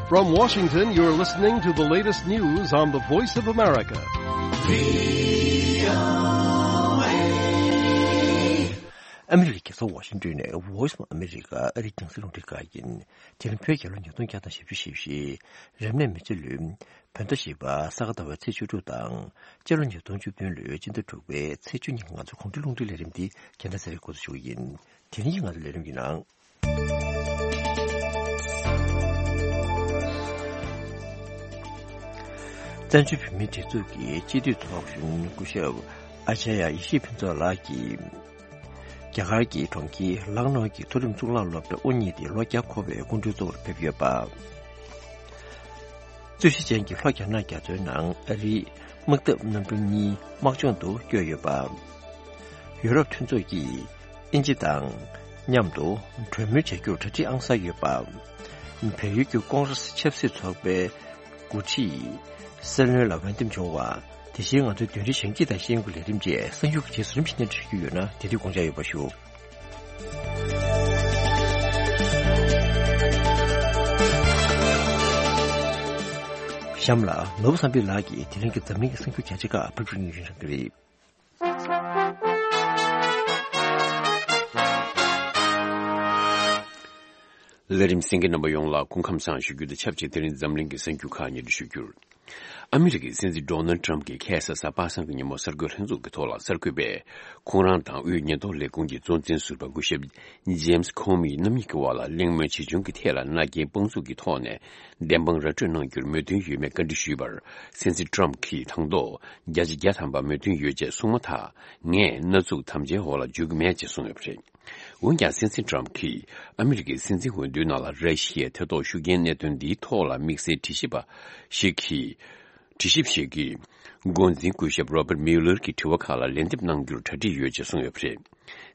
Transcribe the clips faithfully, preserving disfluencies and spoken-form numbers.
From Washington, you're listening to the latest news on the Voice of America. ཨ་མི་རི་ཀའི་རྒྱལ་ས་ཝ་ཤིང་ཏོན་ནས་Voice of America ཨ་རིའི་རྒྱང་སྲིང་རླུང་འཕྲིན་ཁང་ཡིན། དེ་རིང་བོད་རྒྱལ་ལོ་ཉིས་སྟོང་བརྒྱ་དང་བཞི་བཅུ་ཞེ་བཞི། རབ་གནས་མེ་བྱ་ལོའི་བོད་ཟླ་བཞི་པ་ས་ག་ཟླ་བའི་ཚེས་བཅུ་དྲུག་དང་། སྤྱི་ལོ་ཉིས་སྟོང་བཅུ་བདུན་ལོའི་སྤྱི་ཟླ་དྲུག་པའི་ཚེས་བཅུ་གཉིས་ང་ཚོ་གོང་འཕེལ་རླུང་འཕྲིན་ལས་རིམ་འདི་རྒྱལ་ཐང་ས་རའི་འགོ་འཛུགས་ཞུ་གི་ཡིན། དེ་རིང་གི་ང་ཚོ་ལས་རིམ་གྱི་ནང་། བཙན་བྱོལ་བོད་མིའི་སྒྲིག་འཛུགས་ཀྱི་སྤྱི་འཐུས་ཚོགས་གཞོན་སྐུ་ཞབས་ཨ་ཅཱརྱ་ཡེ་ཤེས་ཕུན་ཚོགས་ལགས་ཀྱིས། རྒྱ་གར་གྱི་གྲོང་ཁྱེར་ལག་ནོ་གི་མཐོ་རིམ་གཙུག་ལག་སློབ་གྲྭ་དབུ་བརྙེས་ཏེ་ལོ་བརྒྱ་འཁོར་བའི་སྐུ་མགྲོན་གཙོ་བོར་ཕེབས་ཡོད་པ། རྩོད་གཞི་ཅན་གྱི་ལྷོ་རྒྱ་ནག་རྒྱ་མཚོའི་ནང་ཨ་རིའི་དམག་འཐབ་གནམ་གྲུ་གཉིས་དམག་སྦྱོང་དུ་བསྐྱོད་ཡོད་པ། ཡུ་རོབ་མཐུན་ཚོགས་ཀྱིས་དབྱིན་ཇི་དང་མཉམ་དུ་གྲོས་མོལ་བྱ་རྒྱུར་གྲ་སྒྲིག་ཨང་གསར་ཡོད་པ། བལ་ཡུལ་གྱི་ཀོང་རེས་ཆབ་སྲིད་ཚོགས་པའི་འགོ་ཁྲིད་སྲིད་བློན་ལ་འོས་འདེམས་བྱུང་བ། དེ་བཞིན་ང་ཚོའི་བདུན་རེའི་ཞིང་ཆེན་དང་ཤེས་ཡོན་གྱི་ལས་རིམ་བཅས་གསར་འགྱུར་གྱི་རྗེས་སུ་རིམ་བཞིན་སྙན་སྒྲོན་ཞུ་རྒྱུ་ཡོད་ན་དེ་དུས་དགོངས་འཇགས་ཡོད་པ་ཞུ། གཤམ་ལ་ནོར་བུ་བསམ་འཕེལ་ལགས་ཀྱིས་དེ་རིང་གི་འཛམ་གླིང་གི་གསར་འགྱུར་བརྒྱ་ཆ་ཁག་ཕབ་སྒྱུར་གནང་རྒྱུ་ཡིན་གསུངས་ཀྱི་རེད། ལས་རིམ་གསན་མཁན་རྣམ་པ་ཡོངས་ལ་སྐུ་ཁམས་བཟང་ཞུ་རྒྱུ་དང་ཆབས་ཅིག་དེ་རིང་འཛམ་གླིང་གི་གསར་འགྱུར་ཁག་སྙན་སྒྲོན་ཞུ་རྒྱུར། ཨ་མི་རི་ཀའི་སྲིད་འཛིན་ཌོ་ནལ་ཊམ་གྱིས་ཁ་སང་གཟའ་པ་སངས་ཀྱི་ཉིན་མོ་གསར་འགོད་ལྷན་ཚོགས་ཀྱི་ཐོག་ལ་གསར་འགོད་པས། ཁོང་རང་དང་དབུས་ཉེན་རྟོག་ལས་ཁུངས་ཀྱི་གཙོ་འཛིན་ཟུར་པ་སྐུ་ཞབས་ཇེམ་སི་ཁོ་མི་རྣམ་གཉིས་ཀྱི་དབར་ལ་གླེང་མོལ་ཇི་བྱུང་གི་ཐད་ལ་མནའ་སྐྱེལ་དཔང་བཙུགས་ཀྱི་ཐོག་ནས་བདེན་དཔང་ར་སྤྲོད་གནང་རྒྱུར་མོས་མཐུན་ཡོད་མེད་བཀའ་འདྲི་ཞུས་པར། སྲིད་འཛིན་ཊམ་གྱིས་དང་ཐོག་བརྒྱ་ཆ་བརྒྱ་ཐམ་པ་མོས་མཐུན་ཡོད་ཅེས་གསུངས་མ་ཐག་ངས་མནའ་ཚུགས་དམ་བཅའི་འོག་ལ་འཇུག་གི་མེད་ཅེས་གསུངས་ཡོད་པ་རེད། འོན་ཀྱང་། སྲིད་འཛིན་ཊམ་གྱིས་ཨ་མི་རི་ཀའི་སྲིད་འཛིན་འོས་བསྡུའི་ནང་ལ་ར་ཤི་ཡའི་ཐེ་གཏོགས་ཤུགས་རྐྱེན་གནད་དོན་འདིའི་ཐོག་ལ་དམིགས་བསལ་དྲི་ཞིབ་པ་ཞིག་གིས། དྲི་ཞིབ་ཞིག་གིས། འགོ་འཛིན་སྐུ་ཞབས་Robert Mueller གྱི་དྲི་བ་ཁག་ལ་ལན་འདེབས་གནང་རྒྱུར་གྲ་སྒྲིག་ཡོད་ཅེས་གསུངས་ཡོད་པ་རེད།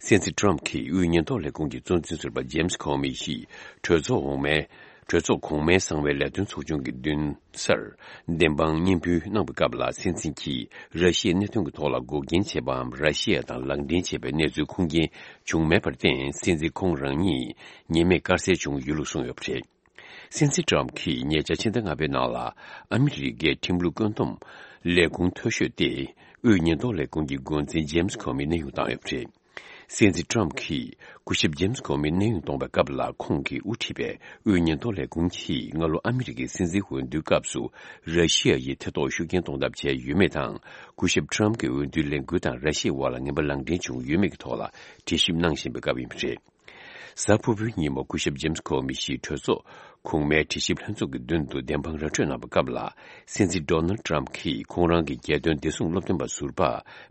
སྲིད་འཛིན་ཊམ་གྱིས་དབུས་ཉེན་རྟོག་ལས་ཁུངས་ཀྱི་གཙོ་འཛིན་ཟུར་པ་ཇེམ་སི་ཁོ་མི་ཡིས་གྲོས་ཚོགས་འོག་མའི། གྲོས་ཚོགས་གོང་མའི་གསང་བའི་ལས་དོན་ཚོགས་ཆུང་གི་མདུན་སར་བདེན་དཔང་སྙན་འབུལ་གནང་བའི་སྐབས་ལ། སྲིད་འཛིན་གྱིས་ར་ཤི་ཡའི་གནད་དོན་གྱི་ཐོག་ལ་འགོག་རྐྱེན་བྱས་པའམ་ར་ཤི་ཡ་དང་ལག་འབྲེལ་བྱས་པའི་གནས་ཚུལ་ཁུངས་སྐྱེལ་བྱུང་མེད་པར་བརྟེན། སྲིད་འཛིན་ཁོང་རང་ཉིད་ཉེས་མེད་དཀར་གསལ་བྱུང་ཡོད་ལུགས་གསུངས་ཡོད་པ་རེད། སྲིད་འཛིན་ཊམ་གྱིས་ཉེ་ཆར་ཕྱི་ཟླ་ལྔ་པའི་ནང་ལ་ཨ་མི་རི་ཀའི་ཁྲིམས་ལུགས་བཀོད་འདོམས་ལས་ཁུངས་མཐོ་ཤོས་ཏེ། དབུས་ཉེན་རྟོག་ལས་ཁུངས་ཀྱི་འགོ་འཛིན་ཇེམ་སི་ཁོ་མི་གནས་དབྱུང་བཏང་ཡོད་པ་རེད། སྲིད་འཛིན་ཊམ་གྱིས་སྐུ་ཞབས་ཇེམ་སི་ཁོ་མི་གནས་དབྱུང་གཏོང་བའི་སྐབས་ལ། ཁོང་གིས་དབུ་ཁྲིད་པའི་དབུས་ཉེན་རྟོག་ལས་ཁུངས་ཀྱིས་སྔ་ལོ་ཨ་མི་རི་ཀའི་སྲིད་འཛིན་འོས་བསྡུའི་སྐབས་སུ་ར་ཤི་ཡ་ཡིས་ཐེ་གཏོགས་ཤུགས་རྐྱེན་གཏོང་ཐབས་བྱས་ཡོད་མེད་དང་། སྐུ་ཞབས་ཊམ་གྱི་འོས་བསྡུའི་ལས་འགུལ་དང་ར་ཤི་ཡའི་དབར་ལ་ངན་པ་ལག་འབྲེལ་བྱུང་ཡོད་མེད་ཀྱི་ཐོག་ལ་དྲི་ཞིབ་གནང་བཞིན་པའི་སྐབས་ཡིན་པ་རེད། གཟའ་ཕུར་བུའི་ཉིན་མོ་སྐུ་ཞབས་ཇེམ་སི་ཁོ་མི་ཡིས་གྲོས་ཚོགས་གོང་མའི་དྲི་ཞིབ་ལྷན་ཚོགས་ཀྱི་མདུན་དུ་བདེན་དཔང་ར་སྤྲོད་གནང་བའི་སྐབས་ལ། སྲིད་འཛིན་ཌོ་ནལ་ཊམ་གྱིས་ཁོང་རང་གི་རྒྱལ་དོན་བདེ་སྲུང་སློབ་སྟོན་པ་ཟུར་པ་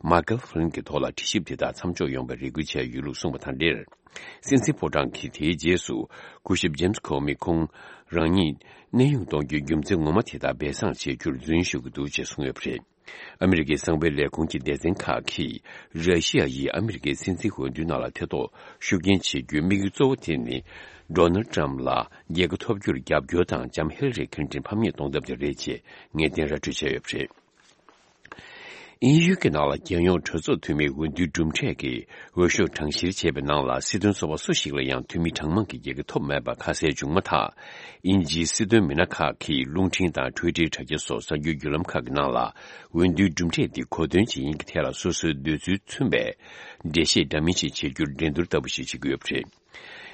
མཱ་ཀལ་ཧྥི་ལིན་གྱི་ཐོག་ལ་དྲི་ཞིབ་དེ་དག་མཚམས་འཇོག་ཡོང་བའི་རེ་སྐུལ་བྱས་ཡོད་ལུགས་གསུངས་པ་དང་འབྲེལ། སྲིད་འཛིན་ཕོ་བྲང་གིས་དེའི་རྗེས་སུ་སྐུ་ཞབས་ཇེམ་སི་ཁོ་མི་ཁོང་རང་ཉིད་གནས་དབྱུང་གཏོང་རྒྱུའི་རྒྱུ་མཚན་ངོ་མ་དེ་དག་སྦས་གསང་བྱེད་རྒྱུར་རྫུན་ཞུ་གི་འདུག་ཅེས་གསུངས་ཡོད་པ་རེད། ཨ་མི་རི་ཀའི་གསང་བའི་ལས་ཁུངས་ཀྱི་སྡེ་ཚན་ཁག་གིས། ར་ཤི་ཡ་ཡིས་ཨ་མི་རི་ཀའི་སྲིད་འཛིན་འོས་བསྡུའི་ནང་ལ་ཐེ་གཏོགས་ཤུགས་རྐྱེན་བྱེད་རྒྱུའི་དམིགས་ཡུལ་གཙོ་བོ་དེ་ནི། ཌོ་ནལ་ཊམ་ལ་རྒྱལ་ཁ་ཐོབ་རྒྱུར་རྒྱབ་སྐྱོར་དང་ལྕམ་ཧི་ལ་རི་ཁིན་ཏོན་ཕམ་ཉེས་གཏོང་ཐབས་དེ་རེད་ཅེས་ངེས་གཏན་ར་སྤྲོད་བྱས་ཡོད་པ་རེད། དབྱིན་ཡུལ་གྱི་ནང་ལ་རྒྱལ་ཡོངས་གྲོས་ཚོགས་འཐུས་མིའི་འོས་བསྡུའི་གྲུབ་འབྲས་ཀྱི་འོས་ཤོག་གྲངས་བཤེར་བྱས་པའི་ནང་ལ། སྲིད་དོན་ཚོགས་པ་སུ་ཞིག་ལ་ཡང་འཐུས་མི་གྲངས་མང་གི་རྒྱལ་ཁ་ཐོབ་མེད་པ་ཁ་གསལ་བྱུང་མ་ཐག་དབྱིན་ཇིའི་སྲིད་དོན་མི་སྣ་ཁག་གིས་རླུང་འཕྲིན་དང་ཊུའི་ཊར་དྲ་རྒྱ་སོགས་གསར་འགྱུར་བརྒྱུད་ལམ་ཁག་གི་ནང་ལ། འོས་བསྡུའི་གྲུབ་འབྲས་འདི་གོ་དོན་ཇི་ཡིན་གྱི་ཐད་ལ་སོ་སོའི་འདོད་ཚུལ་མཚོན་པའི་འགྲེལ་བཤད་འདྲ་མིན་ཞིག་བྱེད་རྒྱུར་འགྲན་བསྡུར་ལྟ་བུ་ཞིག་བྱེད་ཀྱི་ཡོད་པ་རེད།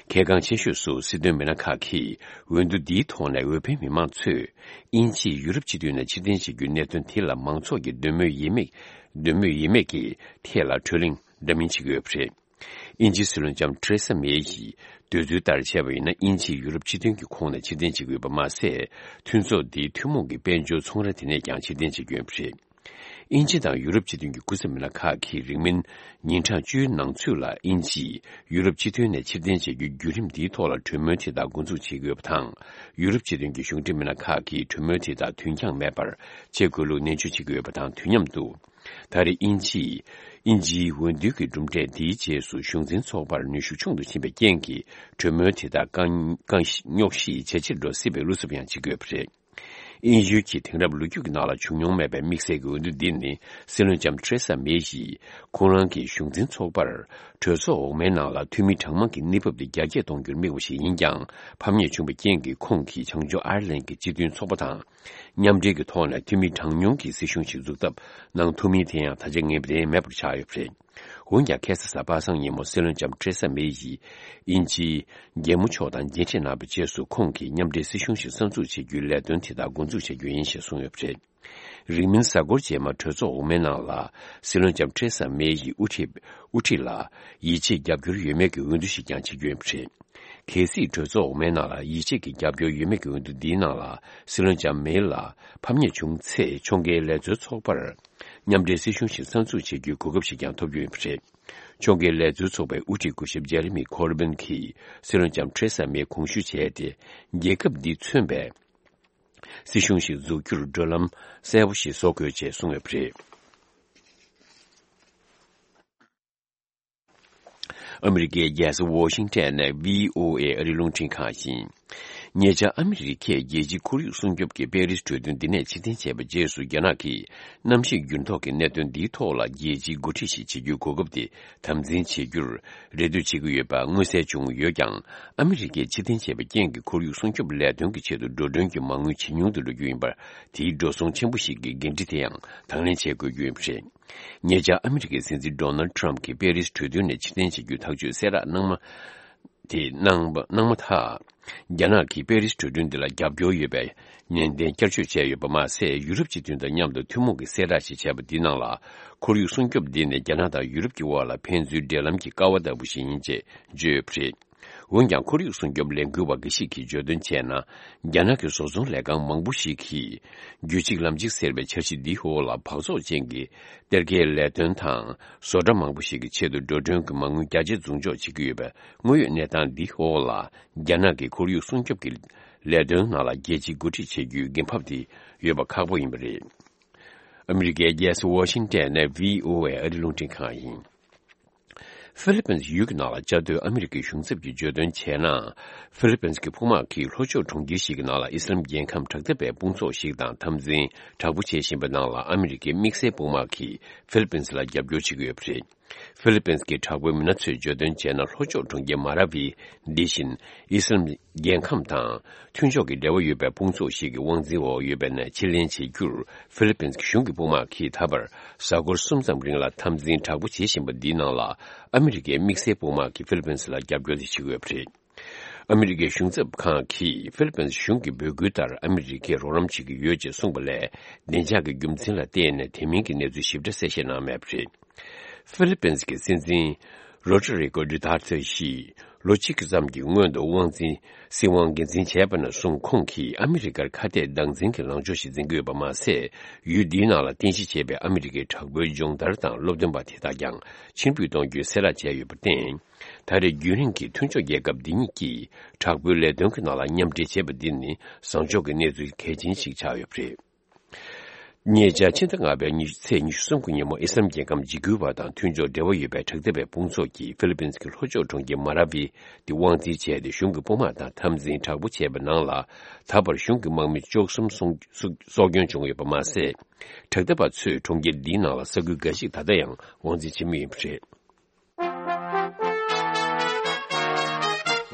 གལ་འགངས་ཆེ་ཤོས་སུ་སྲིད་དོན་མི་སྣ་ཁག་གིས་འོས་བསྡུ་འདིའི་ཐོག་ནས་འོས་འཕེན་མི་མང་ཚོས་དབྱིན་ཇིས་ཡུ་རོབ་སྤྱི་མཐུན་ནས་ཕྱིར་འཐེན་བྱེད་རྒྱུའི་གནད་དོན་དེ་ལ་མང་ཚོགས་ཀྱི་འདོད་མོས་ཡིན་མེད། འདོད་མོས་ཡིན་མེད་ཀྱི་ཐད་ལ་གྲོས་གླེང་འདྲ་མིན་བྱེད་ཀྱི་ཡོད་པ་རེད། དབྱིན་ཇིའི་སྲིད་བློན་ལྕམ་ཐེ་རེ་ས་མེ་ཡིས་འདོད་ཚུལ་ལྟར་བྱས་པ་ཡིན་ན། དབྱིན་ཇིས་ཡུ་རོབ་སྤྱི་མཐུན་གྱི་ཁོངས་ནས་ཕྱིར་འཐེན་བྱེད་ཀྱི་ཡོད་པ་མ་ཟད། མཐུན་ཚོགས་འདིའི་ཐུན་མོང་གི་དཔལ་འབྱོར་ཚོང་ར་དེ་ནས་ཀྱང་ཕྱིར་འཐེན་བྱེད་ཀྱི་ཡོད་པ་རེད། དབྱིན་ཇི་དང་ཡུ་རོབ་སྤྱི་མཐུན་གྱི་སྐུ་ཚབ་མི་སྣ་ཁག་གིས་རིང་མིན་ཉིན་གྲངས་བཅུའི་ནང་ཚུད་ལ་དབྱིན་ཇིས་ཡུ་རོབ་སྤྱི་མཐུན་ནས་ཕྱིར་འཐེན་བྱེད་རྒྱུའི་བརྒྱུད་རིམ་འདིའི་ཐོག་ལ་གྲོས་མོལ་དེ་དག་འགོ་འཛུགས་བྱེད་ཀྱི་ཡོད་པ་དང་། ཡུ་རོབ་སྤྱི་མཐུན་གྱི་གཞུང་འབྲེལ་མི་སྣ་ཁག་གིས་གྲོས་མོལ་དེ་དག་དུས་འགྱངས་མེད་པར་བྱེད་དགོས་ལུགས་ནན་བརྗོད་བྱེད་ཀྱི་ཡོད་པ་དང་དུས་མཉམ་དུ། ད་རེས་དབྱིན་ཇིས། དབྱིན་ཇིའི་འོས་བསྡུ་གི་གྲུབ་འབྲས་འདིའི་རྗེས་སུ་གཞུང་འཛིན་ཚོགས་པར་ནུས་ཤུགས་ཆུང་དུ་ཕྱིན་པའི་རྐྱེན་གྱིས། གྲོས་མོལ་དེ་དག་རྐང་རྐང་རྙོག་གཞིས་ཇེ་ཆེར་འགྲོ་སྲིད་པའི་བློ་འཚབ་ཡང་བྱེད་ཀྱི་ཡོད་པ་རེད། དབྱིན་ཡུལ་གྱི་དེང་རབས་ལོ་རྒྱུས་ཀྱི་ནང་ལ་བྱུང་མྱོང་མེད་པའི་དམིགས་བསལ་གྱི་འོས་བསྡུ་འདི་ནི། སྲིད་བློན་ལྕམ་ཐེ་རེ་ས་མེ་ཡིས་ཁོང་རང་གི་གཞུང་འཛིན་ཚོགས་པར་གྲོས་ཚོགས་འོག་མའི་ནང་ལ་འཐུས་མི་གྲངས་མང་གི་གནས་བབ་དེ་རྒྱ་སྐྱེད་གཏོང་རྒྱུར་དམིགས་པ་ཞིག་ཡིན་ཀྱང་། ཕམ་ཉེས་བྱུང་བའི་རྐྱེན་གྱིས་ཁོང་གིས་བྱང་ཕྱོགས་ཨར་ལན་གྱི་སྤྱི་མཐུན་ཚོགས་པ་དང་མཉམ་འབྲེལ་གྱི་ཐོག་ནས་འཐུས་མི་གྲངས་ཉུང་གི་སྲིད་གཞུང་ཞིག་འཛུགས་ཐབས་གནང་ཐུབ་མིན་དེ་ཡང་ད་ཆ་ངེས་པ་དེ་མེད་པར་ཆགས་ཡོད་པ་རེད། འོན་ཀྱང་ཁ་སང་གཟའ་པ་སངས་ཉིན་མོ་སྲིད་བློན་ལྕམ་ཐེ་རེ་ས་མེ་ཡིས་དབྱིན་ཇིའི་རྒྱལ་མོ་མཆོག་དང་མཇལ་འཕྲད་གནང་བའི་རྗེས་སུ། ཁོང་གིས་མཉམ་འབྲེལ་སྲིད་གཞུང་ཞིག་གསར་འཛུགས་བྱེད་རྒྱུའི་ལས་དོན་དེ་དག་འགོ་འཛུགས་བྱ་རྒྱུ་ཡིན་ཞེས་གསུངས་ཡོད་པ་རེད། རིང་མིན་གཟའ་འཁོར་རྗེས་མ་གྲོས་ཚོགས་འོག་མའི་ནང་ལ་སྲིད་བློན་ལྕམ་ཐེ་རེ་ས་མེ་ཡི་དབུ་ཁྲིད་དབུ་ཁྲིད་ལ་ཡིད་ཆེས་རྒྱབ་སྐྱོར་ཡོད་མེད་ཀྱི་འོས་བསྡུ་ཞིག་ཀྱང་བྱེད་རྒྱུ་ཡིན་པ་རེད། གལ་སྲིད་གྲོས་ཚོགས་འོག་མའི་ནང་ལ་ཡིད་ཆེས་ཀྱི་རྒྱབ་སྐྱོར་ཡོད་མེད་ཀྱི་འོས་བསྡུ་འདིའི་ནང་ལ་སྲིད་བློན་ལྕམ་མེ་ལ་ཕམ་ཉེས་བྱུང་ཚེ། ཕྱོགས་འགལ་ལས་བཟོའི་ཚོགས་པར་མཉམ་འབྲེལ་སྲིད་གཞུང་ཞིག་གསར་འཛུགས་བྱེད་རྒྱུའི་གོ་སྐབས་ཤིག་ཀྱང་ཐོབ་རྒྱུ་ཡིན་པ་རེད། ཕྱོགས་འགལ་ལས་བཟོའི་ཚོགས་པའི་དབུ་ཁྲིད་སྐུ་ཞབས་ཇེ་རེ་མི་ཁོར་བིན་གྱིས་སྲིད་བློན་ལྕམ་ཐེ་རེ་ས་མེ་དགོངས་ཞུ་བྱས་ཏེ། རྒྱལ་ཁབ་འདིས་མཚོན་པའི་སྲིད་གཞུང་ཞིག་འཛུགས་རྒྱུར་བགྲོད་ལམ་གསལ་པོ་ཞིག་བཟོ་དགོས་ཅེས་གསུངས་ཡོད་པ་རེད། ཨ་མི་རི་ཀའི་རྒྱལ་ས་ཝོ་ཤིང་ཊོན་ནས་བྷི་ཨོ་ཨེ་ཨ་རིའི་རླུང་འཕྲིན་ཁང་ཡིན། ཉེ་ཆར་ཨ་མི་རི་ཀས་རྒྱལ་སྤྱིའི་ཁོར་ཡུག་སྲུང་སྐྱོབ་ཀྱི་པེ་རིས་གྲོས་མཐུན་འདི་ནས་ཕྱིར་འཐེན་བྱས་པའི་རྗེས་སུ། རྒྱ་ནག་གིས་གནམ་གཤིས་འགྱུར་ལྡོག་གི་གནད་དོན་འདིའི་ཐོག་ལ་རྒྱལ་སྤྱིའི་འགོ་ཁྲིད་ཞིག་བྱེད་རྒྱུའི་གོ་སྐབས་དེ་དམ་འཛིན་བྱེད་རྒྱུར་རེ་ལྟོས་བྱེད་ཀྱི་ཡོད་པ་མངོན་གསལ་བྱུང་ཡོད་ཀྱང་། ཨ་མི་རི་ཀས་ཕྱིར་འཐེན་བྱས་པའི་རྐྱེན་གྱིས་ཁོར་ཡུག་སྲུང་སྐྱོབ་ལས་དོན་གྱི་ཆེད་དུ་འགྲོ་གྲོན་གྱི་མ་དངུལ་ཇེ་ཉུང་དུ་འགྲོ་རྒྱུ་ཡིན་པར། དེའི་འགྲོ་སོང་ཆེན་པོ་ཞིག་གི་འགན་འཁྲི་དེ་ཡང་དང་ལེན་བྱེད་དགོས་རྒྱུ་ཡིན་པ་རེད། ཉེ་ཆར་ཨ་མི་རི་ཀའི་སྲིད་འཛིན་ཌོ་ནལ་ཊམ་གྱིས་པེ་རིས་གྲོས་མཐུན་ནས་ཕྱིར་འཐེན་བྱེད་རྒྱུའི་ཐག་གཅོད་གསལ་བསྒྲགས་གནང་མ། དེ་གནང་བ་གནང་མ་ཐག་རྒྱ་ནག་གིས་པེ་རིས་གྲོས་མཐུན་འདི་ལ་རྒྱབ་སྐྱོར་ཡོད་པའི་ནན་ཏན་བསྐྱར་བརྗོད་བྱས་ཡོད་པ་མ་ཟད། ཡུ་རོབ་སྤྱི་མཐུན་དང་མཉམ་དུ་ཐུན་མོང་གི་གསལ་བསྒྲགས་ཤིག་བྱས་པ་འདིའི་ནང་ལ། ཁོར་ཡུག་སྲུང་སྐྱོབ་འདི་ནི་རྒྱ་ནག་དང་ཡུ་རོབ་ཀྱི་དབར་ལ་ཕན་ཚུན་འབྲེལ་ལམ་གྱི་ཀ་བ་ལྟ་བུ་ཞིག་ཡིན་ཅེས་བརྗོད་ཡོད་པ་རེད། འོན་ཀྱང་། ཁོར་ཡུག་སྲུང་སྐྱོབ་ལས་འགུལ་བ་འགའ་ཞིག་གིས་བརྗོད་དོན་བྱས་ན། རྒྱ་ནག་གི་བཟོ་ཚོང་ལས་ཁང་མང་པོ་ཞིག་གིས། རྒྱུད་གཅིག་ལམ་གཅིག་ཟེར་བའི་འཆར་གཞི་འདིའི་འོག་ལ་སྦགས་བཙོག་ཅན་གྱི་གཏེར་ཁའི་ལས་དོན་དང་། བཟོ་གྲྭ་མང་པོ་ཞིག་གི་ཆེད་དུ་འགྲོ་གྲོན་གྱི་མ་དངུལ་རྒྱ་ཆེ་རྫུན་འཇོག་བྱེད་ཀྱི་ཡོད་པའི་དངོས་ཡོད་གནས་སྟངས་འདིའི་འོག་ལ། རྒྱ་ནག་གི་ཁོར་ཡུག་སྲུང་སྐྱོབ་ཀྱི་ལས་དོན་ནང་ལ་རྒྱལ་སྤྱིའི་འགོ་ཁྲིད་བྱེད་རྒྱུའི་འགན་ཕབ་དེ་ཡོད་པ་ཁག་པོ་ཡིན་པ་རེད། ཨ་མི་རི་ཀའི་རྒྱལ་ས་ཝ་ཤིང་ཏན་ནས་བྷི་ཨོ་ཨེ་ཨ་རིའི་རླུང་འཕྲིན་ཁང་ཡིན། ཧྥི་ལི་པིན་ཡུལ་གྱི་ནང་ལ་བཅའ་སྡོད་ཨ་མི་རི་ཀའི་གཞུང་ཚབ་ཀྱིས་བརྗོད་དོན་བྱས་ན། ཧྥི་ལི་པིན་གྱི་དཔུང་དམག་གིས་ལྷོ་ཕྱོགས་གྲོང་ཁྱེར་ཞིག་གི་ནང་ལ་ཨི་སི་ལམ་རྒྱལ་ཁམས་དྲག་འཐབ་པའི་དཔུང་ཚོགས་ཤིག་དང་འཐབ་འཛིང་དྲག་པོ་བྱེད་བཞིན་པའི་ནང་ལ། ཨ་མི་རི་ཀའི་དམིགས་བསལ་དཔུང་དམག་གིས་ཧྥི་ལི་པིན་ལ་རྒྱབ་སྐྱོར་བྱེད་ཀྱི་ཡོད་པ་རེད། ཧྥི་ལི་པིན་གྱི་དྲག་པོའི་མི་སྣ་ཚོས་བརྗོད་དོན་བྱས་ན། ལྷོ་ཕྱོགས་གྲོང་ཁྱེར་མ་ར་ཝི་འདི་བཞིན་ཨི་སི་ལམ་རྒྱལ་ཁམས་དང་མཐུན་ཕྱོགས་ཀྱི་འབྲེལ་བ་ཡོད་པའི་དཔུང་ཚོགས་ཤིག་གི་དབང་འཛིན་འོག་ཡོད་པའི་ནས་ཕྱིར་ལེན་བྱེད་རྒྱུར། ཧྥི་ལི་པིན་གཞུང་གི་དཔུང་དམག་གིས་ད་བར་གཟའ་འཁོར་གསུམ་ཙམ་རིང་ལ་འཐབ་འཛིང་དྲག་པོ་བྱེད་བཞིན་པ་འདིའི་ནང་ལ། ཨ་མི་རི་ཀའི་དམིགས་བསལ་དཔུང་དམག་གིས་ཧྥི་ལི་པིན་ལ་རྒྱབ་སྐྱོར་དེ་བྱེད་ཀྱི་ཡོད་པ་རེད། ཨ་མི་རི་ཀའི་གཞུང་ཚབ་ཁང་གིས་ཧྥི་ལི་པིན་གཞུང་གི་འབོད་སྐུལ་ལྟར་ཨ་མི་རི་ཀས་རོགས་རམ་བྱེད་ཀྱི་ཡོད་ཅེས་གསུངས་པ་ལས། བདེ་འཇགས་ཀྱི་རྒྱུ་མཚན་ལ་བརྟེན་ནས་དེ་མིན་གྱི་གནས་ཚུལ་ཞིབ་ཕྲ་གསལ་བཤད་གནང་མེད་པ་རེད། ཧྥི་ལི་པིན་གྱི་སྲིད་འཛིན་རོ་ཏྲི་རི་ཀོ་ཌུ་ཐར་ཏེ་ཡིས་ལོ་གཅིག་ཙམ་གྱི་སྔོན་དུ་དབང་འཛིན་སྲིད་དབང་སྒེར་འཛིན་བྱས་པ་ནས་བཟུང་། ཁོང་གིས་ཨ་མི་རི་ཀར་ཁ་གཏད་བདག་འཛིན་གྱི་ལངས་ཕྱོགས་ཤིག་འཛིན་གྱི་ཡོད་པ་མ་ཟད། ཡུལ་འདིའི་ནང་ལ་རྟེན་གཞི་བྱས་པའི་ཨ་མི་རི་ཀའི་དྲག་པོའི་སྦྱོང་བརྡར་དང་སློབ་སྟོན་པ་དེ་དག་ཀྱང་ཕྱིར་འབུད་གཏོང་རྒྱུའི་གསལ་བསྒྲགས་བྱས་ཡོད་པར་བརྟེན། ད་རེས་རྒྱུན་རིང་གི་མཐུན་ཕྱོགས་རྒྱལ་ཁབ་འདི་གཉིས་ཀྱིས་དྲག་པོའི་ལས་དོན་གྱི་ནང་ལ་མཉམ་འབྲེལ་བྱས་པ་འདི་ནི་བཟང་ཕྱོགས་ཀྱི་གནས་ཚུལ་གལ་ཆེན་ཞིག་ཆགས་ཡོད་པ་རེད། ཉེ་ཆར་ཕྱི་ཟླ་ལྔ་པའི་ཚེས་ཉི་ཤུ་གསུམ་གྱི་ཉིན་མོ། ཨི་སི་ལམ་རྒྱལ་ཁམས་འཇིགས་སྐུལ་བ་དང་མཐུན་ཕྱོགས་འབྲེལ་བ་ཡོད་པའི་དྲག་འཐབ་པའི་དཔུང་ཚོགས་ཀྱིས་ཧྥི་ལི་པིན་གྱི་ལྷོ་ཕྱོགས་གྲོང་ཁྱེར་མ་ར་ཝི་དེ་དབང་འཛིན་བྱས་ཏེ། གཞུང་གི་དཔུང་དམག་དང་འཐབ་འཛིང་དྲག་པོ་བྱས་པའི་ནང་ལ། ད་བར་གཞུང་གི་དམག་མི་བཅུ་གསུམ་སྲོག་སྲོག་སྐྱོན་བྱུང་ཡོད་པ་མ་ཟད། དྲག་འཐབ་པ་ཚོས་གྲོང་ཁྱེར་འདིའི་ནང་ལ་ས་ཁུལ་འགའ་ཞིག་ད་ལྟ་ཡང་དབང་འཛིན་བྱེད་མུས་ཡིན་པ་རེད།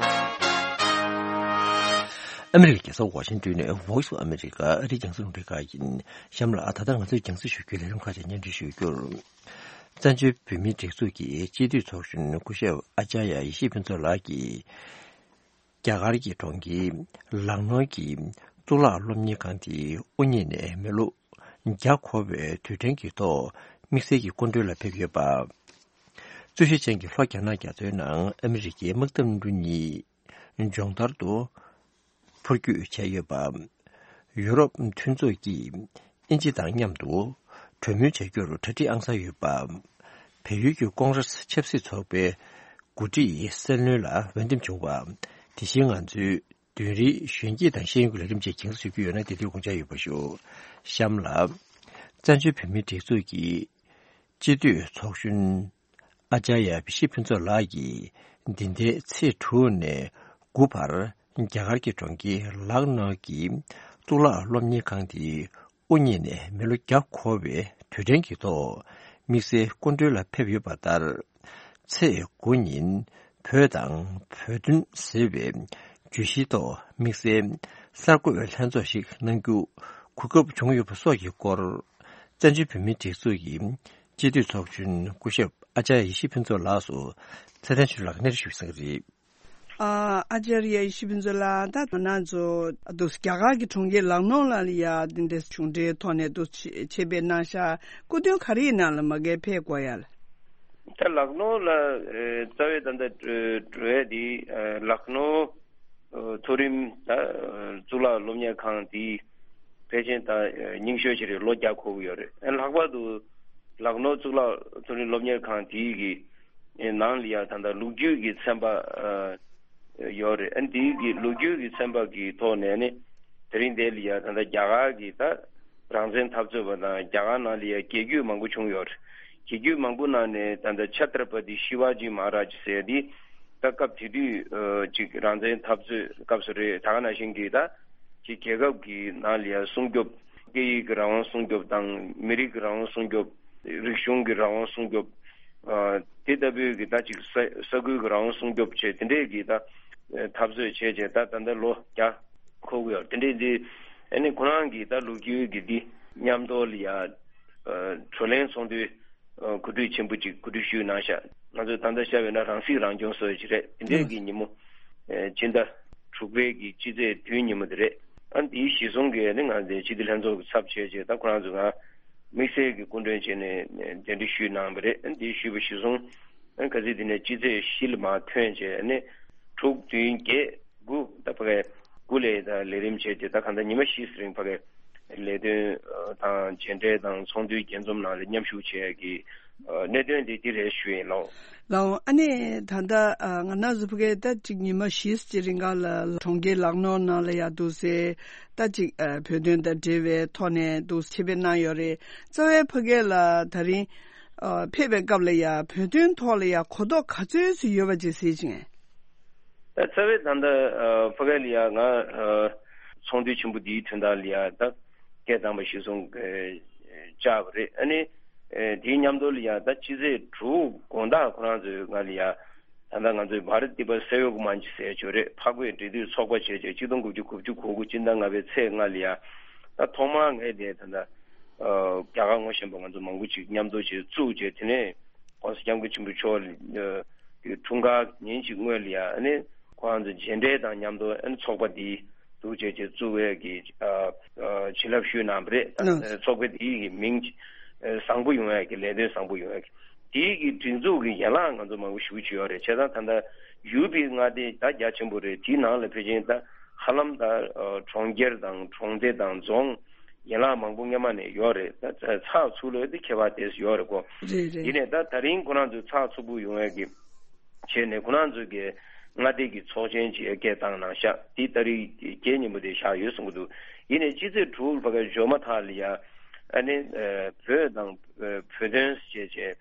ཨ་མི་རི་ཀའི་རྒྱལ་ས་ཝ་ཤིང་ཏོན་ནས་Voice of America ཨ་རིའི་རྒྱང་སྲིང་རླུང་འཕྲིན་ཁང་ཡིན། གཤམ་ལ་ད་ལྟ་ང་ཚོས་རྒྱང་སྲིང་ཞུ་རྒྱུའི་ལས་རིམ་ཁག་ཅིག་སྙན་སྒྲོན་ཞུ་རྒྱུར། བཙན་བྱོལ་བོད་མིའི་སྒྲིག་འཛུགས་ཀྱི་སྤྱི་འཐུས་ཚོགས་གཞོན་སྐུ་ཞབས་ཨ་ཅཱརྱ་ཡེ་ཤེས་ཕུན་ཚོགས་ལགས་ཀྱིས། རྒྱ་གར་གྱི་གྲོང་ཁྱེར་ལག་ནོར་གྱི་གཙུག་ལག་སློབ་གཉེར་ཁང་དེའི་དབུ་བརྙེས་ནས་མི་ལོ་བརྒྱ་འཁོར་བའི་དུས་དྲན་གྱི་ཐོག་དམིགས་བསལ་གྱི་སྐུ་མགྲོན་ལ་ཕེབས་ཡོད་པ། རྩོད་གཞི་ཅན་གྱི་ལྷོ་རྒྱ་ནག་རྒྱ་མཚོའི་ནང་ཨ་མི་རི་ཀའི་དམག་འཐབ་འཕྲུལ་གཉིས་སྦྱོང་བརྡར་དུ་འཕུར་སྐྱོད་བྱས་ཡོད་པ། ཡུ་རོབ་མཐུན་ཚོགས་ཀྱིས་དབྱིན་ཇི་དང་མཉམ་དུ་གྲོས་མོལ་བྱ་རྒྱུར་གྲ་སྒྲིག་ཨང་གསར་ཡོད་པ། བལ་ཡུལ་གྱི་ཀོང་རེས་ཆབ་སྲིད་ཚོགས་པའི་འགོ་ཁྲིད་སྲིད་བློན་ལ་འོས་འདེམས་བྱུང་བ། དེ་བཞིན་ང་ཚོའི་བདུན་རེའི་གཞོན་སྐྱེས་དང་ཤེས་ཡོན་གྱི་ལས་རིམ་བཅས་རྒྱང་སྲིང་ཞུ་རྒྱུ་ཡོད་ན། དེ་དུས་དགོངས་འཆར་ཡོད་པ་ཞུ། གཤམ་ལ། བཙན་བྱོལ་བོད་མིའི་སྒྲིག་འཛུགས་ཀྱི་སྤྱི་འཐུས་ཚོགས་གཞོན་ཨ་ཅཱརྱ་ཡེ་ཤེས་ཕུན་ཚོགས་ལགས་ཀྱིས་འདི་ཟླའི་ཚེས་དྲུག་ནས་དགུ་བར་རྒྱ་གར་གྱི་གྲོང་ཁྱེར་ལག་ནོར་གྱི་ གཙུག་ལག་སློབ་གཉེར་ཁང་དེ་དབུ་བརྙེས་ནས་མི་ལོ་བརྒྱ་འཁོར་བའི་དུས་དྲན་གྱི་ཐོག་དམིགས་བསལ་སྐུ་མགྲོན་ལ་ཕེབས་ཡོད་པ་ལྟར། ཚེས་དགུ་ཉིན་བོད་དང་བོད་དོན་ཟེར་བའི་བརྗོད་གཞིའི་ཐོག་དམིགས་བསལ་གསར་འགོད་ལྷན་ཚོགས་ཤིག་གནང་རྒྱུ་གོ་སྐབས་བྱུང་ཡོད་པ་སོགས་ཀྱི་སྐོར། བཙན་བྱོལ་བོད་མིའི་སྒྲིག་འཛུགས་ཀྱི་སྤྱི་འཐུས་ཚོགས་གཞོན་སྐུ་ཞབས་ཨ་ཅར་ཡེ་ཤེས་ཕུན་ཚོགས་ལགས་སུ་ཚེ་བརྟན་ཆོས་གྲགས་ལགས་ཀྱིས་གནས་དྲི་ཞུས་གནང་གི་རེད། ཨ་ཨ་ཅར་ཡེ་ཤེས་ཕུན་ཚོགས་ལགས། ད་ང་རང་ཚོ་འདུག་རྒྱ་གར་གྱི་གྲོང་ཁྱེར་ལག་ནོ་ལ་ཡ་འདི་འདྲའི་གཞུང་འབྲེལ་ཐོག་ནས་འདུག་ཆེད་ཕེབས་གནང་ཤག་སྐུ་མདུན་ག་རེ་ཡིན་ནམ་ལ་མ་གིར་ཕེབས་དགོས་ཡ་ལ། ད་ལག་ནོ་ལ་ཨེ་རྩ་བའི་ད་ལྟ་འགྲོ་འགྲོ་ཡ་དེ་ཨེ་ལག་ནོ་ཨེ་མཐོ་རིམ་ད་ཨེ་གཙུག་ལག་སློབ་གཉེར་ཁང་དེ་ཕལ་ཆེར་ད་ཨེ་རྙིང་ཤོས་ཅིག་རེད། ལོ་བརྒྱ་འཁོར་གྱི་ཡོད་རེད། ཨེ་ལྷག་པར་དུ་ལག་ནོ་གཙུག་ལག་མཐོ་རིམ་སློབ་གཉེར་ཁང་དེ་གི་ནང་ལ་ཡང་ད་ལྟ་ལོ་རྒྱུས་ཀྱི་ཚན་པ་ཨ་ཡོད་རེད། ཨ་ནི་དེའི་གི་ལོ་རྒྱུས་ཀྱི་ཚན་པ་གི་ཐོག་ནས་ནི་དེ་རིང་འདི་ལ་ཡང་ད་ལྟ་རྒྱ་གར་གི་ད་རང་བཙན་འཐབ་རྩོད་པ་དང་རྒྱ་གར་ནང་ལ་ཡང་རྒྱལ་རྒྱུད་མང་པོ་བྱུང་ཡོད་རེད། རྒྱལ་རྒྱུད་མང་པོ་ནང་ནས་ད་ལྟ་ཆ་ཏྲ་པ་ཏི་ཤི་ཝ་ཇི་མ་ཧ་ར་ཇི་ཟེར་འདི་ད་སྐབས་དེ་དུས་ཨ་ཅིག་རང་བཙན་འཐབ་རྩོད་སྐབས་སུ་རེད། ད་ག་ནང་བཞིན་གི་ད་ཅིག་རྒྱལ་ཁབ་ཀྱི་ནང་ལ་ཡང་སྲུང་སྐྱོབ། སྐད་ཡིག་གི་རང་དབང་སྲུང་སྐྱོབ་དང་མི་རིགས་ཀྱི་རང་དབང་སྲུང་སྐྱོབ། རིག་གཞུང་གི་རང་དབང་སྲུང་སྐྱོབ། ཨ་དེ་ལྟ་བུའི་གི་ད་ཅིག་ས་ས་ཁུལ་གྱི་རང་དབང་སྲུང་སྐྱོབ་བྱས་དེ་འདྲས་ཀྱི་ད་འཐབ་རྩོད་བྱས་བྱས་ད་ད་ལྟ་ལོ་བརྒྱ་འཁོར་གྱི་ཡོད། དེ་འདྲས་འདི་ཨ་ནི་ཁོ་རང་གི་ད་ལོ་རྒྱུས་ཀྱི་འདི་མཉམ་དུ་ལ་ཡ་ཨ་བགྲོ་གླེང་ཚོགས་འདུ་ཨ་གོ་སྒྲིག་ཆེན་པོ་ཅིག་གོ་སྒྲིག་ཞུས་གནང་ཤག་ང་ཚོས་ད་ལྟ་བཤད་པས་ན་རང་སྲིད་རང་སྐྱོང་སྲོལ་ཅིག་རེད། དེ་འདྲས་ཀྱི་ཉིན་མོ་ཨ་ཕྱི་ཟླ་དྲུག་པའི་གི་སྤྱི་ཚེས་བདུན་ཉིན་མོ་དེ་རེད། ཨ་འདིའི་གཞི་བཟུང་གི་ཨ་ནི་ང་ཚོའི་སྤྱི་འཐུས་ལྷན་ཚོགས་ཀྱི་ཚབ་བྱས་བྱས་ད་ཁོ་རང་ཚོ་ང་དམིགས་བསལ་གྱི་སྐུ་མགྲོན་བྱས་ནས་གདན་འདྲེན་ཞུས་གནང་བ་རེད། ཨ་འདིའི་ཞུས་པ་གཞི་བཟུང་ཨ་ག་ཚོད་དེ་ནས་སྤྱི་ཚེས་བཞི་ལ་མར་ཐོན་བྱས་ཨ་ནི་དྲུག་བདུན་བརྒྱད་དགུ་ད་ཕ་གའི་དགུ་ལས་ད་ལས་རིམ་བྱས་ཏེ་ད་གང་ལྟར་ཉི་མ་བཞི་ཙམ་རིང་ཕ་གའི་ལས་དོན་དང་མཇལ་འཕྲད་དང་ཚོགས་འདུའི་རྒྱས་འཛོམས་ནང་ལ་མཉམ་ཞུགས་བྱས་ཀྱི་གནད་དོན་དེ་འདི་རེད་ཞུ་ཡིན་ལགས། ལགས་འོང་། ཨ་ནི་ད་ལྟ་ང་རང་ཚོ་ཕ་གའི་ད་ཅིག་ཉི་མ་བཞི་ཙམ་རིང་ག་ལ་གྲོང་ཁྱེར་ལག་ནོར་ནང་ལ་ཡ་འདུག་སེ་ད་ཅིག་བོད་དོན་དང་འབྲེལ་བའི་ཐོག་ནས་འདུག་ཆེད་ཕེབས་གནང་ཡོད་རེད། རྩ་བའི་ཕ་གའི་ལ་ད་རིང་ཕེབས་པའི་སྐབས་ལ་ཡ་བོད་དོན་ཐོག་ལ་ཡ་གོ་རྟོགས་ག་ཚོད་ཙམ་ཡོད་པ་ཅིག་གཟིགས་ཅིང་། ད་རྩ་བའི་ད་ལྟ་ཨ་ཕ་གི་ལ་ཡ་ང་ཨ་ཚོགས་འདུ་ཆེན་པོ་འདིའི་དོན་དག་ལ་ཡ་ད་སྐད་བཏང་པ་གཞི་བཟུང་ཨ་བཅར་བ་རེད། ཨ་ནི་ཨ་དེའི་མཉམ་དུ་ལ་ཡ་ད་སྤྱི་ཚེས་དྲུག་དགོང་དག་ཁོ་རང་ཚོས་ང་ལ་ཡ་ད་ལྟ་ང་ཚོའི་བྷ་རཏ་ཏི་པ་སེ་ཡོག་མན་ཆི་ཟེར་ཡོད་རེད། འཕགས་བོད་འབྲེལ་མཐུད་ཚོགས་པ་བྱས་བྱས་གཅིག་སྟོང་དགུ་བརྒྱ་དགུ་བཅུ་གོ་དགུ་སྤྱི་ཟླ་ལྔ་པའི་ཚེས་ལྔ་ལ་ཡ་ད་ཐོག་མར་ངས་དེ་ད་ལྟ་ཨ་རྒྱ་གར་ངོ་ཤེས་པ་ང་ཚོ་མང་པོ་ཅིག་མཉམ་དུ་ཅིག་བཙུགས་བྱས་དེ་ནས་༸གོང་ས་༸སྐྱབས་མགོན་ཆེན་པོ་མཆོག་ལ་ཨ་དེ་འཁྲུངས་སྐར་ཉིན་ཅིག་སྔོན་ལ་ཡ་ཨ་ནི་ཁོང་ཚོ་མཇལ་འཕྲད་དང་མཉམ་དུ་ཨ་ནི་ཚོགས་པ་འདི་འདུག་བྱས་བྱས་བཙུགས་པའི་གི་ཨ་ཨ་བྱིན་རླབས་ཞུས་གནང་བ་རེད། ཨ་ཚོགས་པ་འདིའི་གི་མིང་ཨ་བཟང་པོ་ཡོང་ཡ་གི་ལས་དོན་བཟང་པོ་ཡོང་ཡ་གི་དེའི་གི་སྒྲིག་འཛུགས་གི་ཡན་ལག་ང་ཚོ་མང་པོ་ཞེ་པོ་ཅིག་ཡོད་རེད། བྱས་ཙང་ད་ལྟ་ཡུ་པི་མངའ་སྡེ་ད་རྒྱ་ཆེན་པོ་རེད། དེའི་ནང་ལ་ཕལ་ཆེར་ད་ཧ་ལམ་ད་ཨ་གྲོང་ཁྱེར་དང་གྲོང་སྡེ་དང་རྫོང་ཡན་ལག་མང་པོ་སྔོན་མ་ནས་ཡོད་རེད། ད་ཚགས་ཚུད་ལོས་དེ་ཁྱད་པར་དེ་ཡོད་རེད་གོ། རེད་རེད། ཡིན་ནའི་ད་ད་རིང་ཁོ་རང་ཚོའི་ཚགས་ཚུད་པོ་ཡོང་ཡས་ཀྱི་བྱས་ནས་ཁོ་རང་ཚོའི་གི་མངའ་སྡེ་གི་ཚོགས་ཆེན་ཅིག་སྐད་བཏང་གནང་ཤག་དེ་ཏ་རིག་བརྒྱད་ཉིན་མོ་དེ་བཞག་ཡོད་གསུང་གི་འདུག་ཡིན་ནའི་སྤྱི་ཚེས་དྲུག་ལ་ཕ་གི་འབྱོར་མ་ཐག་ལ་ཡ་ཨ་ནི་ཨ་བོད་དང་ཨ་བོད་དོན་ཞེས་བྱས་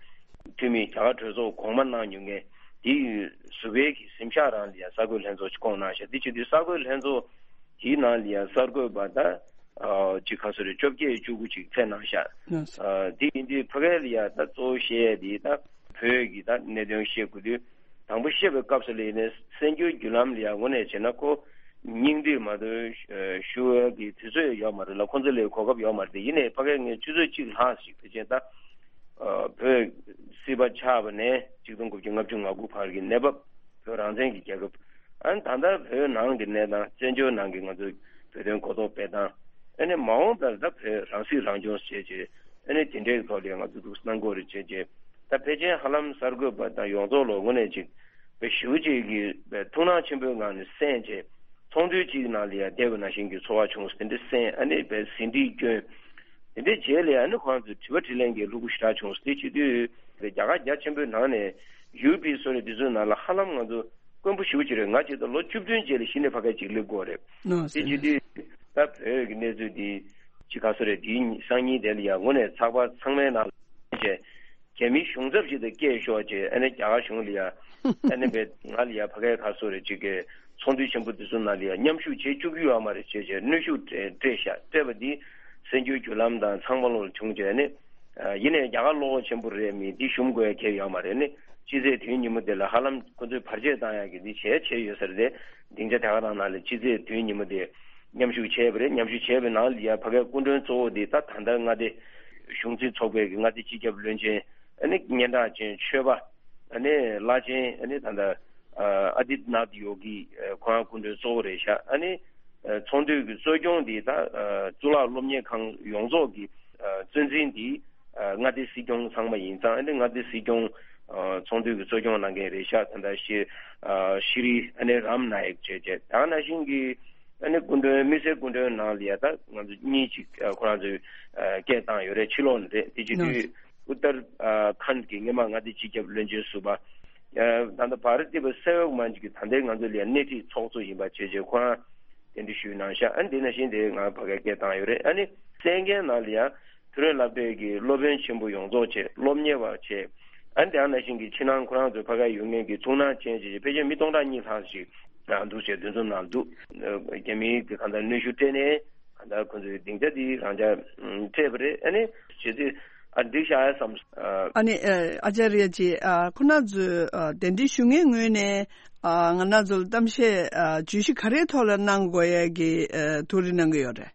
འཐུས་མི་རྒྱ་གར་གྲོས་ཚོགས་གོང་མ་གནང་མྱོང་མཁན་དེ་ཡི་ཟུར་པའི་གི་གཟིམ་ཤག་རང་ལ་ཡ་གསར་འགོད་ལྷན་ཚོགས་ཅིག་བསྐོངས་གནང་ཤག་དེ་བྱེད་དུས་གསར་འགོད་ལྷན་ཚོགས་དེའི་ནང་ལ་ཡ་གསར་འགོད་པ་ད། ཨ་ཅིག་ག་ཚོད་རེད། བཅོ་བརྒྱད་བཅུ་དགུ་ཅིག་ཕེབས་གནང་ཤག་ཨ་དེ་ཡིན་དུས་ཕ་གི་ལ་ཡ་ད་གཙོ་བོ་བཤད་ཡས་དེ་ད་བོད་ཀྱི་ད་གནད་དོན་བཤད་དགོས་དུས་དང་པོ་བཤད་པའི་སྐབས་སུ་ལ་ཡིན་ནའི་གསན་རྒྱུའི་བརྒྱུད་ལམ་ལ་ཡ་དངོས་གནས་བྱས་ན་ཁོ་སྙིང་བསྡུས་མ་གཏོགས་ཞུ་ཡས་ཀྱི་དུས་ཚོད་ཡོད་མ་རེད་ལ། ཁོང་ཚོ་ལ་གོ་སྐབས་ཡོད་མ་རེད་དེ། ཡིན་ནའི་ཕ་གི་ངས་ཆུ་ཚོད་གཅིག་ལྷག་ཞིག་ཕལ་ཆེར་ད་ཨ་བོད་སྲིད་པ་ཆགས་པ་ནས་གཅིག་སྟོང་དགུ་བརྒྱ་ལྔ་བཅུ་ང་དགུ་བར་གྱི་གནས་བབ། བོད་རང་བཙན་གྱི་རྒྱལ་ཁབ། ཨ་ནི་ད་ལྟ་བོད་ནང་གི་གནས་སྟངས། བཙན་བྱོལ་ནང་གི་ང་ཚོའི་བོད་དོན་གོ་རྟོགས་སྤེལ་སྟངས། ཨ་ནི་མ་འོངས་པར་ད་བོད་རང་སྲིད་རང་སྐྱོང་བྱས་རྗེས་ཨ་ནི་དེ་འདྲའི་ཐོག་ལ་ང་ཚོ་འདུག་གནང་དགོས་རེད་བྱས་རྗེས། ད་ཕལ་ཆེར་ཧ་ལམ་གསར་འགོད་པ་དང་ཡོངས་རྫོགས་ལོ་དངོས་གནས་ཅིག་བོད་ཞེ་པོ་ཅིག་གིས་བོད་ཐུགས་སྣང་ཆེན་པོའི་ངང་ནས་གསན་རྗེས་ཚོགས་འདུ་གཅིག་ནང་ལ་ཡ་བསྡད་པ་ནང་བཞིན་གྱི་ཚོར་བ་བྱུང་སོང་། དེ་འདྲ་གསན། ཨ་ནི་བོད་ཟིན་བྲིས་བསྐྱོན། དེ་འདྲའི་རྗེས་ལ་ཨ་ནི་ཁོང་ཚོས་དྲི་བ་དྲིས་ལན་གྱི་ལྷུག་པོ་ཞེ་དྲག་བྱུང་སྟེ། སྤྱི་འཐུས་རྒྱ་གར་རྒྱ་ཆེན་པོའི་ནང་ནས་ཡུ་པི་སོགས་རེད། དེ་ཚོའི་ནང་ལ་ཧ་ལམ་ང་ཚོ་དཀོན་པོ་ཞེ་པོ་ཅིག་རེད། ང་ཅིག་ད་ལོ་བཅུ་བདུན་རྗེས་ལ་གཞི་ནས་ཕ་གིར་ཅིག་སླེབས་དགོས་རེད། ནོ་དེ་སྤྱི་འཐུས་ད་བོད་ཀྱི་གནས་ཚུལ་འདི་ཅིག་ག་ཚོད་རེད། དེའི་སང་ཉིན་དེ་ལ་ཡང་དངོས་གནས་ཚགས་པར་ཚང་མའི་ནང་ལ་བྱས། རྒྱ་མིའི་གཞུང་ཚབ་ཅིག་དང་སྐད་ཤོར་བྱས། ཨ་ནི་རྒྱ་གར་གཞུང་ལ་ཡ་ཨ་ནི་བས་ང་ལ་ཡ་ཕ་གིར་ག་ཚོད་རེད་ཅིག་གི་ ཚོགས་འདུ་ཆེན་པོ་དེ་ཚོ་ནང་ལ་ཡང་མཉམ་ཞུགས་བྱེད་བཅུག་གི་ཡོད་མ་རེད་ཅེས་བྱས་གནོན་ཤུགས་སྤྲད་སྤྲད་ཤག་སྤྲད་པ་འདི་གསར་འགྱུར་བརྒྱུད་ལམ་དང་ཚང་མ་ལོག་བྱུང་བྱས་ནས། ཡིན་ནའི་རྒྱ་གར་བློ་ཁོག་ཆེན་པོ་རེད། མི་འདི་ཞུམ་དགོས་ཡ་གལ་ཡོད་མ་རེད། ནི་སྤྱི་ཚེས་དེའི་ཉིན་མོ་དེ་ལ་ཧ་ལམ་ཁོ་ཚོས་བར་ཆད་བཏང་ཡ་གི་འདི་བྱས་བྱས་ཡོད་ས་རེད། དེ་སྡིངས་ཆ་དེ་ག་རང་ནང་ལ་སྤྱི་ཚེས་དེའི་ཉིན་མོ་དེ་མཉམ་ཞུགས་བྱས་པ་རེད། མཉམ་ཞུགས་བྱས་པའི་ནང་ལ་ཡ་ཕ་གའི་སྐུ་མགྲོན་གཙོ་བོ་དེ་ད་ད་ལྟ་མངའ་སྡེ་གཞུང་འཛིན་ཚོགས་པའི་གི་མངའ་སྡེ་སྤྱི་ཁྱབ་བློན་ཆེན། ཨ་ནི་སྙན་གྲགས་ཅན་ཆོས་པ། ཨ་ནི་བླ་ཆེན། ཨ་ནི་ད་ལྟ་ཨ་ཨ་དི་ནཱཐ་ཡོ་གི་ཁོ་རང་སྐུ་མགྲོན་གཙོ་བོ་རེད་ཤག་ཨ་ནི་ཚོགས་འདུའི་གི་གཙོ་སྐྱོང་འདི་ད་གཙུག་ལག་སློབ་གཉེར་ཁང་ཡོངས་རྫོགས་ཀྱི་གཙོ་འཛིན་འདི་མངའ་སྡེ་སྲིད་སྐྱོང་ཚང་མ་ཡིན་ཙང་། ཨ་ནི་མངའ་སྡེ་སྲིད་སྐྱོང་ཚོགས་འདུའི་གི་གཙོ་སྐྱོང་གནང་མཁན་རེད་ཤག་ད་ལྟ་ཤི་ཤི་རི་ཨ་ནི་རམ་ནཱ་ཡིག་བྱས་བྱས། ད་ག་ནང་བཞིན་གྱི་ཨ་ནི་སྐུ་མགྲོན། དམིགས་བསལ་སྐུ་མགྲོན་ནང་ལ་ཡ་ད་ང་ཚོ་གཉིས་ཅིག་ཁོ་རང་ཚོས་སྐད་བཏང་ཡོད་རེད། ཕྱི་ལོགས་ནས་རེད། དེ་བྱེད་དུས་ཨུ་ཏར་ཁཱན་གྱི་སྔོན་མ་མངའ་སྡེ་སྤྱི་ཁྱབ་བློན་ཆེན་ཟུར་པ། ད་ལྟ་བྷ་ར་ཏི་པ་ས་ཡོག་མན་ཇི་གི་ད་ལྟའི་ང་ཚོ་ལ་སྣེ་ཁྲིད་ཚོགས་གཙོ་ཡིན་པ་བྱས་བྱས་ཁོ་རང་གདན་འདྲེན་ཞུས་གནང་ཤག་ཨ་ནི་དེ་ནང་བཞིན་དེ་ང་ཕ་གིར་སྐད་བཏང་ཡོད་རེད། ཨ་ནི་གསན་མཁན་ནང་ལ་ཡང་ཕུན་རོན་སློབ་གྲྭའི་གི་སློབ་དཔོན་ཆེན་པོ་ཡོངས་རྫོགས་བྱས། སློབ་གཉེར་བ་བྱས། ཨ་ནི་དེ་ནང་བཞིན་གྱི་ཕྱི་ནང་ཁོ་རང་ཚོའི་ཕ་གིར་ཡོད་མཁན་གྱི་ཐུགས་སྣང་ཅན་བྱས་བྱས་ཕལ་ཆེར་མི་སྟོང་ཕྲག་གཉིས་ལྷག་ཞིག་འདུག་ཅེས་འདུ་འཛོམས་གནང་འདུག་རྒྱ་མིའི་གི་གང་ལྟར་གནོན་ཤུགས་སྤྲད་ནས། ད་ཁོ་ཚོའི་སྡིངས་ཆ་འདི་རང་འཇགས་སྤྲད་པ་རེད། ཨ་ནི་བྱེད་དུས་ཨ་འགྲིག་ཤག་ཡ་བསམ། ཨ་ནི་ཨ་ཨ་ཅཱ་རི་ཡ་ཅེ། ཁོ་རང་ཚོས་གདན་འདྲེན་ཞུ་མཁན་ངོས་ནས་ང་རང་ཚོ་ལ་གཏམ་བཤད་བརྗོད་གཞི་ག་རེའི་ཐོག་ལ་གནང་དགོས་ཡ་གི་ཐུགས་རེ་གནང་གི་ཡོད་རེད།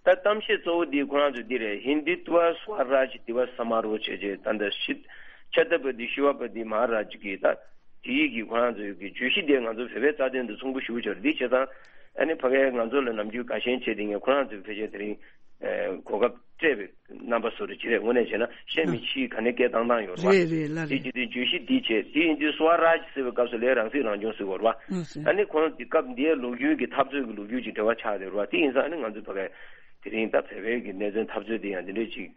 ད་གཏམ་བཤད་གཙོ་བོ་འདི་ཁོ་རང་ཚོས་འདི་རེད། ཧིན་དུ་ཏུ་སྭ་རཱཇ་དི་བ་ས་མ་རོ་བྱས་རྗེས་ད་ལྟ་ཤི་ཆ་ཏ་པ་ཏི་ཤི་བ་པ་ཏི་མ་ཧ་རཱཇ་གི་ད། དེ་ཡིག་གི་ཁོ་རང་ཚོའི་གི་བརྗོད་གཞི་དེ་ང་ཚོ་བོད་པའི་རྩ་དོན་དུ་ཚོགས་འདུ་ཞུ་ཆོག་འདི་བྱས་ཙང་། ཨ་ནི་ཕ་གིའི་ང་ཚོ་ལ་ནམ་རྒྱུན་དགའ་ཞེན་བྱེད་དེ་ངས་ཁོ་རང་ཚོའི་ཕལ་ཆེར་དེ་རིང་གོ་སྐབས་སྤྲད་པའི་རྣམ་པ་བཟོ་རེ་བྱེད་རེད། དངོས་གནས་བྱས་ན་གཞན་མི་ཕྱིའི་ག་ནས་སྐད་བཏང་བཏང་ཡོད་རེད་བ། རེད་རེད་ལ་དེ་རེད། བྱེད་དུས་བརྗོད་གཞི་འདི་བྱས། དེ་ཡིན་དུས་སྭ་རཱཇ་ཟེར་བའི་སྐབས་སུ་ལས་རང་སྲིད་རང་སྐྱོང་ཟེར་དགོས་རེད་བ། ཨ་ནི་ཁོང་དེ་སྐབས་འདིའི་ལོ་རྒྱུས་ཀྱི་འཐབ་རྩོད་ཀྱི་ལོ་རྒྱུས་ཀྱི་འབྲེལ་བ་ཆགས་བསྡད་རེད་བ། དེ་ཡིན་ཙང་ཨ་ནི་ང་ཚོ་ཕ་གིའི་དེ་རིང་ད་བོད་པའི་གི་གནད་དོན་འཐབ་རྩོད་དེ་ཡང་དེ་འདྲས་ཅིག་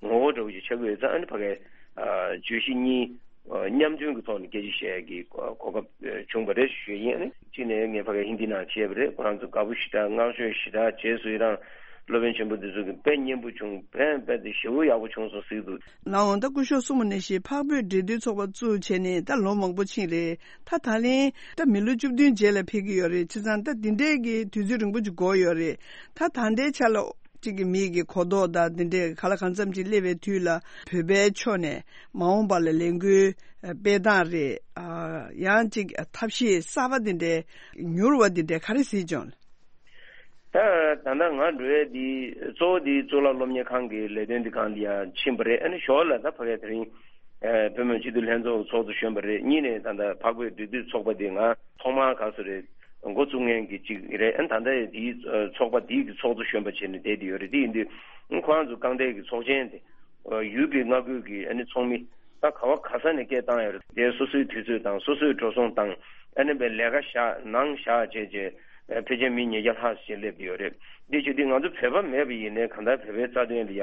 ངོ་བོ་འདྲ་བོ་ཅིག་ཆགས་ཀྱི་ཡོད་ཙང་། ཨ་ནི་ཕ་གིའི་བརྗོད་གཞི་གཉིས་མཉམ་དོན་གྱི་ཐོག་ནས་སྐད་ཆ་བཤད་ཀྱི་གོ་སྐབས་བྱུང་བ་རེད་ཞུ་ཡིན། ཨ་ནི་གཅིག་ནས་ངས་ཕ་གིར་ཧིན་དི་ནང་བྱས་པ་རེད། ཁོ་རང་ཚོ་དགའ་པོ་ཞེ་དྲག་བསྔགས་བརྗོད་ཞེ་དྲག་རྗེས་སུ་ཡི་རང་། སློབ་དཔོན་ཆེན་པོ་འདི་ཚོ་གི་དཔེ་སྙན་པོ་བྱུང་། དཔེ་དཔེ་དེ་ཞེ་པོ་ཡག་པོ་བྱུང་སོང་ཟེར་གྱི་འདུག་ལགས་འོང་། ད་སྐུ་ཞབས་གསུངས་པ་ནང་བཞིན་འཕགས་བོད་འབྲེལ་མཐུད་ཚོགས་པ་བཙུགས་བྱས་ནས་ད་ལོ་མང་པོ་ཕྱིན་རེད། ད་ད་ལན་ད་མི་ལོ་བཅུ་བདུན་རྗེས་ལ་ཕེབས་ཀྱི་ཡོད་རེད། བྱས་ཙང་ད་འདི་འདྲའི་གི་དུས་ཚོད་རིང་པོ་ཅིག་འགོར་ཡོད་རེད། ད་ད་ལྟའི་ཆ་ལ་གཅིག་གི་མིའི་གི་གོ་རྟོགས་དང་འདི་འདྲའི་ག་ལ་གང་འཚམ་ཅིག་སླེབས་པའི་དུས་ལ་བོད་པའི་ཕྱོགས་ནས་མ་འོངས་པ་ལ་ལས་འགུལ་སྤེལ་སྟངས་རེད། ཡང་གཅིག་ཐབས་ཤེས་གསར་པ་འདི་འདྲའི་མྱུར་བ་འདི་འདྲའི་ག་རེ་གཟིགས་བྱུང་། ད་ད་ལྟ་ང་འགྲོ་ཡས་འདི་གཙོ་བོ་འདི་གཙུག་ལག་སློབ་གཉེར་ཁང་གི་ལས་དོན་འདི་སྒང་ལ་ཡང་ཕྱིན་པ་རེད། ཨ་ནི་ཞོར་ལ་ད་ཕ་གིར་དེ་རིང་བོད་མི་མང་སྤྱི་འཐུས་ལྷན་ཚོགས་ཚོགས་གཙོ་གཞོན་པ་རེད། གཉིས་ནས་ད་ལྟ་འཕགས་བོད་འབྲེལ་མཐུད་ཚོགས་པ་འདི་ང་ཐོག་མར་ག་ཚོད་རེད། འགོ་བཙུགས་མཁན་གྱི་གཅིག་རེད། ཨ་ནི་ད་ལྟ་དེའི་ཚོགས་པ་དེའི་གི་ཚོགས་གཙོ་གཞོན་པ་བྱས་ནས་བསྡད་དེ་ཡོད་རེད། དེ་ཡིན་དུས་ཁོ་རང་ཚོ་རྐང་གྲས་ཀྱི་ཚོགས་ཆེན་དེ་ཡུལ་གྱི་མངའ་ཁུལ་གྱི་ཨ་ནི་ཚོགས་མི་ད་ག་བ་ག་ས་ནས་སྐད་བཏང་ཡོད་རེད། དེ་སོ་སོའི་དུས་ཚོད་དང་སོ་སོའི་འགྲོ་སོང་བཏང་། ཨ་ནི་བའི་ལས་ཀ་བཞག་ནང་བཞག་བྱས་བྱས་ཕལ་ཆེར་མི་ཉིས་བརྒྱ་ལྷག་ཞིག་སླེབས་ཡོད་རེད། འདི་བྱེད་དུས་ང་ཚོ་བོད་པ་མེད་པ་ཡིན་ནའི་གང་ལྟར་བོད་པའི་རྩ་དོན་ལ་ཡ།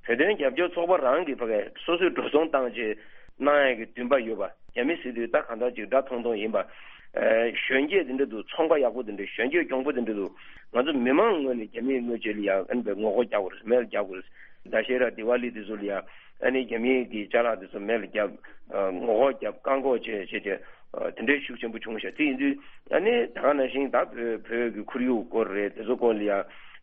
བོད་དོན་རྒྱབ་སྐྱོར་ཚོགས་པ་རང་གིས་ཕ་གིར་སོ་སོའི་འགྲོ་སོང་བཏང་བྱས་གནང་ཡས་ཀྱི་འདུན་པ་ཡོད་པ། རྒྱ་མི་ཟེར་དུས་ད་གང་ལྟར་ཅིག་དགྲ་མཐོང་མཐོང་ཡིན་པ། གཞོན་སྐྱེས་དེ་འདྲ་འདུག་ཚོང་པ་ཡག་པོ་དེ་འདྲ། གཞོན་སྐྱེས་གྱོང་པོ་དེ་འདྲ་འདུག་ང་ཚོ་མི་མང་ངོས་ནས་རྒྱ་མིའི་ངོས་ཆེད་ལ་ཡ་ཨ་ནི་བའི་ངོ་རྒོལ་རྒྱག་དགོས་རེད། མེད་ལ་རྒྱག་དགོས་རེད། ད་ཤེ་ར་དི་ཝ་ལི་དེ་ཚོ་ལ་ཡ་ཨ་ནི་རྒྱ་མིའི་གི་ཅ་ལག་དེ་ཚོ་མེད་ལ་རྒྱབ། ངོ་རྒོལ་རྒྱབ། བཀག་འགོག་བྱས་བྱས་བྱས། དེ་འདྲའི་ཤུགས་ཆེན་པོ་བྱུང་ཤག་དེ་ཡིན་དུས་ཨ་ནི་ད་ག་ནང་བཞིན་ད་བོད་བོད་ཀྱི་ཁོར་ཡུག་སྐོར་རེད། དེ་ཚོ་སྐོར་ལ་ཡ་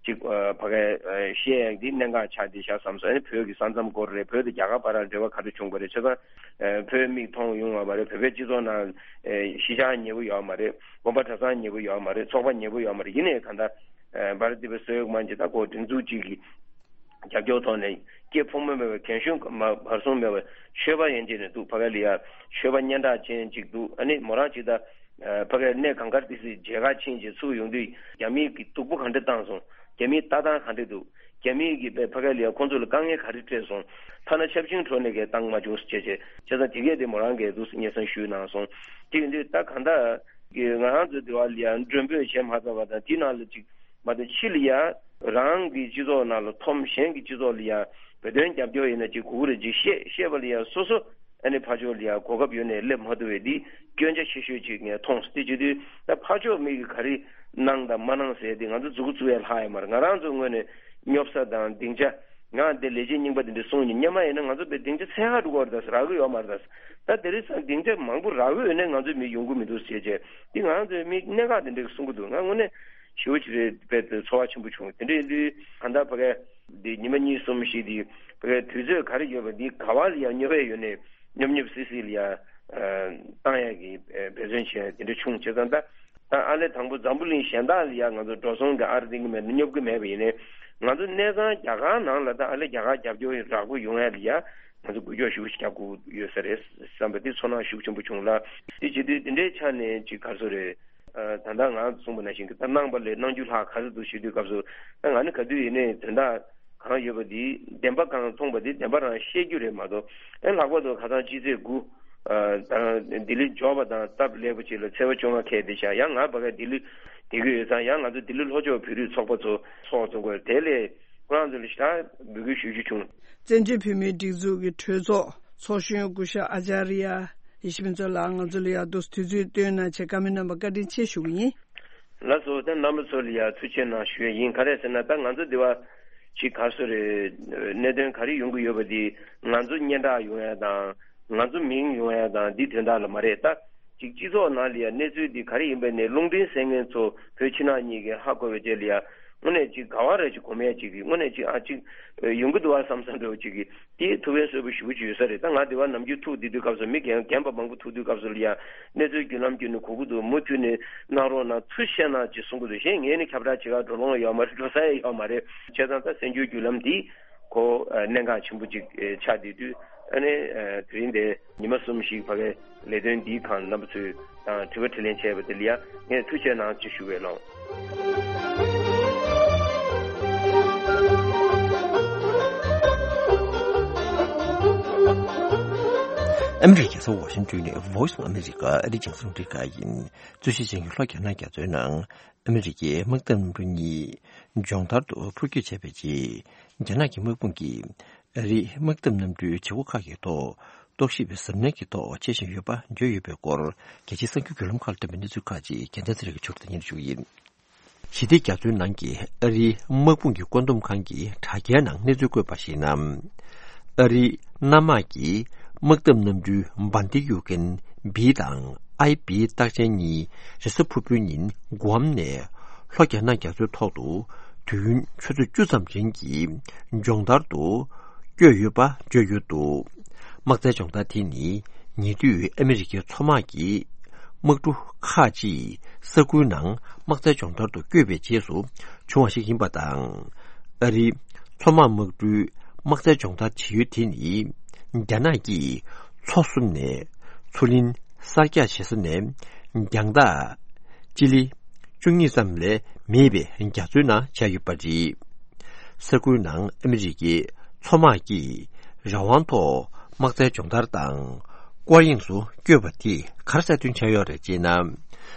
ཅིག་ཕ་གིར་བཤད་ཡག་འདི་གནད་འགག་ཆགས་བསྡད་ཤག་བསམ་སོང་། ཨ་ནི་བོད་ཀྱི་ས་མཚམས་སྐོར་རེད། བོད་དང་རྒྱ་གར་བར་ལ་འབྲེལ་བ་ག་འདྲ་བྱུང་བ་རེད། བྱས་ཙང་བོད་མིག་མཐོང་ཡོང་བ་མ་རེད། བོད་པའི་སྤྱི་ཚོགས་ནང་གཞིས་ཆགས་ཉེ་པོ་ཡོད་མ་རེད། དགོན་པ་གྲྭ་ཚང་ཉེ་པོ་ཡོད་མ་རེད། ཚོགས་པ་ཉེ་པོ་ཡོད་མ་རེད། ཡིན་ནའི་གང་ལྟར་བྷ་ར་ཏི་པ་ས་ཡོག་མན་ཇི་ད་ཁོ་སྒྲིག་འཛུགས་གཅིག་གི་རྒྱབ་སྐྱོར་ཐོག་ནས་སྐྱེ་ཕོ་མོ་མེད་པའི་རྒན་གཞོན་མ་བར་གསུམ་མེད་པའི་ཆོས་པ་ཡན་ཆད་ནས་འདུག་ཕ་གི་ལ་ཡ་ཆོས་པ་སྙན་གྲགས་ཅན་ཅིག་འདུག་ཨ་ནི་མོ་རང་ཅིག་ད་ཕ་གི་གནས་གངས་དཀར་ཏི་སེའི་མཇལ་ཁ་ཕྱིན་རྗེས་ཚུར་ཡོང་དུས་རྒྱ་མིས་ཀྱི་སྡུག་པོ་ག་འདྲ་བཏང་སོང་། རྒྱ་མིའི་ལྟ་སྟངས་ག་འདྲ་འདུག་རྒྱ་མིས་ཀྱི་ཕ་གི་ལ་ཡ་ཁོང་ཚོ་ལ་དཀའ་ངལ་ག་རེ་སྤྲད་སོང་། ཐ་ན་ཆབ་ཆེན་འཕྲོ་ནས་ཀྱི་བཏང་མ་བྱུང་ཟེར་བྱས་བྱས། བྱས་ཙང་དེ་གས་དེ་མོ་རང་གིས་འདུག་སྙན་སེང་ཞུས་གནང་སོང་། དེ་ཡིན་དུས་ད་གང་ལྟར་གི་ང་རང་ཚོ་དེ་བ་ལ་ཡ་མགྲོན་འབོད་བྱས་མ་ཚར་བ་དང་དེའི་ནང་ལ་ཅིག་མ་གཏོགས་ཕྱི་ལ་ཡ་རང་གི་སྤྱི་ཚོགས་ནང་ལ་འཐོམ། གཞན་གྱི་སྤྱི་ཚོགས་ལ་ཡ་བོད་དོན་རྒྱབ་སྐྱོར་ཡིན་ན་ཅིག་དགོས་ཀྱི་རེད་ཅིག་བཤད་བཤད་པ་ལ་ཡ་སོ་སོ་ཨ་ནི་ཕར་ཕྱོགས་ལ་ཡ་གོ་སྐབས་ཡོད་ནའི་སླེབས་མ་ཐུབ་པའི་འདི་སྐྱོན་ཆ་ཆེ་ཤོས་ཅིག་ངས་མཐོང་སོང་། དེ་བྱེད་དུས་ད་ཕར་ཕྱོགས་མི་གིས་ག་རེ་གནང་དང་མ་གནང་ཟེར་དེ་ང་ཚོ་མཛུབ་གུ་བཙུགས་ཡ་ལྷག་ཡ་མ་རེད། ང་རང་ཚོའི་ངོས་ནས་སྙོབ་ས་དང་སྡིངས་ཆ་ ང་འདི་ལས་བྱེད་རྙིང་པ་དེ་འདྲ་གསུངས་ནས་སྔོན་མ་ཡིན་ན་ང་ཚོ་བོད་སྡིངས་ཆ་ཚད་ཧ་འགྲོ་གི་རེད། ད་རག་གི་ཡོད་མ་རེད། ད་དེ་རིང་སང་སྡིངས་ཆ་མང་པོ་རག་གི་ཡོད་ནས་ང་ཚོ་མི་ཡོང་གི་མི་འདུག་ཟེར་བྱས་དེ་ང་ཚོའི་མི་གནད་འགག་དེ་འདྲ་གསུང་གི་འདུག་ང་དངོས་གནས་ཞེ་པོ་ཅིག་རེད་པས་ཚོར་བ་ཆེན་པོ་བྱུང་། དེ་འདྲ་ཡིན་དུས་གང་ལྟར་ཕ་གི་འདི་ཉི་མ་གཉིས་གསུམ་ཞིག་འདི་ཕ་གི་དུས་ཚོད་ག་རེ་ཡོད་པ་འདི་ག་བ་ལ་ཡང་སྨྱོ་བས་ཡོད་ནས་སྨྱོ་སྨྱོ་སི་སི་ལ་ཡང་བཏང་ཡག་གི་འབད་བརྩོན་བྱས་དེ་འདྲ་བྱུང་བྱས་ཙང་ད། ད་ཨ་ལེ་དང་པོ་འཛམ་བུ་གླིང་གཞན་དག་ལ་ཡང་ང་ཚོ་འགྲོ་སོང་གི་ཨར་འདིང་གི་མེད་ན་སྙོབ་གི་མེད་པ་ཡིན་ནའི་ང་ཚོ་གནས་ཚང་རྒྱ་གར་ནང་ལ་ད་ཨ་ལེ་རྒྱ་གར་རྒྱབ་སྐྱོར་རགས་པོ་ཡོང་ཡ་ལ་ཡ་ང་ཚོ་འགུལ་སྐྱོད་ཞུ་རྒྱག་དགོས་ཡོད་ས་རེད་བསམ་པ་འདི་ཚོར་སྣང་ཤུགས་ཆེན་པོ་བྱུང་ལ། དེ་བྱེད་དུས་འདི་འདྲའི་ཆ་ནས་ཅིག་ག་རེ་ཟེར་རེད། ད་ལྟ་ང་གསུངས་པ་ནང་བཞིན་གྱི་ད་གནང་བ་ལས་གནང་རྒྱུ་ལྷག་ག་ཚོད་འདུག་ཞུ་དུས་སྐབས་སུ་ད་ང་ནི་ག་དུས་ཡིན་ནའི་དོན་དག་གང་ཡོད་པ་འདི་བདེན་པ་གང་མཐོང་པ་འདི་བདེན་པ་རང་བཤད་རྒྱུ་རེད་མ་གཏོགས་ཨེ་ལྷག་པར་དུ་ཁ་སང་ཕྱི་ཚེས་དགུ། ལྡི་ལི་འབྱོར་བ་དང་སྟབས་ལེགས་པོ་ཅིག་ལ་ཚེས་པ་བཅོ་ལྔ་ཁེལ་བསྡད་ཤག་ཡང་ང་ཕ་ག་ལྡི་ལི་བསྡད་ཀྱི་ཡོད་ཙང་ཡང་ང་ཚོ་ལྡི་ལི་ལྷོ་ཕྱོགས་བོད་རིགས་ཚོགས་པ་ཚོ་ཚོགས་ཚོགས་དགོས་དེ་ལས་ཁོ་རང་ཚོ་ལ་ཞེ་དྲག་འབོད་སྐུལ་ཞུ་རྒྱུ་བྱུང་། བཙན་བྱོལ་བོད་མིའི་སྒྲིག་འཛུགས་ཀྱི་གྲོས་ཚོགས་ཚོགས་གཞོན་སྐུ་ཞབས་ཨ་ཅཱརྱ་ཡེ་ཤེས་ཕུན་ཚོགས་ལགས་ང་ཚོ་ལ་ཡག་ཏུ་དུས་ཚོད་བཏོན་གནང་བྱས་བཀའ་མོལ་གནང་བར་བཀའ་དྲིན་ཆེ་ཞུ་གི་ཡིན། ལགས་སོ། ད་རྣམ་པ་ཚོ་ལ་ཡང་ཐུགས་རྗེ་གནང་ཞུ་ཡས་ཡིན། ག་རེ་ཟེར་ན་ད་ང་ཚོ་འདི་བ་ཅིག་ག་རེ་ཟེར་རེད། གནད་དོན་ག་རེ་ཡོང་གི་ཡོད་པ་འདི་ང་ཚོ་སྙན་གྲགས་ཡོང་ཡ་དང་ང་ཚོ་མིང་ཡོང་ཡ་དང་འདི་དོན་དག་ལ་མ་རེད། ད་ཅིག་སྤྱི་ཚོགས་ནང་ལ་ཡང་གནས་ཚུལ་འདི་ག་རེ་ཡིན་པ་ནས་རླུང་འཕྲིན་གསན་མཁན་ཚོ་བོད་ཕྱི་ནང་གཉིས་ཀྱིས་ཧ་གོ་བའི་རྗེས་ལ་ཡང་དངོས་གནས་ཅིག་དགའ་བ་རེ་ཅིག་གོ་མེད་ཅིག་གི་དངོས་གནས་ཅིག་ཨ་ཅིག་ཡོང་གི་འདུག་བ་བསམ་བསམ་འདྲ་བོ་ཅིག་གི་དེ་ཐུགས་ཕན་གསོས་པོ་ཞེ་པོ་ཅིག་ཡོད་ས་རེད། ད་ང་དེ་བ་ནམ་རྒྱུན་ཐུག་བསྡད་དུས་སྐབས་སུ་མི་རྒན་རྒན་པ་མང་པོ་ཐུག་དུས་སྐབས་སུ་ལ་ཡང་གནས་ཚུལ་བརྒྱུད་ལམ་བརྒྱུད་ནས་གོ་གི་འདུག་མུ་མཐུད་ནས་གནང་རོགས་གནང་། ཚུར་བཤད་གནང་ཅེས་གསུང་གི་འདུག་གཞན་ངས་ནི་ཁྱབ་བསྒྲགས་བྱེད་ག་འགྲོ་ལོང་ཡོད་མ་རེད། འགྲོ་ས་ཡང་ཡོད་མ་རེད། བྱས་ཙང་ད་གསར་འགྱུར་བརྒྱུད་ལམ་འདི་ཁོ་གནད་འགག་ཆེན་པོ་ཅིག་ཆགས་བསྡད་དུས་ཨ་ནི་དེ་རིང་དེ་ཉི་མ་གསུམ་ཞིག་ཕ་གའི་ལས་དོན་འདིའི་སྒང་རྣམ་པ་ཚོས་དང་དྲི་བ་དྲིས་ལན་བྱས་པ་དེ་ལ་ཡང་ངས་ཐུགས་རྗེ་གནང་ཅེས་ཞུ་བས་ལགས། ཨ་མི་རི་ཀའི་རྒྱལ་ས་ཝ་ཤིང་ཏོན་ནས་Voice of America ཨ་རིའི་རྒྱང་སྲིང་རླུང་འཕྲིན་ཁང་ཡིན། རྩོད་གཞི་ཅན་གྱི་ལྷོ་རྒྱ་ནག་རྒྱ་མཚོའི་ནང་ཨ་མི་རི་ཀའི་དམག་འཐབ་གནམ་གྲུ་གཉིས་སྦྱོང་བརྡར་དུ་འཕུར་སྐྱོད་བྱས་པའི་རྗེས། རྒྱ་ནག་གི་དམག་དཔུང་གིས་ཨ་རིའི་དམག་འཐབ་གནམ་གྲུའི་བྱེད་སྒོ་ཁག་གི་ཐོག་རྟོག་ཞིབ་གཟབ་ནན་གྱི་ཐོག་བྱེད་བཞིན་ཡོད་པ་བརྗོད་ཡོད་པའི་སྐོར། རྒྱལ་སྤྱིའི་གསར་འགྱུར་བརྒྱུད་ལམ་ཁག་ལ་བཏོན་པའི་གནས་ཚུལ་ཁག་ཅིག་རྒྱལ་མཚན་ཚེ་རིང་གིས་ཕྱོགས་སྒྲིག་སྙན་སྒྲོན་ཞུ་གི་ཡིན། ཞི་བདེ་རྒྱ་མཚོའི་ནང་གི་ཨ་རིའི་དམག་དཔུང་གི་བཀོད་འདོམས་ཁང་གི་དྲ་རྒྱའི་ནང་གནས་ཚུལ་བཀོད་པར་གཞིགས་ན། ཨ་རིའི་གནམ་དམག་གིས་དམག་འཐབ་གནམ་གྲུའི་འབར་མདེལ་གཡུག་མཁན་བི་དང་ཨའི་བི་རྟགས་ཅན་གཉིས་རེས་གཟའ་ཕུར་བུའི་ཉིན་ྒུའམ་ནས་ལྷོ་རྒྱ་ནག་རྒྱ་མཚོའི་ཐོག་ཏུ་དུས་ཡུན་ཆུ་ཚོད་བཅུ་ཙམ་རིང་གི་སྦྱོང་བརྡར་དུ་བསྐྱོད་ཡོད་པ་བརྗོད་ཡོད་འདུག་དམག་རྩལ་སྦྱོང་བརྡར་དེ་ནི་ཉེ་དུས་ཨ་མི་རི་ཀའི་མཚོ་དམག་གི་དམག་གྲུ་ཁག་ཅིག་ས་ཁུལ་ནང་དམག་རྩལ་སྦྱོང་བརྡར་དུ་བསྐྱོད་པའི་རྗེས་སུ་བྱུང་བ་ཞིག་ཡིན་པ་དང་། ཨ་རིའི་མཚོ་དམག་དམག་གྲུའི་དམག་རྩལ་སྦྱོང་བརྡར་བྱེད་ཡུལ་དེ་ནི་རྒྱ་ནག་གིས་མཚོ་གསུམ་ནས་མཚོ་གླིང་གསར་རྒྱག་བྱེད་ས་ནས་རྒྱང་ཐག་སྤྱི་ལེ་བཅུ་གཉིས་ཙམ་ལས་མེད་པའི་རྒྱ་མཚོའི་ནང་བྱས་ཡོད་པ་རེད། ས་ཁུལ་ནང་ཨ་མི་རི་ཀའི་མཚོ་དམག་གིས་རང་དབང་ཐོག་དམག་རྩལ་སྦྱོང་བརྡར་དང་སྐོར་གཡེང་སུ་བསྐྱོད་པ་དེས་ག་རེ་གསལ་སྟོན་བྱས་ཡོད་རེད་ཅེ་ན།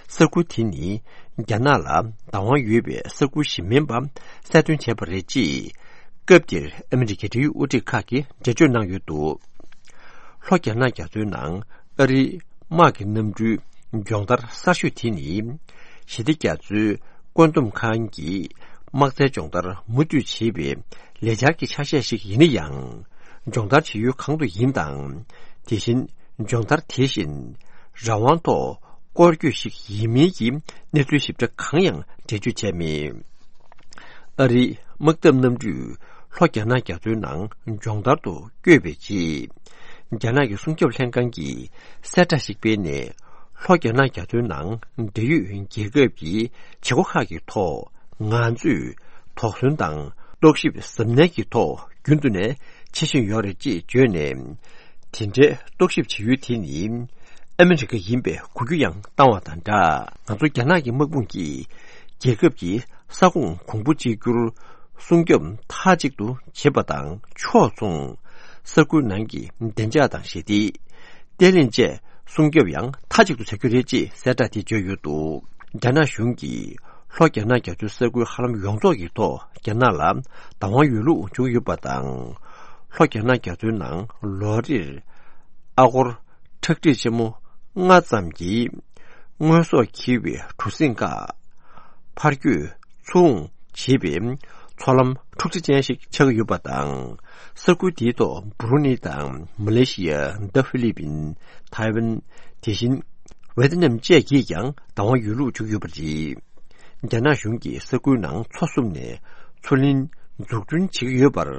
ས་ཁུལ་དེ་ནི་རྒྱ་ནག་ལ་བདག་དབང་ཡོད་པའི་ས་ཁུལ་ཞིག་མིན་པ་གསལ་སྟོན་བྱས་པ་རེད་ཅེས་སྐབས་དེར་ཨ་མི་རི་ཀའི་འབྲེལ་ཡོད་དབུ་ཁྲིད་ཁག་གིས་འགྲེལ་བརྗོད་གནང་ཡོད་འདུག་ལྷོ་རྒྱ་ནག་རྒྱ་མཚོའི་ནང་ཨ་རིའི་དམག་གི་གནམ་གྲུའི་སྦྱོང་བརྡར་གསར་ཤོས་དེ་ནི་ཞི་བདེ་རྒྱ་མཚོའི་བཀོད་འདོམས་ཁང་གིས་དམག་རྩལ་སྦྱོང་བརྡར་མུ་མཐུད་བྱེད་པའི་ལས་འཆར་གྱི་ཆ་ཤས་ཤིག་ཡིན་ན་ཡང་། སྦྱོང་བརྡར་བྱེད་ཡུལ་གང་དུ་ཡིན་དང་། དེ་བཞིན་སྦྱོང་བརྡར་དེ་བཞིན་རང་དབང་ཐོག་སྐོར་སྐྱོད་ཞིག་ཡིན་མིན་གྱི་གནས་ཚུལ་ཞིབ་ཕྲ་གང་ཡང་འགྲེལ་བརྗོད་བྱས་མེད། ཨ་རིའི་དམག་འཐབ་གནམ་གྲུས་ལྷོ་རྒྱ་ནག་རྒྱ་མཚོའི་ནང་སྦྱོང་བརྡར་དུ་བསྐྱོད་པའི་རྗེས། རྒྱ་ནག་གི་སྲུང་སྐྱོབ་ལྷན་ཁང་གིས་གསལ་བསྒྲགས་ཤིག་སྤེལ་ནས། ལྷོ་རྒྱ་ནག་རྒྱ་མཚོའི་ནང་འབྲེལ་ཡོད་རྒྱལ་ཁབ་ཀྱི་བྱེད་སྒོ་ཁག་གི་ཐོག་ང་ཚོས་དོགས་ཟོན་དང་རྟོག་ཞིབ་གཟབ་ནན་གྱི་ཐོག་རྒྱུན་དུ་ནས་བྱེད་བཞིན་ཡོད་རེད་ཅེས་བརྗོད་ནས། དེ་འདྲའི་རྟོག་ཞིབ་བྱེད་ཡུལ་དེ་ནི་ཨ་མི་རི་ཀ་ཡིན་པའི་གོ་རྒྱུ་ཡང་བཏང་བ་དང་སྦྲགས། ང་ཚོ་རྒྱ་ནག་གི་དམག་དཔུང་གིས་རྒྱལ་ཁབ་ཀྱི་ས་ཁོངས་གོང་བུ་གཅིག་གྱུར་སྲུང་སྐྱོབ་མཐའ་གཅིག་ཏུ་བྱེད་པ་དང་ཕྱོགས་མཚུངས། ས་ཁུལ་ནང་གི་བདེ་འཇགས་དང་ཞི་བདེ། བརྟན་ལྷིང་བཅས་སྲུང་སྐྱོབ་ཡང་མཐའ་གཅིག་ཏུ་བྱ་རྒྱུ་རེད་ཅེས་གསལ་བསྒྲགས་དེ་བརྗོད་ཡོད་འདུག་རྒྱ་ནག་གཞུང་གིས་ལྷོ་རྒྱ་ནག་རྒྱ་མཚོའི་ས་ཁུལ་ཧ་ལམ་ཡོངས་རྫོགས་ཀྱི་ཐོག་རྒྱ་ནག་ལ་བདག་དབང་ཡོད་ལུགས་བརྗོད་ཡོད་པ་དང་། ལྷོ་རྒྱ་ནག་རྒྱ་མཚོའི་ནང་ལོ་རེར་ཨ་སྒོར་ཁྲག་ཁྲིག་ཆེན་མོ་ལྔ་ཙམ་གྱིས་དངོས་ཟོག་འཁྱེར་བའི་གྲུ་གཟིངས་ཁག་ཕར་སྐྱོད་ཚུར་འོང་བྱེད་པའི་མཚོ་ལམ་ འཁྲུག་ཆ་ཅན་ཞིག་ཆགས་ཀྱི་ཡོད་པ་དང་། ས་ཁུལ་དེའི་ཐོག་འབུ་རུ་ནི་དང་མ་ལེ་ཤི་ཡ། ད་ཧྥི་ལི་པིན། ཐའེ་ཝན། དེ་བཞིན་ཝེ་ཏི་ནམ་བཅས་ཀྱིས་ཀྱང་བདག་དབང་ཡོད་ལུགས་བརྗོད་ཀྱི་ཡོད་པ་རེད། རྒྱ་ནག་གཞུང་གིས་ས་ཁུལ་ནང་མཚོ་བསྲུབས་ནས་མཚོ་གླིང་འཛུགས་སྐྲུན་བྱེད་ཀྱི་ཡོད་པར་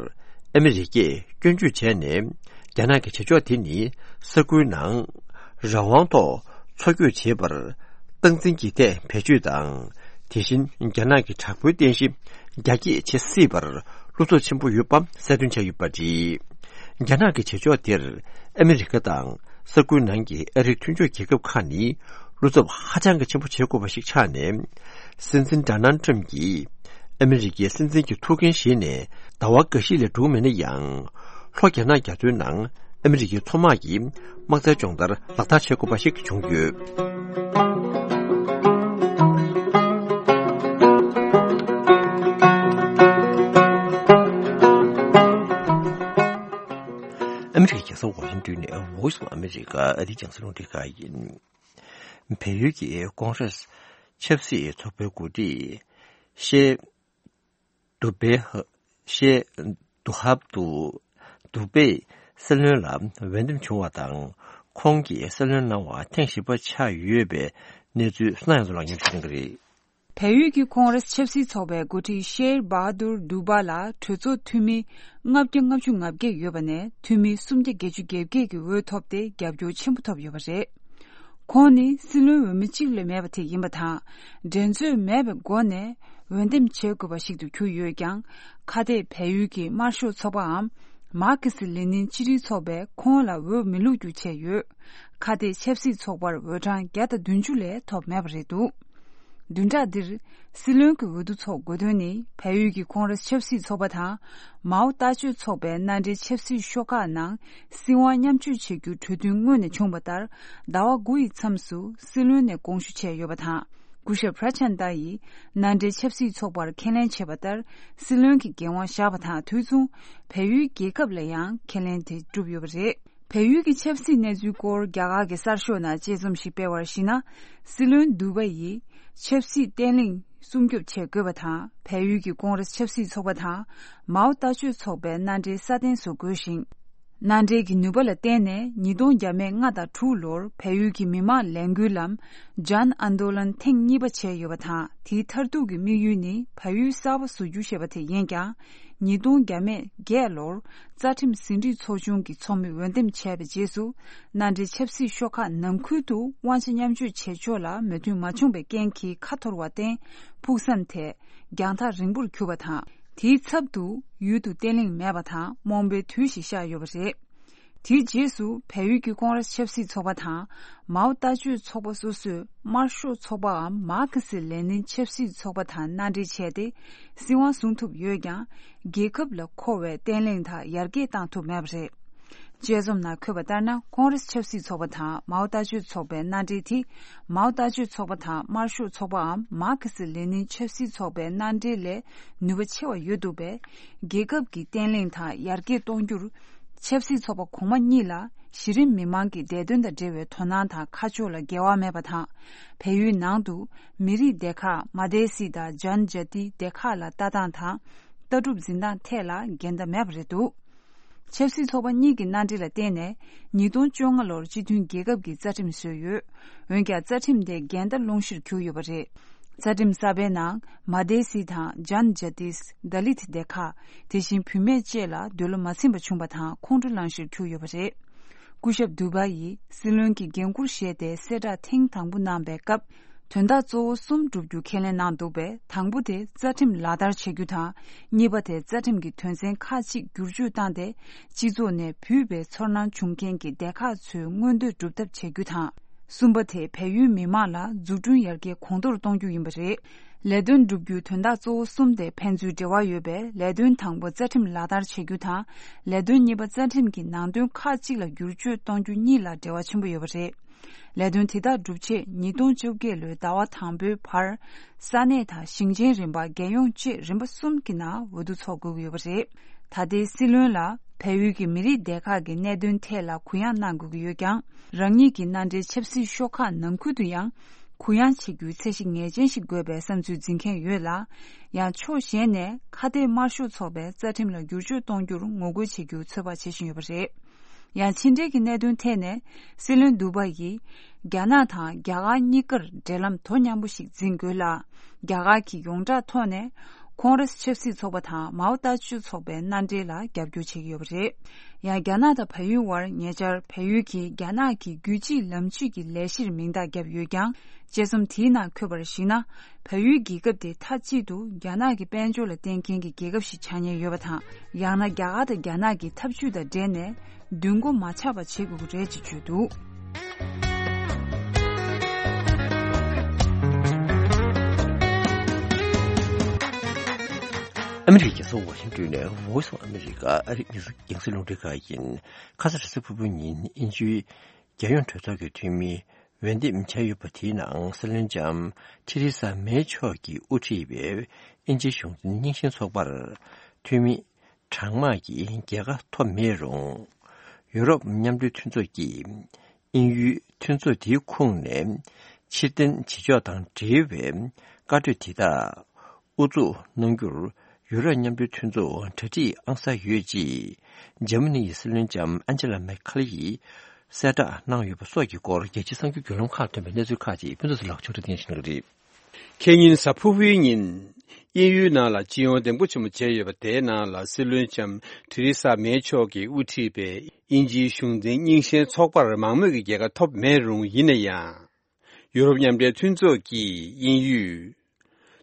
ཨ་མི་རི་ཀས་སྐྱོན་བརྗོད་བྱས་ནས། རྒྱ་ནག་གི་བྱེད་ཕྱོགས་དེ་ནི་ས་ཁུལ་ནང་རང་དབང་ཐོག་འཚོ་སྐྱོད་བྱེད་པར་སྟངས་འཛིན་གྱི་ཐད་བེད་སྤྱོད་དང་། དེ་བཞིན་རྒྱ་ནག་གི་དྲག་པོའི་རྟེན་གཞི་རྒྱ་སྐྱེད་བྱེད་སྲིད་པར་བློ་འཚབ་ཆེན་པོ་ཡོད་པ་གསལ་སྟོན་བྱས་ཡོད་པ་རེད། རྒྱ་ནག་གི་བྱེད་ཕྱོགས་དེར་ཨ་མི་རི་ཀ་དང་ས་ཁུལ་ནང་གི་ཨ་རིའི་མཐུན་ཕྱོགས་རྒྱལ་ཁབ་ཁག་ནི་བློ་འཚབ་ཧ་ཅང་གི་ཆེན་པོ་བྱེད་དགོས་པ་ཞིག་ཆགས་ནས། སྲིད་འཛིན་ཌོ་ནལ་ཊམ་གྱིས་ཨ་མི་རི་ཀའི་སྲིད་འཛིན་གྱི་ཐུགས་འགན་བཞེས་ནས་ཟླ་བ་འགའ་ཤས་ལས་འགྲོ་གི་མེད་ན་ཡང་། ལྷོ་རྒྱ་ནག་རྒྱ་མཚོའི་ནང་ཨ་མི་རི་ཀའི་མཚོ་དམག་གི་དམག་རྩལ་སྦྱོང་བརྡར་ལག་བསྟར་བྱེད་དགོས་པ་ཞིག་བྱུང་ཡོད། ཨ་མི་རི་ཀའི་རྒྱལ་ས་ཝ་ཤིང་ཏོན་ནས་Voice of America ཨ་རིའི་རྒྱང་སྲིང་རླུང་འཕྲིན་ཁང་ཡིན། བལ་ཡུལ་གྱི་ཀོང་རེས་ཆབ་སྲིད་ཚོགས་པའི་འགོ་ཁྲིད་ཤེ་དུ་བེ་ཧ། ཤེ་དུ་ཧབ་ཏུ་དུ་བེ་སྲིད་བློན་ལ་འོས་འདེམས་བྱུང་བ་དང་། ཁོང་གིས་སྲིད་བློན་གནང་བ་ཐེངས་བཞི་པ་ཆགས་ཡོད་པའི་གནས་ཚུལ་གསན་ཡོང་དུ་ལག་འཁྱེར་ཞུ་གི་རེད། བལ་ཡུལ་གྱི་ཀོང་རེས་ཆབ་སྲིད་ཚོགས་པའི་འགོ་ཁྲིད་ཤེར་བྷ་དུར་དུ་བྷ་ལ་གྲོས་ཚོགས་འཐུས་མི་ལྔ་བརྒྱ་ལྔ་བཅུ་ང་བརྒྱད་ཡོད་པ་ནས་འཐུས་མི་སུམ་བརྒྱ་བརྒྱད་ཅུ་གྱ་བརྒྱད་ཀྱི་འོས་ཐོབ་སྟེ་རྒྱབ་སྐྱོར་ཆེན་པོ་ཐོབ་ཡོད་པ་རེད། ཁོང་ནི་སྲིད་བློན་འོས་མི་གཅིག་ལས་མེད་པ་དེ་ཡིན་པ་དང་། འགྲན་རྩོད་མེད་པའི་སྒོ་ནས་འོས་འདེམས་བྱེད་དགོས་པ་ཞིག་ཏུ་གྱུར་ཡོད་ཀྱང་། ཁ་གཏད་བལ་ཡུལ་གྱི་དམར་ཤོག་ཚོགས་པའམ་མར་ཁེ་སི་ལེ་ནིན་སྤྱི་མཐུན་ཚོགས་པས་ཁོང་ལ་འོས་མི་བླུག་རྒྱུ་བྱས་ཡོད། ཁ་གཏད་ཆབ་སྲིད་ཚོགས་པར་འོས་གྲངས་བརྒྱ་དང་བདུན་ཅུ་ལས་ཐོབ་མེད་པ་རེད་འདུག་བདུན་ཕྲག་འདིར་སྲིད་བློན་གྱི་འོས་བསྡུ་ཚོགས་དགོས་དོན་ནི་བལ་ཡུལ་གྱི་ཀོང་རེས་ཆབ་སྲིད་ཚོགས་པ་དང་མའོ་ལྟ་སྤྱོད་ཚོགས་པའི་མནའ་འབྲེལ་ཆབ་སྲིད་ཤོག་ཁག་ནང་སྲིད་དབང་མཉམ་སྤྱོད་བྱེད་རྒྱུའི་གྲོས་མཐུན་སྔོན་ནས་བྱུང་བ་ལྟར། ཟླ་བ་དགུ་ཡི་མཚམས་སུ་སྲིད་བློན་ནས་དགོངས་ཞུ་བྱས་ཡོད་པ་དང་། སྐུ་ཞབས་པྲ་ཆན་ཏཱ་ཡིས་མནའ་འབྲེལ་ཆབ་སྲིད་ཚོགས་པར་ཁས་ལེན་བྱས་པ་ལྟར། སྲིད་བློན་གྱི་འགན་དབང་བཞག་པ་དང་དུས་མཚུངས་བལ་ཡུལ་རྒྱལ་ཁབ་ལ་ཡང་ཁས་ལེན་དེ་བསྒྲུབས་ཡོད་པ་རེད། བལ་ཡུལ་གྱི་ཆབ་སྲིད་གནས་ཚུལ་སྐོར་རྒྱ་གར་གྱི་གསར་ཤོག་ནང་དཔྱད་རྩོམ་ཞིག་སྤེལ་བར་གཞིགས་ན། སྲིད་བློན་དུ་བ་ཡིས་ཆབ་སྲིད་བརྟན་ལྷིང་སྲུང་སྐྱོབ་བྱེད་དགོས་པ་དང་། བལ་ཡུལ་གྱི་ཀོང་རེས་ཆབ་སྲིད་ཚོགས་པ་དང་མའོ་ལྟ་སྤྱོད་ཚོགས་པའི་མནའ་འབྲེལ་སྲ་བརྟན་བཟོ་དགོས་ཤིང་། མནའ་འབྲེལ་གྱི་ནུས་པ་ལ་བརྟེན་ནས་ཉིས་སྟོང་བརྒྱ་མེད་ལྔ་དང་དྲུག་ལོར་བལ་ཡུལ་གྱི་མི་དམངས་ལས་འགུལ་ལམ་ཇཱན་ཨན་དོ་ལན་ཐེངས་གཉིས་པ་བྱས་ཡོད་པ་དང་། དེའི་མཐར་ཐུག་གི་དམིགས་ཡུལ་ནི་བལ་ཡུལ་གསར་པ་བཟོ་རྒྱུ་ཞེས་པ་དེ་ཡིན་ཀྱང་། ཉིས་སྟོང་བརྒྱ་མེད་བརྒྱད་ལོར་རྩ་ཁྲིམས་ཟིན་བྲིས་ཚོགས་ཆུང་གི་ཚོགས་མི་འོས་འདེམས་བྱས་པའི་རྗེས་སུ། མནའ་འབྲེལ་ཆབ་སྲིད་ཤོག་ཁག་ནང་ཁུལ་དུ་དབང་ཆ་མཉམ་སྤྱོད་བྱེད་ཕྱོགས་ལ་མོས་མཐུན་མ་བྱུང་བའི་རྐྱེན་གྱིས་ཁ་འཐོར་བར་བརྟེན། ཕུགས་བསམ་དེ་རྒྱང་ཐག་རིང་པོར་གྱུར་པ་དང་། དེའི་ཚབ་ཏུ་ཡུལ་དུ་བརྟན་ལྷིང་མེད་པ་དང་རྨོངས་པའི་དུས་ཤིག་ཤར་ཡོད་པ་རེད། དེའི་རྗེས་སུ་བལ་ཡུལ་གྱི་ཀོང་རེས་ཆབ་སྲིད་ཚོགས་པ་དང་མའོ་ལྟ་སྤྱོད་ཚོགས་པ་སོ་སོས་དམར་ཤོག་ཚོགས་པའམ་མར་ཁེ་སི་ལེ་ནིན་ཆབ་སྲིད་ཚོགས་པ་དང་མནའ་འབྲེལ་བྱས་ཏེ་སྲིད་དབང་བཟུང་ཐུབ་ཡོད་ཀྱང་། རྒྱལ་ཁབ་ལ་མཁོ་བའི་བརྟན་ལྷིང་དང་ཡར་རྒྱས་བཏང་ཐུབ་མེད་པ་རེད། དཔྱད་རྩོམ་ནང་འཁོད་པ་ལྟར་ན། ཀོང་རེས་ཆབ་སྲིད་ཚོགས་པ་དང་མའོ་ལྟ་སྤྱོད་ཚོགས་པའི་མནའ་འབྲེལ་དེ། མའོ་ལྟ་སྤྱོད་ཚོགས་པ་དང་དམར་ཤོག་ཚོགས་པའམ་མར་ཁེ་སི་ལེ་ནིན་ཆབ་སྲིད་ཚོགས་པའི་མནའ་འབྲེལ་ལས་ནུས་པ་ཆེ་བ་ཡོད་འདུག་པས། རྒྱལ་ཁབ་ཀྱི་བརྟན་ལྷིང་དང་ཡར་རྒྱས་གཏོང་རྒྱུར། ཆབ་སྲིད་ཚོགས་པ་གོང་མ་གཉིས་ལ་གཞི་རིམ་མི་མང་གི་བདེ་དོན་དང་འབྲེལ་བའི་དོ་སྣང་དང་ཁ་ཕྱོགས་ལ་འགལ་བ་མེད་པ་དང་། བལ་ཡུལ་ནང་དུ་མི་རིགས་སྡེ་ཁག་མ་དེ་སི་དང་ཇན་ཇ་ཏི་སྡེ་ཁག་ལ་ལྟ་སྟངས་དང་། ལྟ་གྲུབ་འཛིན་སྟངས་ཐད་ལ་འགལ་ཟླ་མེད་པ་རེད་འདུག་ཆབ་སྲིད་ཚོགས་པ་གཉིས་ཀྱི་མནའ་འབྲེལ་ལ་བརྟེན་ནས་ཉིས་སྟོང་བཅོ་ལྔ་ལོར་སྤྱི་མཐུན་རྒྱལ་ཁབ་ཀྱི་རྩ་ཁྲིམས་བཟོས་ཡོད། འོན་ཀྱང་རྩ་ཁྲིམས་དེ་འགལ་ཟླ་སློང་གཞིར་གྱུར་ཡོད་པ་རེད། རྩ་ཁྲིམས་གསར་པའི་ནང་མ་དེ་སི་དང་ཇན་ཇ་ཏིས་ད་ལིད་སྡེ་ཁག་དེ་བཞིན་བུད་མེད་བཅས་ལ་འདོད་བློ་མ་ཚིམ་པ་བྱུང་བ་དང་ཁོང་ཁྲོ་ལངས་གཞིར་གྱུར་ཡོད་པ་རེད། སྐུ་ཞབས་དུ་བ་ཡིས་སྲིད་བློན་གྱི་འགན་འཁུར་བཞེས་ཏེ་གསལ་བསྒྲགས་ཐེངས་དང་པོ་གནང་པའི་སྐབས། དོན་དག་གཙོ་བོ་གསུམ་བསྒྲུབ་རྒྱུ་ཁས་ལེན་གནང་འདུག་པས། དང་པོ་དེ་རྩ་ཁྲིམས་ལག་བསྟར་བྱེད་རྒྱུ་དང་། གཉིས་པ་དེ་རྩ་ཁྲིམས་ཀྱི་དོན་ཚན་ཁག་ཅིག་བསྒྱུར་བཅོས་བཏང་སྟེ། སྤྱི་ཚོགས་ནས་བུད་པའི་ཚོར་སྣང་བྱུང་མཁན་གྱི་སྡེ་ཁག་ཚོའི་མངོན་འདོད་སྒྲུབ་ཐབས་བྱེད་རྒྱུ་དང་། གསུམ་པ་དེ་བལ་ཡུལ་མི་མང་ལ་འཛུགས་སྐྲུན་ཡར་རྒྱས་གོང་མཐོར་གཏོང་རྒྱུ་ཡིན་པ་རེད། ལས་དོན་བསྒྲུབ་རྒྱུའི་དོན་དག་གཙོ་བོ་གསུམ་དེ་ཕན་ཚུན་འབྲེལ་བ་ཡོད་པས། ལས་དོན་དང་པོ་རྩ་ཁྲིམས་ལག་བསྟར་བྱེད་རྒྱུ་དང་། ལས་དོན་གཉིས་པ་རྩ་ཁྲིམས་ཀྱི་ནང་དོན་ཁག་ཅིག་ལ་བསྒྱུར་བཅོས་གཏོང་རྒྱུ་གཉིས་ལ་འབྲེལ་བ་ཆེན་པོ་ཡོད་པ་རེད། ལས་དོན་དེ་དག་སྒྲུབ་ཆེད་ཉིས་སྟོང་བཅོ་བརྒྱད་ལོའི་ཟླ་བ་དང་པོའི་བར། ས་གནས་དང་ཞིང་ཆེན་རིམ་པ། རྒྱལ་ཡོངས་བཅས་རིམ་པ་གསུམ་གྱི་ནང་འོས་བསྡུ་འཚོགས་དགོས་ཀྱི་ཡོད་པ་རེད། ད་ལྟའི་སྲིད་བློན་ལ་བལ་ཡུལ་གྱི་མི་རིགས་སྡེ་ཁག་གི་གནད་དོན་ཐད་ལ་གུ་ཡངས་གནང་དགོས་ཀྱི་ཡོད་ཀྱང་། རང་ཉིད་ཀྱི་མནའ་འབྲེལ་ཆབ་སྲིད་ཤོག་ཁག་ནང་ཁུལ་དུ་ཡང་། གུ་ཡངས་བྱེད་རྒྱུའི་ཚད་གཞི་ངེས་ཅན་ཞིག་དགོས་པའི་བསམ་ཚུལ་འཛིན་མཁན་ཡོད་ལ། ཡང་ཕྱོགས་གཞན་ནས་ཁ་གཏད་དམར་ཤོག་ཚོགས་པའི་རྩ་ཁྲིམས་ལ་བསྒྱུར་བཅོས་གཏོང་རྒྱུར་ངོ་རྒོལ་བྱེད་རྒྱུ་ཚོད་དཔག་བྱེད་བཞིན་ཡོད་པ་རེད། ཡང་ཕྱི་འབྲེལ་གྱི་གནད་དོན་ཐད་ནས། སྲིད་བློན་ཌུ་བྷ་ཡིས་རྒྱ་ནག་དང་རྒྱ་གར་གཉིས་ཀར་འབྲེལ་ལམ་དོ་མཉམ་པོ་ཞིག་འཛིན་དགོས་ལ། རྒྱ་གར་གྱི་ཡོངས་གྲགས་ཐོག་ནས་ཁོང་རེས་ཆབ་སྲིད་ཚོགས་པ་དང་མའོ་ལྟ་སྤྱོད་ཚོགས་པའི་མནའ་འབྲེལ་ལ་རྒྱབ་སྐྱོར་བྱེད་ཀྱི་ཡོད་པ་རེད། ཡང་རྒྱ་ནག་དང་བལ་ཡུལ་དབར་ཉེ་ཆར་བལ་ཡུལ་གྱིས་རྒྱ་ནག་གི་རྒྱུད་གཅིག་ལམ་གཅིག་གི་ལས་གཞིར་མིང་རྟགས་བརྒྱབ་ཡོད་ཀྱང་། དཔྱད་རྩོམ་དེའི་ནང་འཁོད་པར་གཞིགས་ན། བལ་ཡུལ་རྒྱལ་ཁབ་དེ་མཐའ་གཅིག་ཏུ་རྒྱ་ནག་གི་དཔལ་འབྱོར་ལ་བརྟེན་མཁན་གྱི་རྒྱལ་ཁབ་ཞིག་ཆགས་ཉེན་ཡོད་པ་དང་། ཡང་ན་རྒྱ་གར་དང་རྒྱ་ནག་གི་འཐབ་ཇུས་དང་འབྲེལ་ནས་མདུན་སྒོ་མ་ཆགས་པ་བྱེད་དགོས་ཀྱི་རེད་ཅེས་བརྗོད་འདུག། ཨ་མི་རི་ཀའི་རྒྱལ་ས་ཝ་ཤིང་ཊོན་ནས་Voice of America ཨ་རིའི་རྒྱང་སྲིང་རླུང་འཕྲིན་ཁང་ཡིན། ཁ་སང་རེས་གཟའ་ཕུར་བུའི་ཉིན་དབྱིན་ཇིའི་རྒྱལ་ཡོངས་གྲོས་ཚོགས་ཀྱི་འཐུས་མི་འོས་འདེམས་བྱས་ཡོད་པ་དེའི་ནང་སྲིད་བློན་ལྕམ་ཐེ་རེ་ས་མེ་མཆོག་གིས་དབུ་ཁྲིད་པའི་དབྱིན་ཇིའི་གཞུང་འཛིན་རྙིང་ཞེན་ཚོགས་པར་འཐུས་མི་གྲངས་མང་གིས་རྒྱལ་ཁ་ཐོབ་མེད་རུང་། ཡུ་རོབ་མཉམ་འབྲེལ་མཐུན་ཚོགས་ཀྱིས་དབྱིན་ཡུལ་མཐུན་ཚོགས་དེའི་ཁོངས་ནས་ཕྱིར་འཐེན་བྱེད་ཕྱོགས་དང་འབྲེལ་བའི་བཀའ་གྲོས་དེ་དག་དབུ་འཛུགས་གནང་རྒྱུར་ཡུ་རོབ་མཉམ་འབྲེལ་མཐུན་ཚོགས་གྲ་སྒྲིག་ཨང་གསར་ཡོད་ཅེས། འཇར་མ་ནི་ཡི་སྲིད་བློན་ལྕམ་ཨན་ཇེ་ལ་མེར་ཁེལ་ཡིས་གསལ་བསྒྲགས་གནང་ཡོད་པ་སོགས་ཀྱི་སྐོར། རྒྱལ་སྤྱིའི་གསར་འགྱུར་བརྒྱུད་ལམ་ཁག་ཐོན་པའི་གནས་ཚུལ་ཁག་ཅིག་ཕུན་ཚོགས་ལགས་མཆོག་སྒྲོག་སྟེ་ཞུ་གནང་གི་རེད། ཁེ་ཉིན་གཟའ་ཕུར་བུའི་ཉིན། དབྱིན་ཡུལ་ནང་ལ་སྤྱི་ཡོངས་འདེམས་བསྐོ་ཆེན་མོ་བྱས་ཡོད་པ་དེའི་ནང་ལ་སྲིད་བློན་ལྕམ་ཐེ་རེ་ས་མེ་མཆོག་གིས་དབུ་ཁྲིད་པའི་དབྱིན་ཇིའི་གཞུང་འཛིན་རྙིང་ཞེན་ཚོགས་པར་མང་མོས་ཀྱི་རྒྱལ་ཁ་ཐོབ་མེད་རུང་། ཡིན་ན་ཡང་། ཡུ་རོབ་མཉམ་འབྲེལ་མཐུན་ཚོགས་ཀྱིས་དབྱིན་ཡུལ་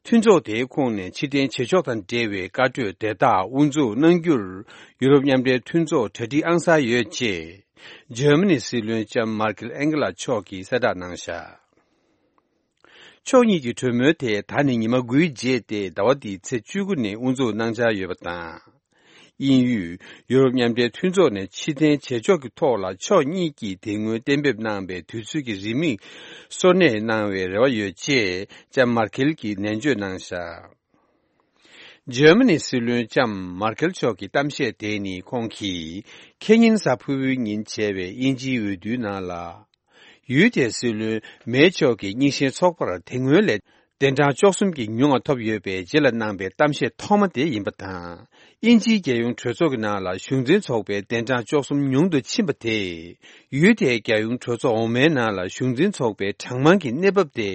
མཐུན་ཚོགས་དེའི་ཁོངས་ནས་ཕྱིར་འཐེན་བྱེད་ཕྱོགས་དང་འབྲེལ་བའི་བཀའ་གྲོས་དེ་དག་དབུ་འཛུགས་གནང་རྒྱུར་ཡུ་རོབ་མཉམ་འབྲེལ་མཐུན་ཚོགས་གྲ་སྒྲིག་ཨང་གསར་ཡོད་ཅེས། འཇར་མ་ནིའི་སྲིད་བློན་ལྕམ་མར་ཀེལ་ཨན་གྷི་ལ་མཆོག་གིས་གསལ་བསྒྲགས་གནང་བཞག། ཕྱོགས་གཉིས་ཀྱི་གྲོས་མོལ་དེ་ད་ནི་ཉི་མ་དགུའི་རྗེས་ཏེ་ཟླ་བ་འདིའི་ཚེས་བཅུ་དགུ་ནས་དབུ་འཛུགས་གནང་འཆར་ཡོད་པ་དང་། དབྱིན་ཡུལ་ཡུ་རོབ་མཉམ་འབྲེལ་མཐུན་ཚོགས་ནས་ཕྱིར་འཐེན་བྱེད་ཕྱོགས་ཀྱི་ཐོག་ལ་ཕྱོགས་གཉིས་ཀྱིས་དེ་སྔོན་གཏན་འབེབས་གནང་བའི་དུས་ཚོད་ཀྱི་རིན་མེད་གསོལ་སྣེ་གནང་བའི་རེ་བ་ཡོད་ཅེས་ལྕམ་མར་ཁེལ་གྱིས་ནན་བརྗོད་གནང་བཞག། འཇར་མ་ནིའི་སྲིད་བློན་ལྕམ་མར་ཁེལ་མཆོག་གི་གཏམ་བཤད་དེ་ནི་ཁོང་གིས་ཁེ་ཉིན་གཟའ་ཕུར་བུའི་ཉིན་བྱས་པའི་དབྱིན་ཇིའི་འོས་བསྡུའི་ནང་ལ། ཡུལ་དེའི་སྲིད་བློན་མེ་མཆོག་གིས་རྙིང་ཞེན་ཚོགས་པར་དེ་སྔོན་ལས་གདན་གྲངས་བཅུ་གསུམ་གྱིས་ཉུང་བ་ཐོབ་ཡོད་པའི་རྗེས་ལ་གནང་པའི་གཏམ་བཤད་ཐོག་མ་དེ་ཡིན་པ་དང་། དབྱིན་ཇིའི་རྒྱལ་ཡོངས་གྲོས་ཚོགས་ཀྱི་ནང་ལ་གཞུང་འཛིན་ཚོགས་པའི་གདན་གྲངས་བཅུ་གསུམ་ཉུང་དུ་ཕྱིན་པ་དེས། ཡུལ་དེའི་རྒྱལ་ཡོངས་གྲོས་ཚོགས་འོག་མའི་ནང་ལ་གཞུང་འཛིན་ཚོགས་པའི་གྲངས་མང་གི་གནས་བབ་དེ།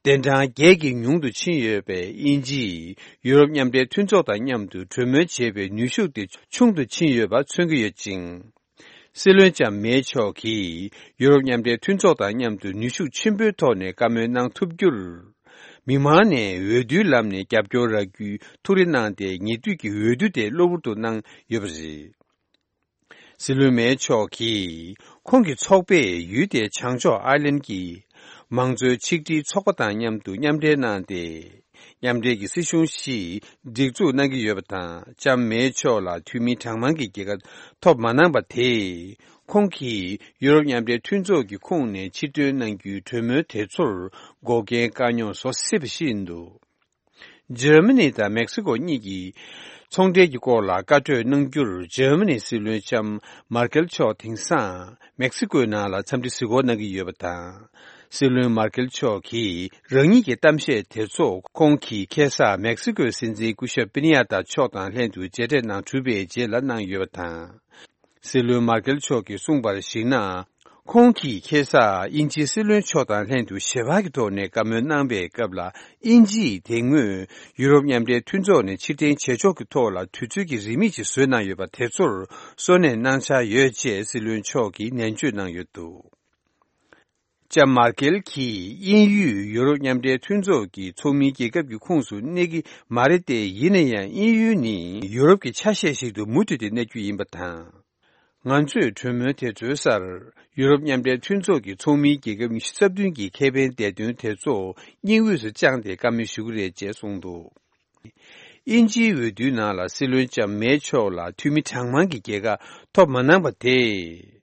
གདན་གྲངས་བརྒྱད་ཀྱིས་ཉུང་དུ་ཕྱིན་ཡོད་པས། དབྱིན་ཇིས་ཡུ་རོབ་མཉམ་འབྲེལ་མཐུན་ཚོགས་དང་མཉམ་དུ་གྲོས་མོལ་བྱེད་པའི་ནུས་ཤུགས་དེ་ཆུང་དུ་ཕྱིན་ཡོད་པ་མཚོན་གྱི་ཡོད་ཅིང་། སྲིད་བློན་ལྕམ་མེ་མཆོག་གིས་ཡུ་རོབ་མཉམ་འབྲེལ་མཐུན་ཚོགས་དང་མཉམ་དུ་ནུས་ཤུགས་ཆེན་པོའི་ཐོག་ནས་བཀའ་མོལ་གནང་ཐུབ་རྒྱུར། མི་མང་ནས་འོས་བསྡུའི་ལམ་ནས་རྒྱབ་སྐྱོར་རག་རྒྱུའི་ཐུགས་རེ་གནང་སྟེ། ཉེ་དུས་ཀྱི་འོས་བསྡུ་དེ་གློ་བུར་དུ་གནང་ཡོད་པ་རེད། སྲིད་བློན་མེ་མཆོག་གིས་ཁོང་གི་ཚོགས་པས་ཡུལ་དེའི་བྱང་ཕྱོགས་ཨའི་ལན་གྱི་མང་གཙོའི་ཆིག་སྒྲིལ་ཚོགས་པ་དང་མཉམ་དུ་མཉམ་འབྲེལ་གནང་སྟེ། མཉམ་འབྲེལ་གྱི་སྲིད་གཞུང་ཞིག་སྒྲིག་འཛུགས་གནང་གི་ཡོད་པ་དང་། ལྕམ་མེ་མཆོག་ལ་འཐུས་མི་གྲངས་མང་གི་རྒྱལ་ཁ་ཐོབ་མ་གནང་པ་དེས། ཁོང་གིས་ཡུ་རོབ་མཉམ་འབྲེལ་མཐུན་ཚོགས་ཀྱི་ཁོངས་ནས་ཕྱིར་ཐོན་གནང་རྒྱུའི་གྲོས་མོལ་དེ་ཚོར་འགོག་རྐྱེན་དཀའ་རྙོག་བཟོ་སྲིད་པ་ཞིག་ཡིན་འདུག། འཇར་མ་ནི་དང་མེག་སི་ཀོ་གཉིས་ཀྱི་ཚོང་འབྲེལ་གྱི་སྐོར་ལ་བཀའ་གྲོས་གནང་རྒྱུར། འཇར་མ་ནིའི་སྲིད་བློན་ལྕམ་མར་ཀེལ་མཆོག་དེང་སང་མེག་སི་ཀོའི་ནང་ལ་འཚམས་འདྲི་གཟིགས་སྐོར་གནང་གི་ཡོད་པ་དང་། སྲིད་བློན་མར་ཀེལ་མཆོག་གིས་རང་ཉིད་ཀྱི་གཏམ་བཤད་དེ་ཚོ་ཁོང་གིས་ཁ་སང་མེག་སི་ཀོའི་སྲིད་འཛིན་སྐུ་ཞབས་པི་ནི་ཡ་ཏཱ་མཆོག་དང་ལྷན་དུ་མཇལ་འཕྲད་གནང་གྲུབ་པའི་རྗེས་ལ་གནང་ཡོད་པ་དང་། སྲིད་བློན་མར་ཀེལ་མཆོག་གིས་གསུངས་པར་གཞིགས་ན། ཁོང་གིས་ཁ་སང་དབྱིན་ཇིའི་སྲིད་བློན་མཆོག་དང་ལྷན་དུ་ཞལ་པར་གྱི་ཐོག་ནས་བཀའ་མོལ་གནང་པའི་སྐབས་ལ། དབྱིན་ཇིས་དེ་སྔོན་ཡུ་རོབ་མཉམ་འབྲེལ་མཐུན་ཚོགས་ནས་ཕྱིར་འཐེན་བྱེད་ཕྱོགས་ཀྱི་ཐོག་ལ་དུས་ཚོད་ཀྱི་རིན་མེད་ཅིག་བཟོས་གནང་ཡོད་པ་དེ་ཚོར་གསོལ་སྣེ་གནང་འཆར་ཡོད་ཅེས་སྲིད་བློན་མཆོག་གིས་ནན་བརྗོད་གནང་ཡོད་འདུག། ལྕམ་མར་ཀེལ་གྱིས་དབྱིན་ཡུལ་ཡུ་རོབ་མཉམ་འབྲེལ་མཐུན་ཚོགས་ཀྱི་ཚོགས་མིའི་རྒྱལ་ཁབ་ཀྱི་ཁོངས་སུ་གནས་ཀྱི་མ་རེད་དེ། ཡིན་ན་ཡང་དབྱིན་ཡུལ་ནི་ཡུ་རོབ་ཀྱི་ཆ་ཤས་ཤིག་ཏུ་མུ་མཐུད་དེ་གནས་རྒྱུ་ཡིན་པ་དང་། ང་ཚོས་གྲོས་མོལ་དེ་ཚོའི་སར་ཡུ་རོབ་མཉམ་འབྲེལ་མཐུན་ཚོགས་ཀྱི་ཚོགས་མིའི་རྒྱལ་ཁབ་ཉི་ཤུ་རྩ་བདུན་གྱི་ཁེ་ཕན་བདེ་དོན་དེ་ཚོ་སྙིང་དབུས་སུ་བཅངས་ཏེ་བཀའ་མོལ་ཞུ་གི་རེད་ཅེས་གསུངས་འདུག། དབྱིན་ཇིའི་འོས་བསྡུའི་ནང་ལ་སྲིད་བློན་ལྕམ་མེ་མཆོག་ལ་འཐུས་མི་གྲངས་མང་གི་རྒྱལ་ཁ་ཐོབ་མ་གནང་པ་དེས།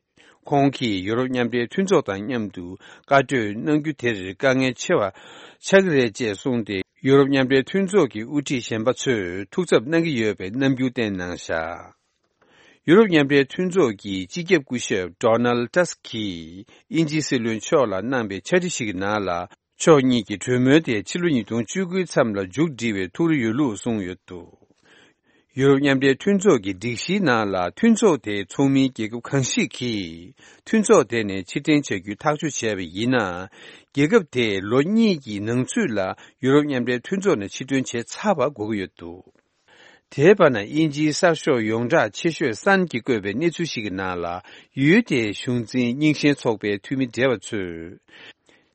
ཁོང་གིས་ཡུ་རོབ་མཉམ་འབྲེལ་མཐུན་ཚོགས་དང་མཉམ་དུ་བཀའ་གྲོས་གནང་རྒྱུ་དེར་དཀའ་ངལ་ཆེ་བ་ཆགས་ཀྱི་རེད་ཅེས་གསུངས་ཏེ། ཡུ་རོབ་མཉམ་འབྲེལ་མཐུན་ཚོགས་ཀྱི་དབུ་ཁྲིད་གཞན་པ་ཚོས་ཐུགས་འཚབ་གནང་གི་ཡོད་པའི་རྣམ་འགྱུར་བསྟན་གནང་བཞག། ཡུ་རོབ་མཉམ་འབྲེལ་མཐུན་ཚོགས་ཀྱི་སྤྱི་ཁྱབ་སྐུ་ཞབས་ཌོ་ནལ་ཏཱ་སི་ཀིས་དབྱིན་ཇིའི་སྲིད་བློན་མཆོག་ལ་གནང་པའི་ཕྱག་བྲིས་ཤིག་གི་ནང་ལ། ཕྱོགས་གཉིས་ཀྱི་གྲོས་མོལ་དེ་ཕྱི་ལོ་ཉིས་སྟོང་བཅུ་དགུའི་མཚམས་ལ་མཇུག་སྒྲིལ་བའི་ཐུགས་རེ་ཡོད་ལུགས་གསུངས་ཡོད་འདུག་ཡུ་རོབ་མཉམ་འབྲེལ་མཐུན་ཚོགས་ཀྱི་སྒྲིག་གཞིའི་ནང་ལ་མཐུན་ཚོགས་དེའི་ཚོགས་མིའི་རྒྱལ་ཁབ་གང་ཞིག་གིས་མཐུན་ཚོགས་དེ་ནས་ཕྱིར་འཐེན་བྱ་རྒྱུའི་ཐག་གཅོད་བྱས་པ་ཡིན་ན། རྒྱལ་ཁབ་དེས་ལོ་གཉིས་ཀྱི་ནང་ཚུད་ལ་ཡུ་རོབ་མཉམ་འབྲེལ་མཐུན་ཚོགས་ནས་ཕྱིར་འདོན་བྱས་ཚར་བ་དགོས་ཀྱི་ཡོད་འདུག་དེའི་བར་ན། དབྱིན་ཇིའི་གསར་ཤོག་ཡོངས་གྲགས་ཆེ་ཤོས་སན་གྱིས་བཀོད་པའི་གནས་ཚུལ་ཞིག་གི་ནང་ལ། ཡུལ་དེའི་གཞུང་འཛིན་རྙིང་ཞེན་ཚོགས་པའི་འཐུས་མི་བགྲེས་པ་ཚོས།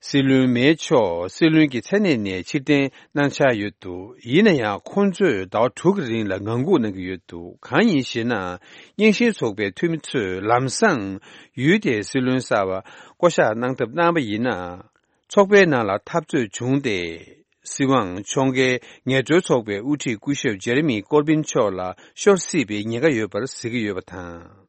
སྲིད་བློན་མེ་མཆོག་སྲིད་བློན་གྱི་མཚན་གནས་ནས་ཕྱིར་འཐེན་གནང་འཆར་ཡོད་འདུག་ཡིན་ན་ཡང་། ཁོང་ཚོས་ཟླ་བ་དྲུག་གི་རིང་ལ་ངང་སྒུག་གནང་གི་ཡོད་འདུག་གང་ཡིན་ཞེ་ན། རྙིང་ཞེན་ཚོགས་པའི་འཐུས་མི་ཚོས་ལམ་སང་ཡུལ་དེའི་སྲིད་བློན་གསར་པ་བསྐོ་གཞག་གནང་ཐབས་གནང་པ་ཡིན་ན། ཚོགས་པའི་ནང་ལ་འཐབ་རྩོད་བྱུང་སྟེ། སྲིད་དབང་ཕྱོགས་འགལ་ངལ་རྩོལ་ཚོགས་པའི་དབུ་ཁྲིད་སྐུ་ཞབས་ཇེ་རེ་མི་ཀོར་བིན་མཆོག་ལ་ཤོར་སྲིད་པའི་ཉེན་ཁ་ཡོད་པར་གཟིགས་ཀྱི་ཡོད་པ་དང་།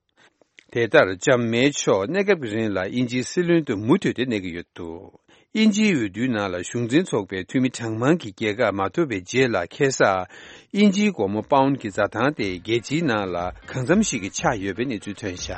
དེ་ལྟར་ལྕམ་མེ་མཆོག་གནས་སྐབས་ཀྱི་རིང་ལ་དབྱིན་ཇིའི་སྲིད་བློན་དུ་མུ་མཐུད་དེ་གནས་ཀྱི་ཡོད་འདུག་དབྱིན་ཇིའི་འོས་བསྡུའི་ནང་ལ་གཞུང་འཛིན་ཚོགས་པའི་འཐུས་མི་གྲངས་མང་གི་རྒྱལ་ཁ་མ་ཐོབ་པའི་རྗེས་ལ། ཁ་སང་དབྱིན་ཇིའི་སྒོར་མོ་པའུན་གྱི་འཛའ་ཐང་དེ་རྒྱལ་སྤྱིའི་ནང་ལ་གང་འཚམ་ཞིག་གི་ཆག་ཡོད་པའི་གནས་ཚུལ་ཐོན་བཞག་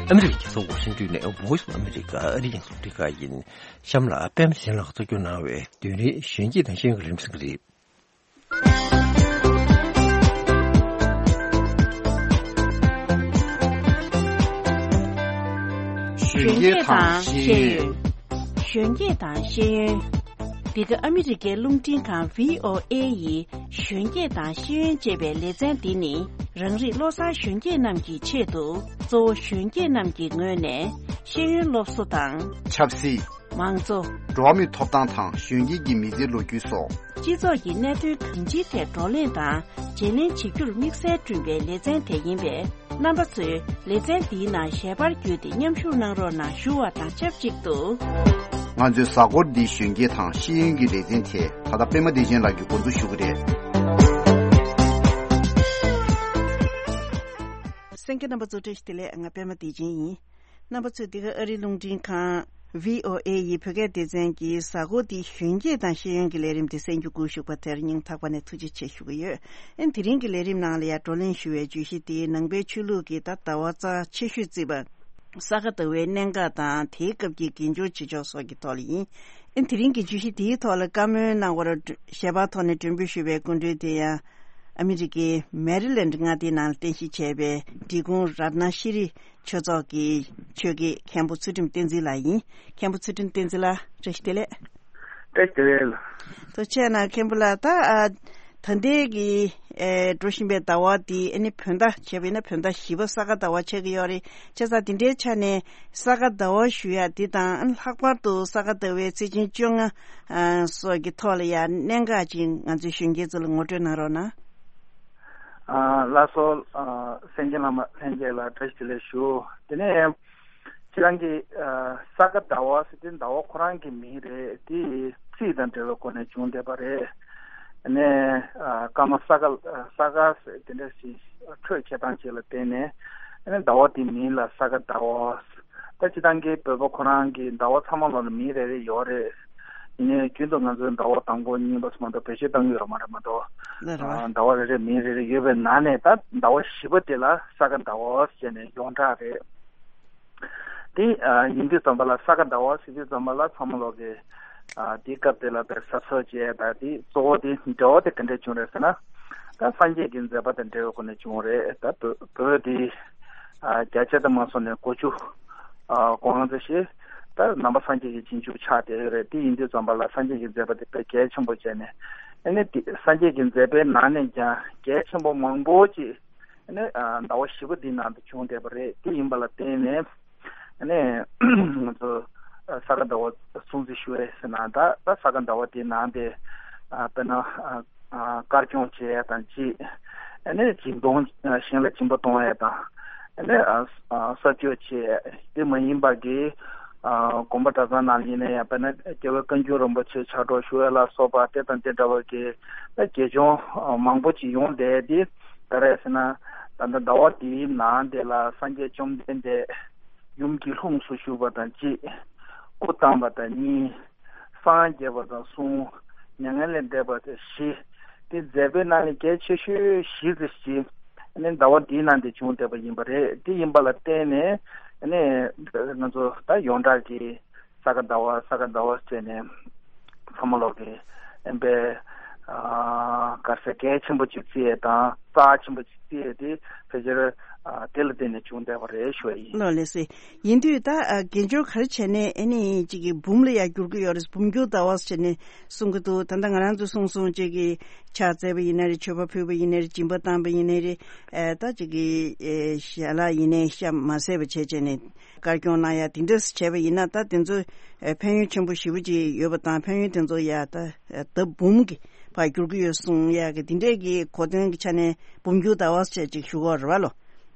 ཨ་མི་རི་ཀའི་རྒྱལ་ས་ཝ་ཤིང་ཏོན་ནས་Voice of America ཨ་རིའི་རླུང་འཕྲིན་ཁང་ཡིན། གཤམ་ལ་པད་མ་གཞན་ལགས་གཙོ་སྐྱོང་གནང་བའི་བདུན་རེའི་གཞོན་སྐྱེས་དང་ཤེས་ཡོན་གྱི་རིམ་གཟིགས་རེད། གཞོན་སྐྱེས་དང་ཤེས་ཡོན། གཞོན་སྐྱེས་དང་ཤེས་ཡོན། འདི་ག་ཨ་མི་རི་ཀའི་རླུང་འཕྲིན་ཁང་VOA ཡི་གཞོན་སྐྱེས་དང་ཤེས་ཡོན་ཅེས་པའི་ལེ་ཚན་འདི་ནི། རང་རིགས་བློ་གསར་གཞོན་སྐྱེས་རྣམས་ཀྱི་ཆེད་དུ། གཙོ་བོ་གཞོན་སྐྱེས་རྣམས་ཀྱི་ངོས་ནས་ཤེས་ཡོན་སློབ་གསོ་དང་། ཆབ་སྲིད། མང་གཙོ། འགྲོ་བ་མིའི་ཐོབ་ཐང་དང་གཞོན་སྐྱེས་ཀྱི་མི་ཚེའི་ལོ་རྒྱུས་སོགས། སྤྱི་ཚོགས་ཀྱི་གནད་དོན་གང་ཅིའི་ཐད་བགྲོ་གླེང་དང་བརྗེ་ལེན་བྱེད་རྒྱུར་དམིགས་བསལ་བསྐྲུན་པའི་ལེ་ཚན་དེ་ཡིན་པས། རྣམ་པ་ཚོས་ལེ་ཚན་འདིའི་ནང་ཞལ་པར་བརྒྱུད་དེ་མཉམ་ཞུགས་གནང་རོགས་གནང་ཞུ་བ་དང་ཆབས་ཅིག་ཏུ། ང་ཚོའི་གཟའ་འཁོར་འདིའི་གཞོན་སྐྱེས་དང་ཤེས་ཡོན་གྱི་ལེ་ཚན་དེ་ད་ལྟ་པད་མ་བདེ་ཆེན་ལགས་ཀྱིས་འགོ་འཛུགས་ཞུ་གི་རེད། གསན་མཁན་རྣམ་པ་ཚོ་བཀྲ་ཤིས་བདེ་ལེགས། ང་པད་མ་བདེ་ཆེན་ཡིན། རྣམ་པ་ཚོས་འདི་ག་ཨ་རིའི་རླུང་འཕྲིན་ཁང་VOA ཡི་བོད་སྐད་སྡེ་ཚན་གྱི་གཟའ་འཁོར་འདིའི་གཞོན་སྐྱེས་དང་ཤེས་ཡོན་གྱི་ལས་རིམ་དེ་གསན་རྒྱུ་སྒུག་བཞུགས་པ་དེར་སྙིང་ཐག་པ་ནས་ཐུགས་རྗེ་ཆེ་ཞུ་གི་ཡོད། ཨ་ནི་དེ་རིང་གི་ལས་རིམ་ནང་ལ་ཡང་བགྲོ་གླེང་ཞུ་བའི་བརྗོད་གཞི་དེ་ནང་པའི་ཆོས་ལུགས་ཀྱི་ད་ཟླ་བ་རྩ་ཆེ་ཤོས་བརྩིས་པ་ས་ག་ཟླ་བའི་གནད་འགག་དང་དེའི་སྐབས་ཀྱི་དགེ་སྦྱོར་བྱེད་ཕྱོགས་སོགས་ཀྱི་ཐོག་ལ་ཡིན། ཨ་ནི་དེ་རིང་གི་བརྗོད་གཞི་དེའི་ཐོག་ལ་བཀའ་མོལ་གནང་བར་ཞལ་པར་ཐོག་ནས་མགྲོན་འབོད་ཞུས་པའི་སྐུ་མགྲོན་དེ་ཡང་ཨ་མི་རི་ཀའི་མེ་རི་ལེནཌ་མངའ་སྡེའི་ནང་ལ་རྟེན་གཞི་བྱས་པའི་འབྲི་གུང་རཏྣ་ཤྲི་ཆོས་ཚོགས་ཀྱི་ཆོས་དགེ་མཁན་པོ་ཚུལ་ཁྲིམས་བསྟན་འཛིན་ལགས་ཡིན། མཁན་པོ་ཚུལ་ཁྲིམས་བསྟན་འཛིན་ལགས། བཀྲ་ཤིས་བདེ་ལེགས། བཀྲ་ཤིས་བདེ་ལེགས། ཐུགས་རྗེ་གནང་། མཁན་པོ་ལགས། ད་ཨ་ད་ལྟའི་གི་ཨེ་འགྲོ་བཞིན་པའི་ཟླ་བ་འདི་ཨ་ནི་བོད་ཟླ་བྱས་པ་ཡིན་ན་བོད་ཟླ་བཞི་པ་ས་ག་ཟླ་བ་ཆགས་ཀྱི་ཡོད་རེད། བྱས་ཙང་འདི་འདྲའི་ཆ་ནས་ས་ག་ཟླ་བ་ཞུ་ཡ་འདི་དང་ཨ་ནི་ལྷག་པར་དུ་ས་ག་ཟླ་བའི་ཚེས་ཆེན་བཅོ་ལྔ་ཨ་སོགས་ཀྱི་ཐོག་ལ་ཡ་གནད་འགག་ཅིག་ང་ཚོའི་གཞོན་སྐྱེས་ཚོ་ལ་ངོ་སྤྲོད་གནང་རོགས་གནང་། ཨ་ལགས་སོ། ཨ་གསན་མཁན་བླ་མ་ལྷན་རྒྱས་ལ་བཀྲ་ཤིས་བདེ་ལེགས་ཞུ། དེ་ནས་ཁྱེད་རང་གིས་ཨ་ས་ག་ཟླ་བ་ཟེར་དེ་ཟླ་བ་ཁོ་རང་གི་མིང་རེད། དེ་རྩིས་དང་འབྲེལ་བའི་སྒོ་ནས་བྱུང་བསྡད་པ་རེད། ནས་ཨ་སྐར་མ་ས་ག་ས་ག་ཟེར་དེ་འདྲ་ཞིག་འཕྲོས་འཁྱེར་སྟངས་ཅིག་ལ་བརྟེན་ནས་ཨ་ནི་ཟླ་བ་དེའི་མིང་ལ་ས་ག་ཟླ་བ། ད་སྤྱིར་བཏང་གི་བོད་པ་ཁོ་རང་གི་ཟླ་བ་ཚང་མ་ལ་མིང་རེ་རེ་ཡོད་རེད། ཡིན་ནའི་རྒྱུན་དུ་ང་ཚོའི་ཟླ་བ་དང་པོ་གཉིས་པ་ཙམ་མ་གཏོགས་བེད་སྤྱོད་གཏང་གི་ཡོད་མ་རེད་མ་གཏོགས། ལགས་རེད་བ། ཨ་ཟླ་བ་རེ་རེ་མིང་རེ་རེ་ཡོད་པའི་ནང་ནས་ད་ཟླ་བ་བཞི་པ་དེ་ལ་ས་ག་ཟླ་བ་ཟེར་ནས་ཡོངས་གྲགས་རེད། དེ་ཨ་ཡིན་དུས་ཙམ་པ་ལ་ས་ག་ཟླ་བ་ཟེར་དུས་ཙམ་པ་ལ་ཚང་མ་ལོག་གི་ཨ་དེའི་སྐབས་དེ་ལ་དཔེ་གཟབ་གཟབ་བྱས། ད་དེ་གཙོ་བོ་དེ་འབྲེལ་བ་དེ་ག་འདྲས་བྱུང་རེད་ཟེར་ན། ད་སངས་རྒྱས་ཀྱི་མཛད་པ་དང་འབྲེལ་བའི་སྒོ་ནས་བྱུང་རེད། ད་བོད་བོད་དེ་ཨ་བརྒྱ་ཆ་དུ་མ་སོང་ནས་གོ་བཅུ་ཨ་གོ་ལྔ་ཙམ་ཞིག་ད་ནང་པ་སངས་རྒྱས་ཀྱི་རྗེས་འཇུག་ཆགས་བསྡད་ཡོད་རེད། དེ་ཡིན་དུས་ཙམ་པ་ལ་སངས་རྒྱས་ཀྱི་མཛད་པ་དེ་དཔེ་གལ་ཆེན་པོ་བྱས་ནས། ཨ་ནི་དེ་སངས་རྒྱས་ཀྱི་མཛད་པའི་ནང་ནས་ཀྱང་གལ་ཆེན་པོ་མང་པོ་ཅིག་ཨ་ནི་ཨ་ཟླ་བ་བཞི་པ་འདིའི་ནང་དུ་བྱུང་བསྡད་པ་རེད། དེ་ཡིན་པ་ལ་བརྟེན་ནས་ཨ་ནི་ང་ཚོ་ཨ་ས་ག་ཟླ་བ་སྲུང་བརྩི་ཞུ་རེད་ཟེར་ན། ད་ད་ས་ག་ཟླ་བ་དེའི་ནང་དེ་ཨ་དཔེར་ན་ཨ་ཨ་དཀར་སྐྱོང་བྱེད་ཡ་དང་གཅིག་ཨ་ནི་སྦྱིན་གཏོང་ཨ་གཞན་ལ་སྦྱིན་པ་གཏོང་ཡ་དང་། ཨ་ནི་ཨ་ཨ་གསར་བཅོས་བྱེད་ཡ་དེ་མ་ཡིན་པ་གི་ཨ་དགོན་པ་གྲྭ་ཚང་ནང་ཡིན་ན་ཡང་། དཔེར་ན་རྒྱལ་བ་བཀའ་འགྱུར་རིན་པོ་ཆེ་ཕྱག་རོགས་ཞུ་ཡ་ལ་སོགས་པ་དེ་དང་དེ་འདྲ་བ་གི་ད་དགེ་སྦྱོང་ཨ་མང་པོ་ཅིག་ཡོང་བསྡད་དེ། ག་རེ་ཟེར་ན་ད་ལྟ་ཟླ་བ་དེའི་ནང་དེ་ལ་སངས་རྒྱས་བཅོམ་ལྡན་འདས་ཡུམ་གྱི་ལྷུམས་སུ་ཞུགས་པ་དང་གཅིག་སྐུ་བལྟམས་པ་དང་གཉིས། སངས་རྒྱས་པ་དང་གསུམ། མྱ་ངན་ལས་འདས་པ་དང་བཞི། དེ་མཛད་པའི་ནང་ནས་གལ་ཆེ་ཤོས་བཞི་ཙམ་ཞིག་ཨ་ནི་ཟླ་བ་འདིའི་ནང་དུ་བྱུང་བསྡད་པ་ཡིན་པ་རེད། དེ་ཡིན་པ་ལ་བརྟེན་ནས་ཨ་ནི་ང་ཚོ་ད་ཡོངས་གྲགས་ཀྱི་ས་ག་ཟླ་བ་ས་ག་ཟླ་བ་བྱས་ནས་ཚང་མ་ལོག་གི་ཨེམ་པའི་ག་ས་གལ་ཆེན་པོ་ཅིག་བརྩི་ཡས་དང་རྩ་ཆེན་པོ་ཅིག་བརྩི་ཡས་དེ་ཕལ་ཆེར་དེ་ལ་བརྟེན་ནས་བྱུང་བསྡད་པ་རེད་ཞུ་བ་ཡིན། ལགས་ལགས་སེ། ཡིན་དུས་ད་ཨ་དགེ་སྦྱོར་ག་རེ་བྱས་ནས་ཨ་ནི་ཅིག་གི་འབུམ་ལ་ཡར་འགྱུར་གྱི་ཡོད་རེད། འབུམ་འགྱུར་ཟླ་བ་ཟེར་ནས་གསུང་གི་འདུག་ད་ལྟ་ང་རང་ཚོས་གསུང་སོང་ཅིག་གི་ཕྱག་བཙལ་བ་ཡིན་ན་རེད། མཆོད་པ་ཕུལ་བ་ཡིན་ན་རེད། སྦྱིན་པ་བཏང་བ་ཡིན་ན་རེད། ཨ་ད་ཅིག་གི་ཨེ་ཞལ་ལག་ཡིན་ནའི་ཤ་མ་བཟས་པ་བྱས་བྱས་ནས་དཀར་སྐྱོང་གནང་ཡ་དེ་འདྲས་བྱས་པ་ཡིན་ན་ད་དེ་ཚོ་ཨེ་ཕན་ཡོན་ཆེན་པོ་ཞེ་པོ་ཅིག་ཡོད་པ་དང་ཕན་ཡོན་དེ་ཚོ་ཡ་ད་ཨེ་ལྡབ་འབུམ་གྱི་བར་འགྱུར་གྱི་ཡོད་གསུང་ཡ་གི་དེ་འདྲས་ཀྱི་གོ་དོན་གྱི་ཆ་ནས་འབུམ་འགྱུར་ཟླ་བ་ཟེར་ཅིག་ཞུ་གི་ཡོད་རེད་བ་ལོ།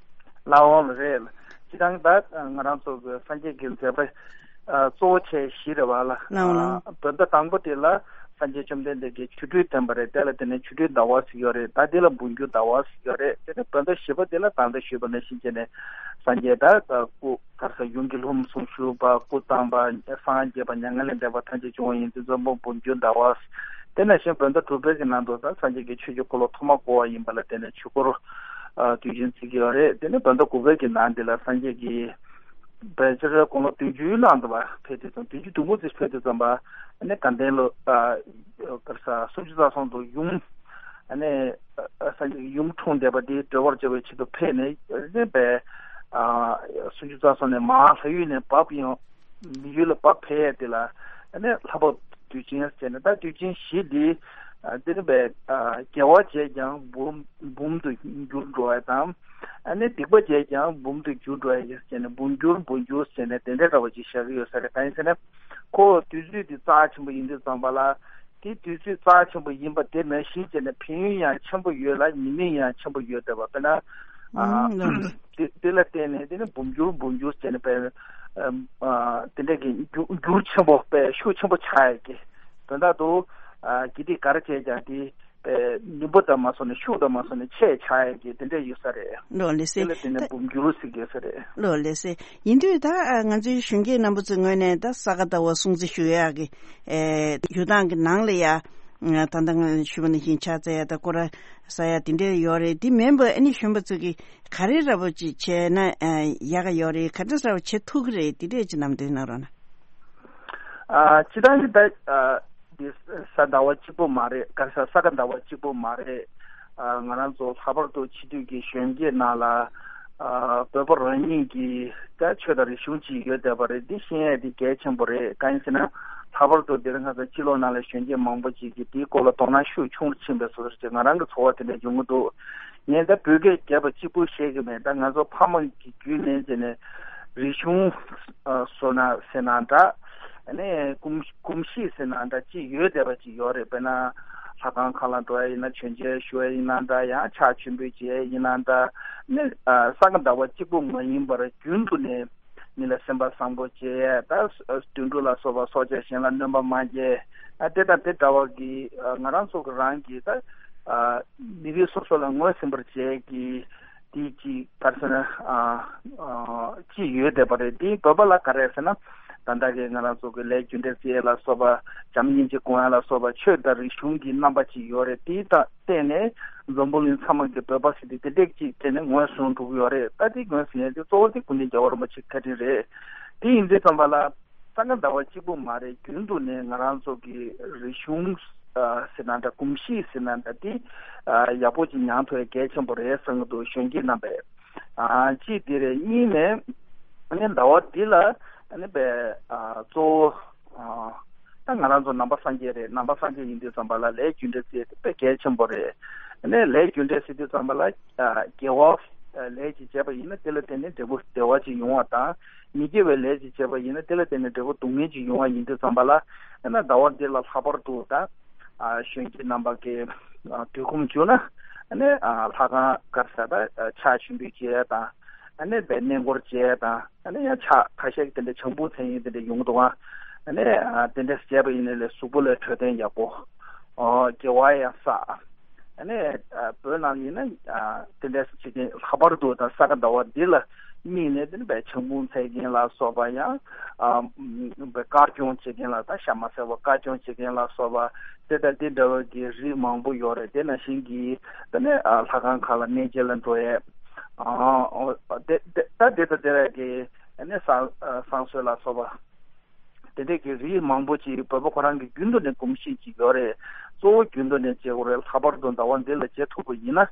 ལགས་འོང་ལགས་རེད། སྤྱིར་བཏང་ད་ང་རང་ཚོ་གི་སངས་རྒྱས་ཀྱི་མཛད་པ་ཨ་གཙོ་བོ་བྱས་བཞི་རེད་བ་ལ། ལགས་འོང་ལགས། བོད་ཟླ་དང་པོ་དེ་ལ་སངས་རྒྱས་བཅོམ་ལྡན་འདས་ཀྱིས་ཆོ་འཕྲུལ་བསྟན་པ་རེད། དེ་ལ་དེ་ནས་ཆོ་འཕྲུལ་ཟླ་བ་ཟེར་ཡོད་རེད། ད་དེ་ལ་འབུམ་འགྱུར་ཟླ་བ་ཟེར་ཡོད་རེད། དེ་ནས་བོད་ཟླ་བཞི་པ་དེ་ལ་ད་ལྟ་ཞུས་པ་ནང་བཞིན་བྱས་ནས་སངས་རྒྱས་ད་སྐུ་ག་རེ་ཟེར་ཡུམ་གྱི་ལྷུམས་སུ་ཞུགས་པ། སྐུ་བལྟམས་པ། སངས་རྒྱས་པ། མྱ་ངན་ལས་འདས་པ་ཐམས་ཅད་བྱུང་བ་ཡིན་དུས་ཙམ་པ་འབུམ་འགྱུར་ཟླ་བ། དེ་ནང་བཞིན་བོད་ཟླ་དྲུག་པའི་གི་ནང་དུ་ད་སངས་རྒྱས་ཀྱིས་ཆོས་ཀྱི་འཁོར་ལོ་ཐོག་མ་བསྐོར་བ་ཡིན་པ་ལ་བརྟེན་ནས་ཆོས་འཁོར་དུས་ཆེན་བརྩི་གི་ཡོད་རེད། དེ་ནས་བོད་ཟླ་དགུ་པའི་གི་ནང་འདི་ལ་སངས་རྒྱས་ཀྱིས་བོད་ཕྱི་རོལ་དགུང་ལོ་བདུན་ཅུའི་ནང་དུ་བ་ཕེབས་དུས་ཙམ་བདུན་ཅུ་དོན་དགུ་ཙམ་ཕེབས་དུས་ཙམ་པ་ཨ་ནི་དགའ་ལྡན་ལོ་ཨ་ག་རེ་ཟེར་སུམ་ཅུ་རྩ་གསུམ་དུ་ཡུམ་ཨ་ནི་ཨ་སངས་རྒྱས་ཡུམ་འཁྲུངས་བསྡད་པ་དེ་སྒྲོལ་བར་བྱ་བའི་ཆེད་དུ་ཕེབས་ནས་ཨ་ནི་བས་ཨ་སུམ་ཅུ་རྩ་གསུམ་ནས་མར་ལྷ་ཡུལ་ནས་བབས་ཡོང་། མི་ཡུལ་ལ་བབས་ཕེབས་ཡས་དེ་ལ་ཨ་ནི་ལྷ་བབས་དུས་ཆེན་ཟེར་ནས། ད་དུས་ཆེན་བཞི་འདི་ཨ་དེ་ནི་བས་ཨ་དགེ་བ་བྱས་ཀྱང་འབུམ་འབུམ་དུ་འགྱུར་འགྲོ་བ་དང་། ཨ་ནི་སྡིག་པ་བྱས་ཀྱང་འབུམ་དུ་འགྱུར་འགྲོ་ཡ་ཡོད་ཟེར་ནས་འབུམ་འགྱུར་འབུམ་འགྱུར་ཟེར་ནས་དེ་འདྲ་འདྲ་བ་ཅིག་བཞག་གི་ཡོད་ས་རེད། གང་ཡིན་ཟེར་ན་ཁོ་དུས་ཚོད་འདི་རྩ་ཆེན་པོ་ཡིན་དུས་ཙམ་པ་ལ། དེ་དུས་ཚོད་རྩ་ཆེན་པོ་ཡིན་པ་དེ་ནང་བཞིན་བྱས་ནས་ཕན་ཡོན་ཡང་ཆེན་པོ་ཡོད་ལ་ཉེས་དམིགས་ཡང་ཆེན་པོ་ཡོད་བསྡད་པ། དཔེར་ན་ཨ་ཨུམ་ལགས་འདི། དེ་དེ་ལ་བརྟེན་ནས་དེ་ནི་འབུམ་འགྱུར་འབུམ་འགྱུར་བྱས་ནས་དཔེར་ཨ་དེ་འདྲ་གི་འགྱུར་འགྱུར་ཆེན་པོ་དཔེ་ཤུགས་ཆེན་པོ་ཆགས་ཡས་ཀྱི་དོན་དག་ཏུ་ཨ་དགེ་སྡིག་ག་རེ་བྱས་ཀྱང་དེ་དཔེ་ནུས་པ་དང་མ་སོང་ནས་ཤུགས་དང་མ་སོང་ནས་ཆེ་ཆགས་ཡས་ཀྱི་དེ་འདྲ་ཡོད་ས་རེད། ལགས་ལགས་སེ། དེ་ལ་བརྟེན་ནས་འབུམ་འགྱུར་ཟེར་གྱི་ཡོད་ས་རེད། ལགས་ལགས་སེ། ཡིན་དུས་ད་ཨ་ང་ཚོའི་གཞོན་སྐྱེས་རྣམ་པ་ཚོའི་ངོས་ནས་ད་ས་ག་ཟླ་བ་སྲུང་བརྩི་ཞུ་ཡག་གི་ཨེ་ཡུལ་ཐང་གི་ནང་ལ་ཡ་ད་ལྟ་ང་ཞུས་པ་ནང་བཞིན་ཕྱག་འཚལ་ཡ་ད་སྐོར་ར་ཟ་ཡ་དེ་འདྲ་ཡོད་རེད། དེ་མིན་པ་ཨ་ནི་གཞོན་པ་ཚོ་གིས་ག་རེ་འདྲ་པོ་ཅིག་བྱས་ན་ཨ་ཡག་ག་ཡོད་རེད། ག་འདྲ་འདྲ་པོ་བྱེད་ཐུབ་ཀྱི་རེད། དེ་འདྲས་ཅིག་ལམ་སྟོན་གནང་རོགས་གནང་། ཨ་སྤྱིར་བཏང་གི་ད་ཨ་འདི་ས་ཟླ་བ་གཅིག་པོ་མ་རེད། ག་རེ་ཟ་ས་ག་ཟླ་བ་གཅིག་པོ་མ་རེད། ཨ་ང་རང་ཚོ་ལྷག་པར་དུ་ཕྱི་སྡོད་ཀྱི་གཞོན་སྐྱེས་ནང་ལ་ཨ་བོད་པ་རང་ཉིད་ཀྱི་ད་ཆོས་དང་རིག་གཞུང་ཅིག་ཡོད་བསྡད་པ་རེད། འདི་ཤེས་ཡས་འདི་གལ་ཆེན་པོ་རེད། གང་ཡིན་ཟེར་ན་ལྷག་པར་དུ་འདིར་ང་ཚོ་སྤྱི་ལོ་ནང་ལ་གཞོན་སྐྱེས་མང་པོ་ཅིག་གིས་དེའི་སྐོར་ལ་དོ་སྣང་ཤུགས་ཆུང་རུ་ཕྱིན་པའི་བཟོ་འདྲ་ཅིག་ང་རང་གི་ཚོར་བ་དེ་འདྲ་ཡོང་གི་འདུག་ངས་ད་བོད་སྐད་རྒྱབ་པ་གཅིག་པུ་བཤད་ཀྱི་མེད། ད་ང་ཚོ་ཕ་མ་གི་བརྒྱུད་ནས་བྱས་ནས་རིག་གཞུང་ཨ་བཟོ་ན་ཟེར་ན་འདྲ། ཨ་ནི་གོམས་གོམས་གཤིས་ཟེར་ན་འདྲ་ཅིག་ཡོད་བསྡད་པ་ཅིག་ཡོད་རེད། དཔེར་ན་ལྷ་ཁང་ཁག་ལ་འགྲོ་ཡ་ཡིན་ན་མཆོད་མཇལ་ཞུ་ཡ་ཡིན་ན་འདྲ། ཡང་ཕྱག་མཆོད་འབུལ་བྱེད་ཡ་ཡིན་ན་འདྲ། ཨ་ནི་ཨ་ས་ག་ཟླ་བ་གཅིག་པུ་མ་ཡིན་པར་རྒྱུན་དུ་ནས་མི་ལ་སེམས་པ་བཟང་པོ་བྱེད་ཡ། ད་དུད་འགྲོ་ལ་སོགས་པ་སྲོག་ཆགས་གཞན་ལ་གནོད་པ་མ་བྱེད། ཨ་དེ་དང་དེ་འདྲ་བ་གི་ཨ་ང་རང་ཚོ་གི་རང་གི་ད་ཨ་མི་རིགས་སོ་སོ་ལ་ངོས་ཟིན་པར་བྱེད་ཀྱི་དེ་ཅིག་ག་རེ་ཟེར་ན་ཨ་ཨ་ཅིག་ཡོད་བསྡད་པ་རེད། དེ་བོད་པ་ལ་ག་རེ་ཟེར་ན་ད་ལྟ་གི་ང་རང་ཚོ་གི་ལས་རྒྱུ་འབྲས་བརྩི་ཡས་ལ་སོགས་པ་བྱམས་སྙིང་རྗེ་སྒོམ་ཡས་ལ་སོགས་པ་ཆོས་དང་རིག་གཞུང་གི་རྣམ་པ་ཅིག་ཡོད་རེད། དེ་དང་བརྟེན་ནས་འཛམ་བུ་གླིང་ཚང་མ་གི་བོད་པ་ཟེར་དེ་དེ་འདྲས་ཅིག་བརྟེན་ནས་ངོས་བཟུང་འགྲོ་གི་ཡོད་རེད། ད་དེ་ངོས་ཟིན་ཡས་དེ་གཙོ་བོ་དེ་སྐུ་ཕྲེང་རྒྱལ་བ་རིན་པོ་ཆེ་བཀའ་དྲིན་རེད། དེ་ཡིན་དུས་ཙམ་པ་ལ། ས་ག་ཟླ་བ་གཅིག་པུ་མ་རེད། རྒྱུན་དུ་ནས་ང་རང་ཚོ་གི་རིག་གཞུང་ཨ་ཟེར་ན་འདྲ། གོམས་གཤིས་ཟེར་ན་འདྲ། དེ་ཨ་ཡག་པོ་ཅིག་ཉར་ཐུབ་ཡ་གལ་ཆེན་པོ་རེད་བསམ་གྱི་འདུག་གཞོན་སྐྱེས་རྣམ་པས། ཨ་གཅིག་དེ་རེད། གཉིས་ནས་ཨ་ནི་ཟླ་བ་འདི་ལ་ཨ་ནི་པའི་ཨ་གཙོ་བོ་ཨ་ད་ང་རང་ཚོ་ནང་པ་སངས་རྒྱས་རེད། ནང་པ་སངས་རྒྱས་ཡིན་དུས་ཙམ་པ་ལ་ལས་རྒྱུ་འབྲས་བརྩི་ཡ་དེ་དཔེ་གལ་ཆེན་པོ་རེད། ཨ་ནི་ལས་རྒྱུ་འབྲས་ཟེར་དུས་ཙམ་པ་ལ་ཨ་དགེ་བ་ཨ་ལས་ཅིག་བྱས་པ་ཡིན་ན་དེ་ལ་བརྟེན་ནས་འབྲས་བུ་བདེ་བ་ཅིག་ཡོང་བ་དང་། མི་དགེ་བའི་ལས་ཅིག་བྱས་པ་ཡིན་ན་དེ་ལ་བརྟེན་ནས་འབྲས་བུ་སྡུག་བསྔལ་ཅིག་ཡོང་བ་ཡིན་དུས་ཙམ་པ་ལ། ཨ་ནི་ཟླ་བ་འདི་ལ་ལྷག་པར་དུ་ད་ཨ་གཞོན་སྐྱེས་རྣམ་པ་གིས་ཨ་དུས་ཁོམ་བྱུང་ན་ཨ་ནི་ཨ་ལྷ་ཁང་ག་རེ་ཟེར་ད་ཨ་ཕྱག་མཆོད་འབུལ་བྱེད་ཡ་དང་། ཨ་ནི་བའི་གནས་སྐོར་བྱེད་ཡ་དང་། ཨ་ནི་ཡང་ཕྱག་ཁ་ཤས་ཀྱི་དེ་འདྲ་བྱང་བུ་མཚན་ཡིན་དེ་འདྲ་ཡོང་གི་འདུག་ཨ། ཨ་ནི་ཨ་དེ་འདྲ་བྱས་པ་ཡིན་ན་ལས་གཟུགས་པོ་ལ་འཕྲོད་བསྟེན་ཡག་པོ། ཨོ་དགེ་བ་ཡང་བསགས། ཨ་ནི་ཨ་བོད་ནང་ཡིན་ན་ཨ་དེ་འདྲ་བྱེད་མཁན། ལྷག་པར་དུ་ད་ས་ག་ཟླ་བ་འདི་ལ་དམིགས་ནས། དེ་ནི་བས་ཆང་འབུང་འཚོལ་མཁན་ལ་སོགས་པ། ཡང་ཨ་བས་དཀར་སྐྱོང་བྱེད་མཁན་ལ། ད་ཤ་མ་ཟ་བར་དཀར་སྐྱོང་བྱེད་མཁན་ལ་སོགས་པ། དེ་དང་དེ་འདྲ་བའི་གི་རིགས་མང་པོ་ཡོད་རེད། དེ་ནང་བཞིན་གྱི་དེ་ནི་ཨ་ལྷ་ཁང་ཁག་ལ་གནས་མཇལ་ལ་འགྲོ་ཡས། ཨ་དེ་དེ་ད་དེ་དང་དེ་བས་གི་ཨ་ནི་བསང་ཨ་བསང་གསོལ་ལ་སོགས་པ། དེ་འདྲས་ཀྱི་རིགས་མང་པོ་ཅིག་བོད་པ་ཁོ་རང་གི་རྒྱུན་དུ་ནས་གོམས་གཤིས་ཅིག་ཡོད་རེད། གཙོ་བོ་རྒྱུན་དུ་ནས་བྱེད་དགོས་རེད། ལྷག་པར་དུ་ཟླ་བ་འདི་ལ་བྱེད་ཐུབ་པ་ཡིན་ན།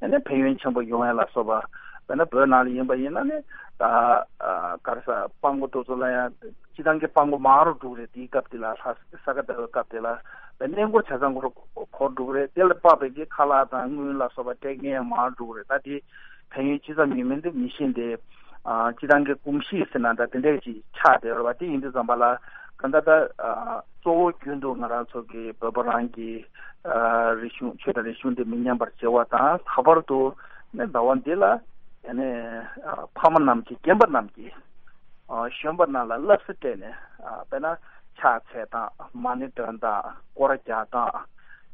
ཨ་ནི་ཕན་ཡོན་ཆེན་པོ་ཡོང་ཡ་ལ་སོགས་པ། དཔེར་ན་བོད་ནང་ལ་ཡིན་པ་ཡིན་ན་ནི། ད་ཨ་ག་རེ་ཟ། སྤྲང་པོ་དེ་ཚོ་ལ་ཡང་སྤྱིར་བཏང་གི་སྤྲང་པོ་མང་རུ་འགྲོ་གི་རེད། དེའི་སྐབས་དེ་ལ། ལྷ་ས་ག་ཟླ་བའི་སྐབས་དེ་ལ་བས་གནས་སྐོར་བྱས་ཙང་ཁོ་རང་འཁོར་འགྲོ་གི་རེད། དེ་ལ་དཔག་པའི་གི་ཁ་ལག་དང་དངུལ་ལ་སོགས་པ་སྤྲད་མཁན་ཡང་མང་རུ་འགྲོ་གི་རེད། ད་དེ་ཕན་ཡོན་ཅི་ཙམ་ཡོད་མིན་དེ་མི་ཤེས་ཏེ། ཨ་སྤྱིར་བཏང་གི་གོམས་གཤིས་ཟེར་ན་ད་དེ་འདྲས་ཅིག་ཆགས་བསྡད་ཡོད་རེད་པ། དེ་ཡིན་དུས་ཙམ་པ་ལ་གང་ལྟར་ད་ཨ་གཙོ་བོ་རྒྱུན་དུ་ང་རང་ཚོ་གི་བོད་པ་རང་གི་ཨ་རིག་གཞུང་། ཆོས་དང་རིག་གཞུང་དེ་མི་ཉམས་པར་བྱེད་པ་དང་། ལྷག་པར་དུ་ནི་ཟླ་བ་འདི་ལ་ཨ་ནི་ཨ་ཕ་མ་རྣམས་ཀྱིས། རྒན་པ་རྣམས་ཀྱིས་ཨ་གཞོན་པ་རྣམས་ལ་བསླབ་བྱ་སྤྲད་ནས། ཨ་དཔེར་ན་ཕྱག་འཚལ་སྟངས། མ་ཎི་འདོན་སྟངས། སྐོར་ར་རྒྱག་སྟངས།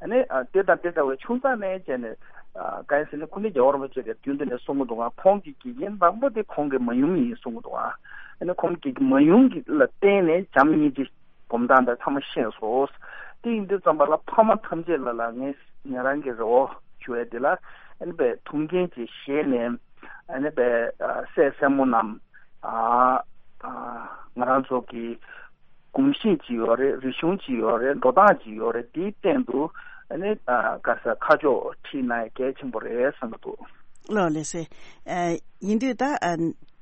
ཨ་ནི་ཨ་དེ་དང་དེ་འདྲ་བའི་ཆུང་ཙག་ནས་བྱས་ནས། ཨ་གང་ཡིན་ཟེར་ན། སྐུ་ཕྲེང་རྒྱལ་བ་རིན་པོ་ཆེ་གིས་རྒྱུན་དུ་ནས་གསུང་གི་འདུག་ག། ཁོང་གི་དགེ་རྒན་དང་པོ་དེ་ཁོང་གི་མ་ཡུམ་ཡིན་གསུང་གི་འདུག་ག། ཨ་ནི་ཁོང་གི་མ་ཡུམ་གྱི་ལ་བརྟེན་ནས་བྱམས་སྙིང་རྗེ་སྒོམ་སྟངས་དེ་ཚང་མ་ཤེས་སོང་། དེ་ཡིན་དུས་ཙམ་པ་ལ་ཕ་མ་ཐམས་ཅད་ལ་ལ་ངས་ང་རང་གི་རེ་བ་ཞུ་ཡ་དེ་ལ། ཨ་ནི་བས་ཐུགས་འགན་ཅིག་བཞེས་ནས། ཨ་ནི་བས་ཨ་སྲས་སྲས་མོ་རྣམས། ཨ་ཨ་ང་རང་ཚོ་གི་གོམས་གཤིས་ཅིག་ཡོད་རེད། རིག་གཞུང་ཅིག་ཡོད་རེད། འགྲོ་སྟངས་ཅིག་ཡོད་རེད། དེའི་སྟེང་དུ་ཨ་ནི་ཨ་ག་རེ་ཟ། ཁ་ཕྱོགས་ཁྲིད་ན་ཡང་གལ་ཆེན་པོ་རེད་བསམ་གྱི་འདུག། ལགས་ལགས་སེ། ཨ་ཡིན་དུས་ད་ཨ་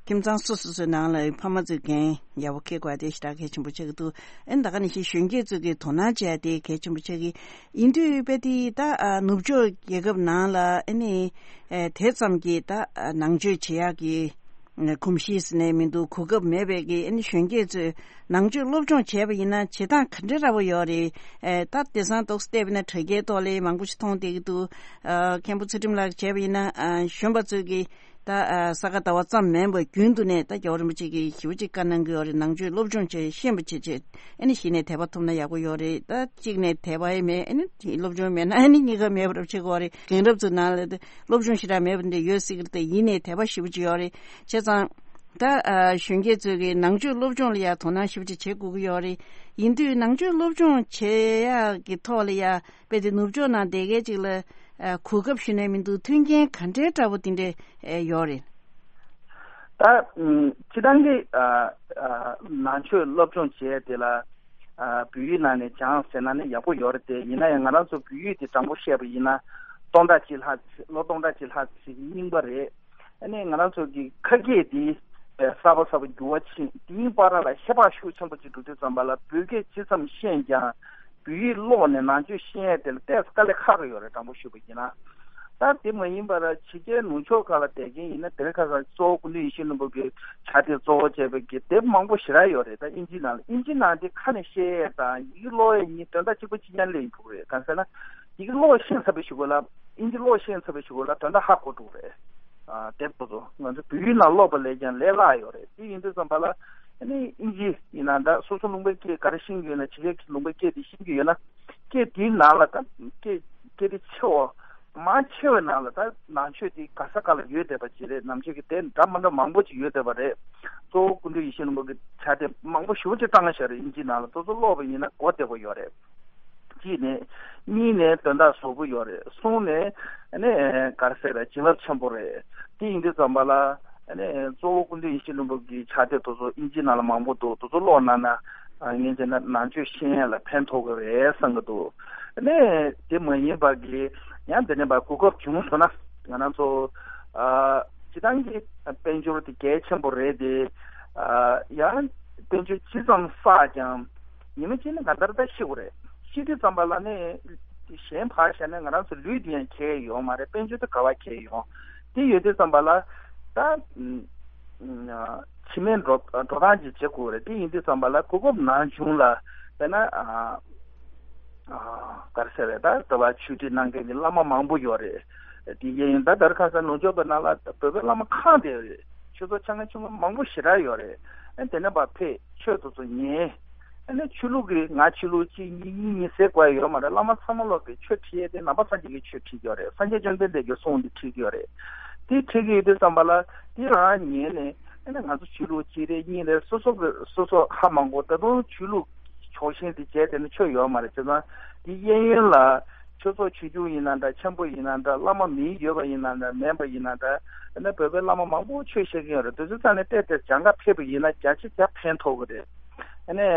ཁྱིམ་ཚང་སོ་སོ་སོའི་ནང་ལ་ཕ་མ་ཚོས་འགན་ཡག་པོ་འཁྱེར་དགོས་པ་དེ་ཞེ་དྲག་གལ་ཆེན་པོ་ཆགས་ཀྱི་འདུག། ཨ་ནི་ད་ག་ནང་བཞིན་གཞོན་སྐྱེས་ཚོས་ཀྱི་དོ་སྣང་བྱེད་ཡ་དེ་གལ་ཆེན་པོ་ཆགས་ཀྱི། ཡིན་དུས་དཔེ་དེ་ད་ཨ་ནུབ་ཕྱོགས་རྒྱལ་ཁབ་ནང་ལ་ཨ་ནི་ཨ་དེ་ཙམ་གྱི་ད་ཨ་ནང་ཆོས་བྱེད་ཡག་གི་གོམས་གཤིས་ཟེར་ནའི་མི་འདུག། གོ་སྐབས་མེད་པའི་གི། ཨ་ནི་གཞོན་སྐྱེས་ཚོས་ནང་ཆོས་སློབ་སྦྱོང་བྱས་པ་ཡིན་ན་བྱེད་སྟངས་ག་འདྲ་འདྲ་པོ་ཡོད་རེད། ཨེ་ད་དེང་སང་ཏོག་ཙམ་བལྟས་པ་ཡིན་ན་དྲ་རྒྱའི་ཐོག་ལ་མང་པོ་ཞིག་མཐོང་བསྡད་ཀྱི་འདུག། ཨ་མཁན་པོ་ཚུལ་ཁྲིམས་ལགས་བྱས་པ་ཡིན་ན། ཨ་གཞོན་པ་ཚོས་ཀྱི་ད་ཨ་ས་ག་ཟླ་བ་ཙམ་མིན་པར་རྒྱུན་དུ་ནས་ད་རྒྱལ་བ་རིན་པོ་ཆེ་གིས་ཞེ་པོ་ཅིག་བཀའ་གནང་གི་ཡོད་རེད། ནང་ཆོས་སློབ་སྦྱོང་བྱས། ཤེས་པ་བྱེད་བྱས། ཨ་ནི་གཞི་ནས་དད་པ་ཐོབ་ན་ཡག་པོ་ཡོད་རེད། ད་གཅིག་ནས་དད་པ་ཡང་མེད། ཨ་ནི་སློབ་སྦྱོང་མེད་ན་ཨ་ནི་གཉིས་ཀ་མེད་པ་འདྲ་བྱེད་ཀྱི་ཡོད་རེད། རྒན་རབས་ཚོའི་ནང་ལ་ད་སློབ་སྦྱོང་ཞེ་དྲག་མེད་པ་འདྲ་ཡོད་སྲིད་ཀྱི་རེད། ད་ཡིན་ནའི་དད་པ་ཞེ་པོ་ཅིག་ཡོད་རེད། བྱས་ཙང་ད་ཨ་གཞོན་སྐྱེས་ཚོས་ཀྱི་ནང་ཆོས་སློབ་སྦྱོང་ལ་ཡང་དོ་སྣང་ཞེ་པོ་ཅིག་བྱེད་དགོས་ཀྱི་ཡོད་རེད། ཡིན་དུས་ནང་ཆོས་སློབ་སྦྱོང་བྱེད་ཡག་གི་ཐོག་ལ་ཡང་དཔེ་དེ་ནུབ་ཕྱོགས་ནང་བསྡད་མཁན་ཅིག་ལ་ཨ་གོ་སྐབས་ཞུ་ནས་མི་འདུག། མཐུན་རྐྱེན་ག་འདྲའི་འདྲ་པོ་དེ་འདྲ་ཨ་ཡོད་རེད། ད་ཨམ་སྤྱིར་བཏང་གི་ཨ་ཨ་ནང་ཆོས་སློབ་སྦྱོང་བྱས་དེ་ལ་ཨ་བོད་ཡིག་ནང་ནས་སྦྱངས་ཟེར་ན་ནི་ཡག་པོ་ཡོད་རེད་དེ། ཡིན་ན་ཡང་ང་རང་ཚོ་བོད་ཡིག་དེ་དྲང་པོ་བཤད་པ་ཡིན་ན་སྟོང་ཕྲག་གཅིག་ལྷག་ཙམ། ལོ་སྟོང་ཕྲག་གཅིག་ལྷག་ཙམ་རྙིང་པ་རེད། ཨ་ནི་ང་རང་ཚོ་གི་ཁ་སྐད་འདི་གསར་པ་གསར་པ་འགྱུར་བ་ཕྱིན། དེའི་བར་ལ་ཧེ་བག་ཤུགས་ཆེན་པོ་ཅིག་འགྲོ་དུས་ཙམ་པ་ལ་བོད་སྐད་ཇི་ཙམ་ཤེས་ཀྱང་། བོད་ཡིག་ཀློག་ནས་ནང་ཆོས་ཤེས་ཡས་དེ་ལ་ཏོག་ཙམ་དཀའ་ལས་ཁག་གི་ཡོད་རེད། དྲང་པོ་ཞུས་པ་ཡིན་ན། ད་དེ་མ་ཡིན་པར་ཕྱི་རྒྱལ་ནུབ་ཕྱོགས་ཁག་ལ་བསྡད་མཁན་ཡིན་ན། དེ་རིང་ཁ་སང་གཙོ་བོ་སྐུ་མདུན་ཡིད་བཞིན་ནོར་བུ་གི་ཕྱག་དེབ་གཙོ་བོ་བྱས་པའི་གི་དེབ་མང་པོ་ཞེ་དྲག་ཡོད་རེད། ད་ཨིན་ཇི་ནང་ལ། ཨིན་ཇི་ནང་དེ་ཁ་ནས་བཤད་ཡས་དང་ཡི་གེ་ཀློག་ཡས་གཉིས་དོན་དག་གཅིག་པ་གཅིག་རྐྱང་སླེབས་ཡོང་གི་རེད། གང་ཟེར་ན། ཡི་གེ་ཀློག་ཤེས་ཚར་བའི་གཞུག་གུ་ལ། ཨིན་ཇི་ཀློག་ཤེས་ཚར་བའི་གཞུག་གུ་ལ་དོན་དག་ཧ་གོ་འགྲོ་གི་རེད། ཨ་དེབ་དེ་ཚོ་ང་ཚོ་བོད་ཡིག་ནང་ཀློག་པ་ལས་ཀྱང་ལས་སླ་ཡོད་རེད། དེ་ཡིན་དུས་ཙམ་པ་ལ། ཨ་ནི་ཨིན་ཇི་ཡིན་ན་འདྲ། སོ་སོ་ལུང་པའི་སྐད་ག་རེ་ཤེས་ཀྱི་ཡོད་ན། ཕྱི་རྒྱལ་གྱི་ལུང་པའི་སྐད་དེ་ཤེས་ཀྱི་ཡོད་ན། སྐད་དེའི་ནང་ལ་ད་སྐད་སྐད་དེ་ཆེ་བ། མང་ཆེ་བའི་ནང་ལ་ད་ནང་ཆོས་དེ་ག་ས་ག་ལ་ཡོད་བསྡད་པ་ཅིག་རེད། ནང་ཆོས་ཀྱི་དེབ་འདྲ་མི་འདྲ་མང་པོ་ཅིག་ཡོད་བསྡད་པ་རེད། གཙོ་བོ་སྐུ་མདུན་ཡིད་བཞིན་ནོར་བུ་གི་ཕྱག་དེབ་མང་པོ་ཞེ་པོ་ཅིག་བཏང་བཞག་རེད། ཨིན་ཇི་ནང་ལ། དེ་ཚོ་ཀློག་པ་ཡིན་ན་གོ་བདེ་པོ་ཡོད་རེད། གཅིག་ནས། གཉིས་ནས་དོན་དག་ཟབ་པོ་ཡོད་རེད། གསུམ་ནས་ཨ་ནི་ག་རེ་ཟེར་རེད། བྱིན་རླབས་ཆེན་པོ་རེད། དེ་ཡིན་དུས་ཙམ་པ་ལ་ཨ་ནི་གཙོ་བོ་སྐུ་མདུན་ཡིད་བཞིན་ནོར་བུ་གི་ཕྱག་དེབ་དེ་ཚོ་ཨིན་ཇི་ནང་ལ་མང་པོ་འདུག། དེ་ཚོ་ཀློག་གནང་ན། ཨ་ངས་བྱས་ན་ནང་ཆོས་ཤེས་ཡས་ལ་ཕན་ཐོགས་ཀྱི་རེད་བསམ་གྱི་འདུག། ཨ་ནི་དེ་མ་ཡིན་པ་གི་ཡང་དེ་ནས་ཕར་གོ་སྐབས་བྱུང་སོང་ན། ང་རང་ཚོ་ཨ་སྤྱིར་བཏང་གི་དཔལ་འབྱོར་དེ་གལ་ཆེན་པོ་རེད་དེ། ཨ་ཡང་དཔལ་འབྱོར་ཇི་ཙམ་བསགས་ཀྱང་། ཉི་མ་གཅིག་ནི་གང་ལྟར་ད་ཤི་དགོས་རེད། ཤི་དུས་ཙམ་པ་ལ་ནི་གཞན་ཕར་བཞག་ན་ང་རང་ཚོ་ལུས་འདི་ཡང་གས་ཡོད་མ་རེད། དཔལ་འབྱོར་དེ་ག་པར་གས་ཡོང་། དེ་ཡོད་དུས་ཙམ་པ་ལ་ད་ཕྱི་མའི་འགྲོ་འགྲོ་སྟངས་ཅིག་བྱེད་དགོས་རེད། དེ་ཡིན་དུས་ཙམ་པ་ལ་གོ་སྐབས་ནམ་བྱུང་ལ་དཔེར་ན་ཨ་ཨ་ག་རེ་ཟེར་རེད། ད་ད་བར་ཆོས་ཁྲིད་གནང་མཁན་གྱི་བླ་མ་མང་པོ་ཡོད་རེད། དེ་ཡིན་ད་ལྟར་ཁ་སང་ནུབ་ཕྱོགས་པའི་ནང་ལ་བོད་པའི་བླ་མ་གང་བསྡད་ཡོད་རེད། ཆོས་ཚོགས་ཆེ་ཁག་ཆུང་ཁག་མང་པོ་ཞེ་དྲག་ཡོད་རེད། ཨ་དེ་ནས་ཕར་ཕེབས། ཆོས་དེ་ཚོ་ཉན། ཨ་ནི་ཆོས་ལུགས་ཀྱི་ང་ཆོས་ལུགས་གཅིག་གཉིས་གཉིས་གཉིས་ཟེར་དགོས་ཡ་ཡོད་མ་རེད། བླ་མ་ཚང་མ་ལོག་གི་ཆོས་ཁྲིད་ཡས་དེ་ནང་པ་སངས་རྒྱས་ཀྱི་ཆོས་ཁྲིད་ཀྱི་ཡོད་རེད། སངས་རྒྱས་བཅོམ་ལྡན་འདས་ཀྱི་གསུང་འདི་ཁྲིད་ཀྱི་ཡོད་རེད། དེ་ཁྲིད་ཀྱི་ཡོད་དུས་ཙམ་པ་ལ་དེ་རང་ཉན་ནས། ཨ་ནི་ང་ཚོ་ཆོས་ལུགས་གཅིག་རེད་གཉིས་རེད། སོ་སོ་གི་སོ་སོ་ཧ་མ་གོ། ད་དུང་ཆོས་ལུགས་ཕྱོགས་ཞེན་དེ་བྱས་དེ་ནི་ཆོས་ཡོད་མ་རེད། བྱས་ཙང་དེ་གཡས་གཡོན་ལ་ཆོས་ཚོགས་ཆོས་བརྒྱུད་ཡིན་ན་འདྲ། ཆེན་པོ་ཡིན་ན་འདྲ། བླ་མ་མིང་ཡོད་པ་ཡིན་ན་འདྲ། མེད་པ་ཡིན་ན་འདྲ། ཨ་ནི་བོད་པའི་བླ་མ་མང་པོ་ཆོས་བཤད་ཀྱི་ཡོད་རེད། དེ་ཚོ་ཚང་ནས་བལྟས་ཏེ་སྦྱང་ག་ཕེབས་པ་ཡིན་ན་བརྒྱ་ཆ་བརྒྱ་ཕན་ཐོགས་ཀྱི་རེད། ཨ་ནི་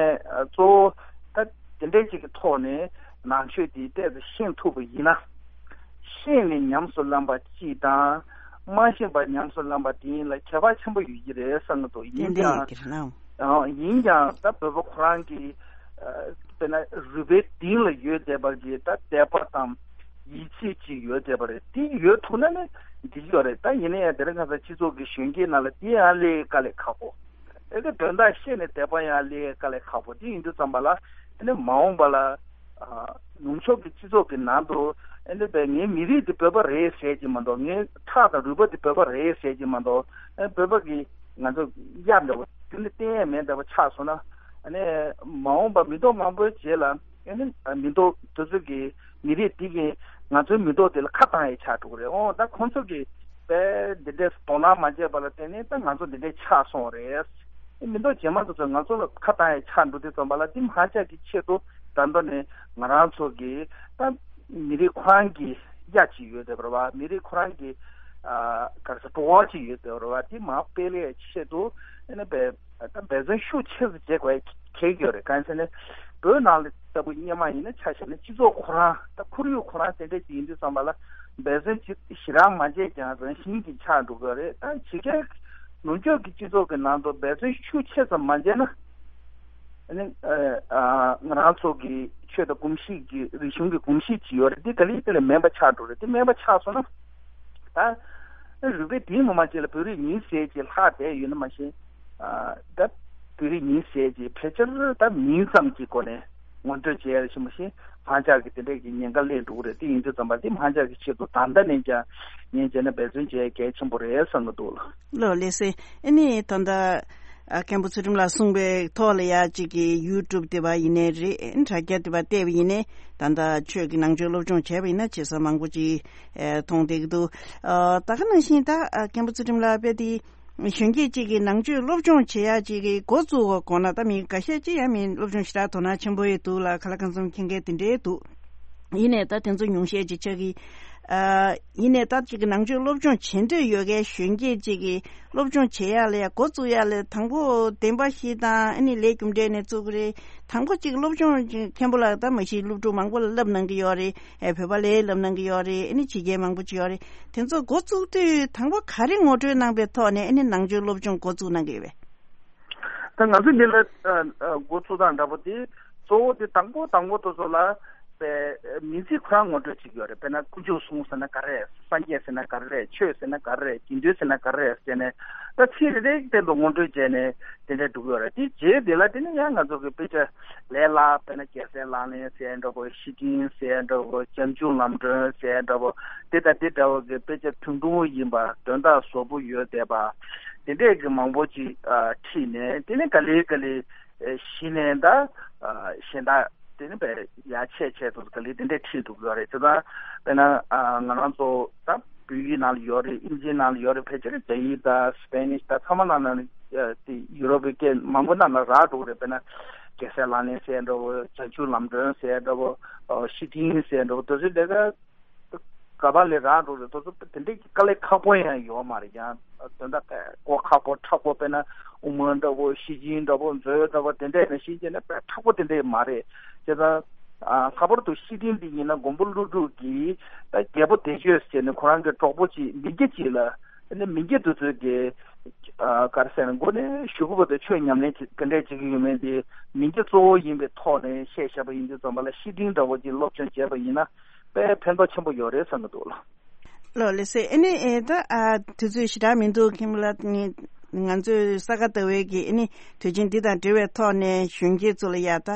གཙོ་བོ་ད་དེ་འདྲའི་ཅིག་གི་ཐོག་ནས་ནང་ཆོས་དེ་ཏོག་ཙམ་ཤེས་ཐུབ་པ་ཡིན་ན། ཤེས་ནས་ཉམས་སུ་བླངས་པ་གཅིག་དང་། མ་ཤེས་པ་ཉམས་སུ་བླངས་པ་དེ་ཡིན་ལ་ཁྱད་པར་ཆེན་པོ་ཡོད་ཀྱི་རེད་བསམ་གྱི་འདུག། ཡིན་ཏན་ཡིན་ཀྱང་། ཀྱི་རེད་ལ། ཨང་། ཡིན་ཀྱང་ད་བོད་པ་ཁོ་རང་གི་ཨ་དཔེར་ན་རུས་པའི་གཏིང་ལ་ཡོད་བསྡད་པ་གི་ད་དད་པ་དང་ཡིད་ཆེས་ཅིག་ཡོད་བསྡད་པ་རེད། དེ་ཡོད་ཐུབ་ན་ནི་འགྲིག་གི་ཡོད་རེད། ད་ཡིན་ན་ཡང་དེ་རིང་ཁ་སང་སྤྱི་ཚོགས་ཀྱི་གཞོན་སྐྱེས་ནང་ལ་དེ་ཡང་སླེབས་དཀའ་ལས་ཁག་པོ། ཨེ་དེ་དོན་དག་ཤེས་ནས་དད་པ་ཡང་སླེབས་དཀའ་ལས་ཁག་པོ། དེ་ཡིན་དུས་ཙམ་པ་ལ་ཨ་ནི་མ་འོངས་པ་ལ་ཨ་ནུབ་ཕྱོགས་ཀྱི་སྤྱི་ཚོགས་ཀྱི་ནང་དུ་ཨེ་འདི་བས་ངའི་མི་རིགས་དེ་བོད་པ་རེད་ཟེར་གྱི་མ་གཏོགས། ངའི་ཁྲག་དང་རུས་པ་དེ་བོད་པ་རེད་ཟེར་གྱི་མ་གཏོགས། ཨེ་བོད་པ་གི་ང་ཚོ་གཡག་འདྲ་བོ་དེ་ནི་བསྟན་ཡས་མེད་འདྲ་བོ་ཆགས་སོང་ན། ཨ་ནི་མ་འོངས་པ་མི་ཐོག་མང་པོའི་རྗེས་ལ་ཨ་ནི་མི་ཐོག་དེ་ཚོ་གི་མི་རིགས་དེ་གི་ང་ཚོའི་མི་ཐོག་དེ་ལ་ཁ་བཏང་ཡས་ཆགས་འགྲོ་གི་རེད། འོ་ད་ཁོང་ཚོ་གི་དཔེ་འདི་འདྲས་དོ་སྣང་མ་བྱས་པ་ལ་བརྟེན་ནས་ད་ང་ཚོ་འདི་འདྲས་ཆགས་སོང་རེད། མི་ཐོག་རྗེས་མ་དེ་ཚོ་ང་ཚོ་ལ་ཁ་བཏང་ཡས་ཆགས་འགྲོ་དུས་ཙམ་པ་ལ་དེ་མ་ཆགས་ཀྱི་ཆེད་དུ་ད་ལྟ་ནས་ང་རང་ཚོ་གི་ད་མི་རིགས་ཁོ་རང་གི་གཡག་ཅིག་ཡོད་བསྡད་པ་རེད་བ། མི་རིགས་ཁོ་རང་གི་ཨ་ག་རེ་ཟེར་བྲོ་བ་ཅིག་ཡོད་བསྡད་པ་རེད་བ། དེ་མར་སྤེལ་ཡས་ཆེད་དུ་ཨ་ནི་བས་ད་འབད་བརྩོན་ཤུགས་ཆེ་ཙམ་བྱེད་དགོས་ཡ་གལ་ཡོད་རེད། གང་ཡིན་ཟེར་ན་བོད་ནང་ལ་ལྟ་བུ་སྔོན་མ་ཡིན་ན་ཆ་བཞག་ན་སྤྱི་ཚོགས་ཁོ་རང་ད་ཁོར་ཡུག་ཁོ་རང་དེ་འདྲ་ཅིག་ཡིན་དུས་ཙམ་པ་ལ་འབད་བརྩོན་ཅིག་ཞེ་དྲག་མ་བྱས་ཀྱང་རང་བཞིན་གྱིས་ཆགས་འགྲོ་གི་རེད། ད་ཕྱི་རྒྱལ་ནུབ་ཕྱོགས་ཀྱི་སྤྱི་ཚོགས་ཀྱི་ནང་དུ་འབད་བརྩོན་ཤུགས་ཆེ་ཙམ་མ་བྱས་ན། ཨ་ནི་ཨ་ང་རང་ཚོ་གི་ཆོས་དང་གོམས་གཤིས་ཀྱི་རིག་གཞུང་གི་གོམས་གཤིས་ཅིག་ཡོད་རེད། འདི་ག་ལེ་ག་ལེ་དམན་པ་ཆགས་འགྲོ་རེད། འདི་དམན་པ་ཆགས་སོང་ན། ད་རུས་པའི་གཏིང་ངོ་མ་ཅིག་ལ་བོད་རིགས་ཡིན་ཟེར་ཅིག་ལྷག་བསྡད་ཡོད་ན་མ་གཞི། ཨ་ད་བོད་རིགས་ཡིན་ཟེར་ཅིག་ཕལ་ཆེར་ད་མིང་ཙམ་གྱི་སྒོ་ནས་ངོ་སྤྲོད་བྱས་ཡ་ཞིག་མ་གཞི་ཧང་ཅག་གི་དེ་འདྲས་ཀྱི་ཉེན་ཁ་སླེབས་འགྲོ་གི་རེད། དེ་ཡིན་དུས་ཙམ་པ་འདི་ཧང་ཅག་གི་ཆེད་དུ་ད་ལྟ་ནས་ཀྱང་ངས་བྱས་ན་འབད་བརྩོན་བྱས་གལ་ཆེན་པོ་རེད་བསམ་གྱི་འདུག་ལགས། ལགས་ལགས་སེ། ཨ་ནི་ད་ལྟ་ཨ་མཁན་པོ་ཚུལ་ཁྲིམས་ལགས་གསུངས་པའི་ཐོག་ལ་ཡ་གཅིག་གི་ཡུ་ཊུབ་དེ་བ་ཡིན་ནའི་རེད། དྲ་རྒྱ་དེ་བ་བལྟས་པ་ཡིན་ནའི་ད་ལྟ་ཆོས་ཀྱི་ནང་ཆོས་སློབ་སྦྱོང་བྱས་པ་ཡིན་ན་བྱེད་ས་མང་པོ་ཅིག་ཨེ་མཐོང་བསྡད་ཀྱི་འདུག། ཨ་ད་ག་ནང་བཞིན་ད་ཨ་མཁན་པོ་ཚུལ་ཁྲིམས་ལགས་དཔེ་དེ་གཞོན་སྐྱེས་གཅིག་གིས་ནང་ཆོས་སློབ་སྦྱོང་བྱེད་ཡག་ཅིག་གི་འགོ་བཙུགས་དགོས་ན། ད་མི་འགའ་ཤས་ཅིག་ཡང་མི་སློབ་སྦྱོང་ཞེ་དྲག་དོ་སྣང་ཆེན་པོ་ཡོད་འདུག་ལ། ཁ་ལག་ཁང་ཚོམ་མཁྱེན་མཁན་དེ་འདྲའི་འདུག། ཡིན་ནའི་ད་དེ་ཚོ་ཉུང་ཤས་ཅིག་ཆགས་ཀྱི། ཨ་ཡིན་ནའི་ད་ཅིག་གི་ནང་ཆོས་སློབ་སྦྱོང་བྱེད་འདོད་ཡོད་མཁན་གཞོན་སྐྱེས་ཅིག་གིས་སློབ་སྦྱོང་བྱེད་ཡག་ལ་ཡ་འགོ་བཙུགས་ཡག་ལ་དང་པོ་བདེན་པ་བཞི་དང་ཨ་ནི་ལས་རྒྱུ་འབྲས་ནས་བཙུགས་ཀྱི་རེད། དང་པོ་གཅིག་སློབ་སྦྱོང་གཅིག་མཁན་པོ་ལགས་ད་མ་གཞི་སློབ་ཕྲུག་མང་པོ་ལ་བསླབ་གནང་གི་ཡོད་རེད། ཨེ་བོད་པ་ལ་བསླབ་གནང་གི་ཡོད་རེད། ཨ་ནི་ཕྱི་རྒྱལ་མང་པོ་ཅིག་ཡོད་རེད། དེ་ཚོ་འགོ་བཙུགས་དུས་དང་པོ་ག་རེ་ངོ་སྤྲོད་གནང་པའི་ཐོག་ནས་ཨ་ནི་ནང་ཆོས་སློབ་སྦྱོང་འགོ་བཙུགས་གནང་གི་ཡོད་པས། ད་ང་ཚོ་འདི་ལ་ཨ་ཨ་འགོ་བཙུགས་སྟངས་འདྲ་པོ་དེ་གཙོ་བོ་དེ་དང་པོ་དང་པོ་དེ་ཚོ་ལ་པའི་མིང་ཚིག་ཁོ་རང་ངོ་སྤྲོད་བྱེད་ཀྱི་ཡོད་རེད། དཔེར་ན་དཀོན་མཆོག་གསུམ་ཟེར་ན་ག་རེ་རེད། སངས་རྒྱས་ཟེར་ན་ག་རེ་རེད། ཆོས་ཟེར་ན་ག་རེ་རེད། དགེ་འདུན་ཟེར་ན་ག་རེ་རེད་ཟེར་ནས་ད་ཚིག་རེ་རེ་སྟེང་དུ་ངོ་སྤྲོད་བྱས་ནས་དེ་འདྲ་འགྲོ་གི་ཡོད་རེད། དེ་རྗེས་དེ་ལ་དེ་ནི་ཡང་ང་ཚོ་གི་དཔེ་ཆ་ལས་སླ་དཔེར་ན་རྒྱལ་སྲས་ལག་ལེན་ཟེར་འདྲ་པོ། ཤེར་ཕྱིན་ཟེར་འདྲ་པོ། བྱང་ཆུབ་ལམ་སྒྲོན་ཟེར་འདྲ་པོ། དེ་དང་དེ་འདྲ་བོ་གི་དཔེ་ཆ་ཐུང་ཐུང་ཡིན་པ་དོན་དག་ཟབ་པོ་ཡོད་བསྡད་པ། དེ་འདྲས་ཀྱི་མང་པོ་ཅིག་ཨ་ཁྲིད་ནས་དེ་ནི་ག་ལེ་ག་ལེ་ཨེ་གཞི་ནས་ད་ཨ་གཞན་དག་དེ་ནི་བས་ཡར་ཆད་ཆད་དུ་ག་ལེ་དེ་འདྲས་ཁྲིད་འདུག་ཡོད་རེད། དེ་དང་དཔེར་ན་ཨ་ང་རང་ཚོ་ད་བོད་ཡིག་ནང་ལ་ཡོད་རེད། ཨིན་ཇིའི་ནང་ལ་ཡོད་རེད། ཕལ་ཆེར་རྒྱ་ཡིག་དང་སི་པེ་ནིཤ་དང་ཚང་མ་ནང་ལ་ཨ་དེ་ཡུ་རོབ་པའི་སྐད་མང་པོ་ནང་ལ་རག་འགྲོ་གི་རེད། དཔེར་ན་རྒྱལ་སྲས་ལག་ལེན་ཟེར་འདྲ་བོ། བྱང་ཆུབ་ལམ་སྒྲོན་ཟེར་འདྲ་བོ། ཨ་ཤེར་ཕྱིན་ཟེར་འདྲ་བོ། དེ་ཚོ་ལས་ཀ་ག་པ་ལས་རག་འགྲོ་རེད། དེ་ཚོ་དེ་འདྲའི་དཀའ་ལས་ཁག་པོ་ཡང་ཡོད་མ་རེད། ཡང་དོན་དག་གོ་ཁག་པོ་མཁྲེགས་པོ། དཔེར་ན་དབུ་མ་འདྲ་བོ། ཤེར་ཕྱིན་འདྲ་བོ། མཛོད་འདྲ་བོ། དེ་འདྲ་ཡིན་ན་ཤེར་ཕྱིན་ནི་དཔེ་མཁྲེགས་པོ་དེ་འདྲ་མ་རེད། བྱས་ཙང་ཨ་ལྷག་པར་དུ་ཤེར་ཕྱིན་འདི་ཡིན་ན་མགོན་པོ་ཀླུ་སྒྲུབ་ཀྱིས་ད་རྒྱལ་པོ་བདེ་སྤྱོད་ཟེར་ནས་ཁོ་རང་གི་གྲོགས་པོ་ཅིག་མི་སྐྱ་ཅིག་ལ། ཨ་ནི་མི་སྐྱ་དེ་ཚོས་ཀྱི་ཨ་ག་རེ་ཟེར་ན་མགོ་ནས་གཞུག་གུ་བར་དུ་ཆོས་ཉམས་ལེན་བྱེད་ག་འདྲས་བྱེད་ཀྱི་ཡོད་མེད་དེ། མི་སྐྱ་གཙོ་བོ་ཡིན་པའི་ཐོག་ནས་བཤད་བཞག་པ་ཡིན་དུས་ཙམ་པ་ལ་ཤེར་ཕྱིན་འདྲ་བོ་ཅིག་སློབ་སྦྱོང་བྱས་པ་ཡིན་ན་དཔེ་ཕན་ཐོགས་ཆེན་པོ་ཡོད་རེད་བསམ་གྱི་འདུག་ལགས། ལགས་ལགས་སེ། ཨ་ནི་ཨེ་ད་ཨ་དུས་ཚོད་ཞེ་དྲག་མི་འདུག། མཁན་པོ་ལགས། ང་ང་ཚོས་ས་ག་ཟླ་བའི་གི་ཨ་ནི་དུས་ཆེན་འདི་དང་འབྲེལ་བའི་ཐོག་ནས་གཞོན་སྐྱེས་ཚོ་ལ་ཡ་ད་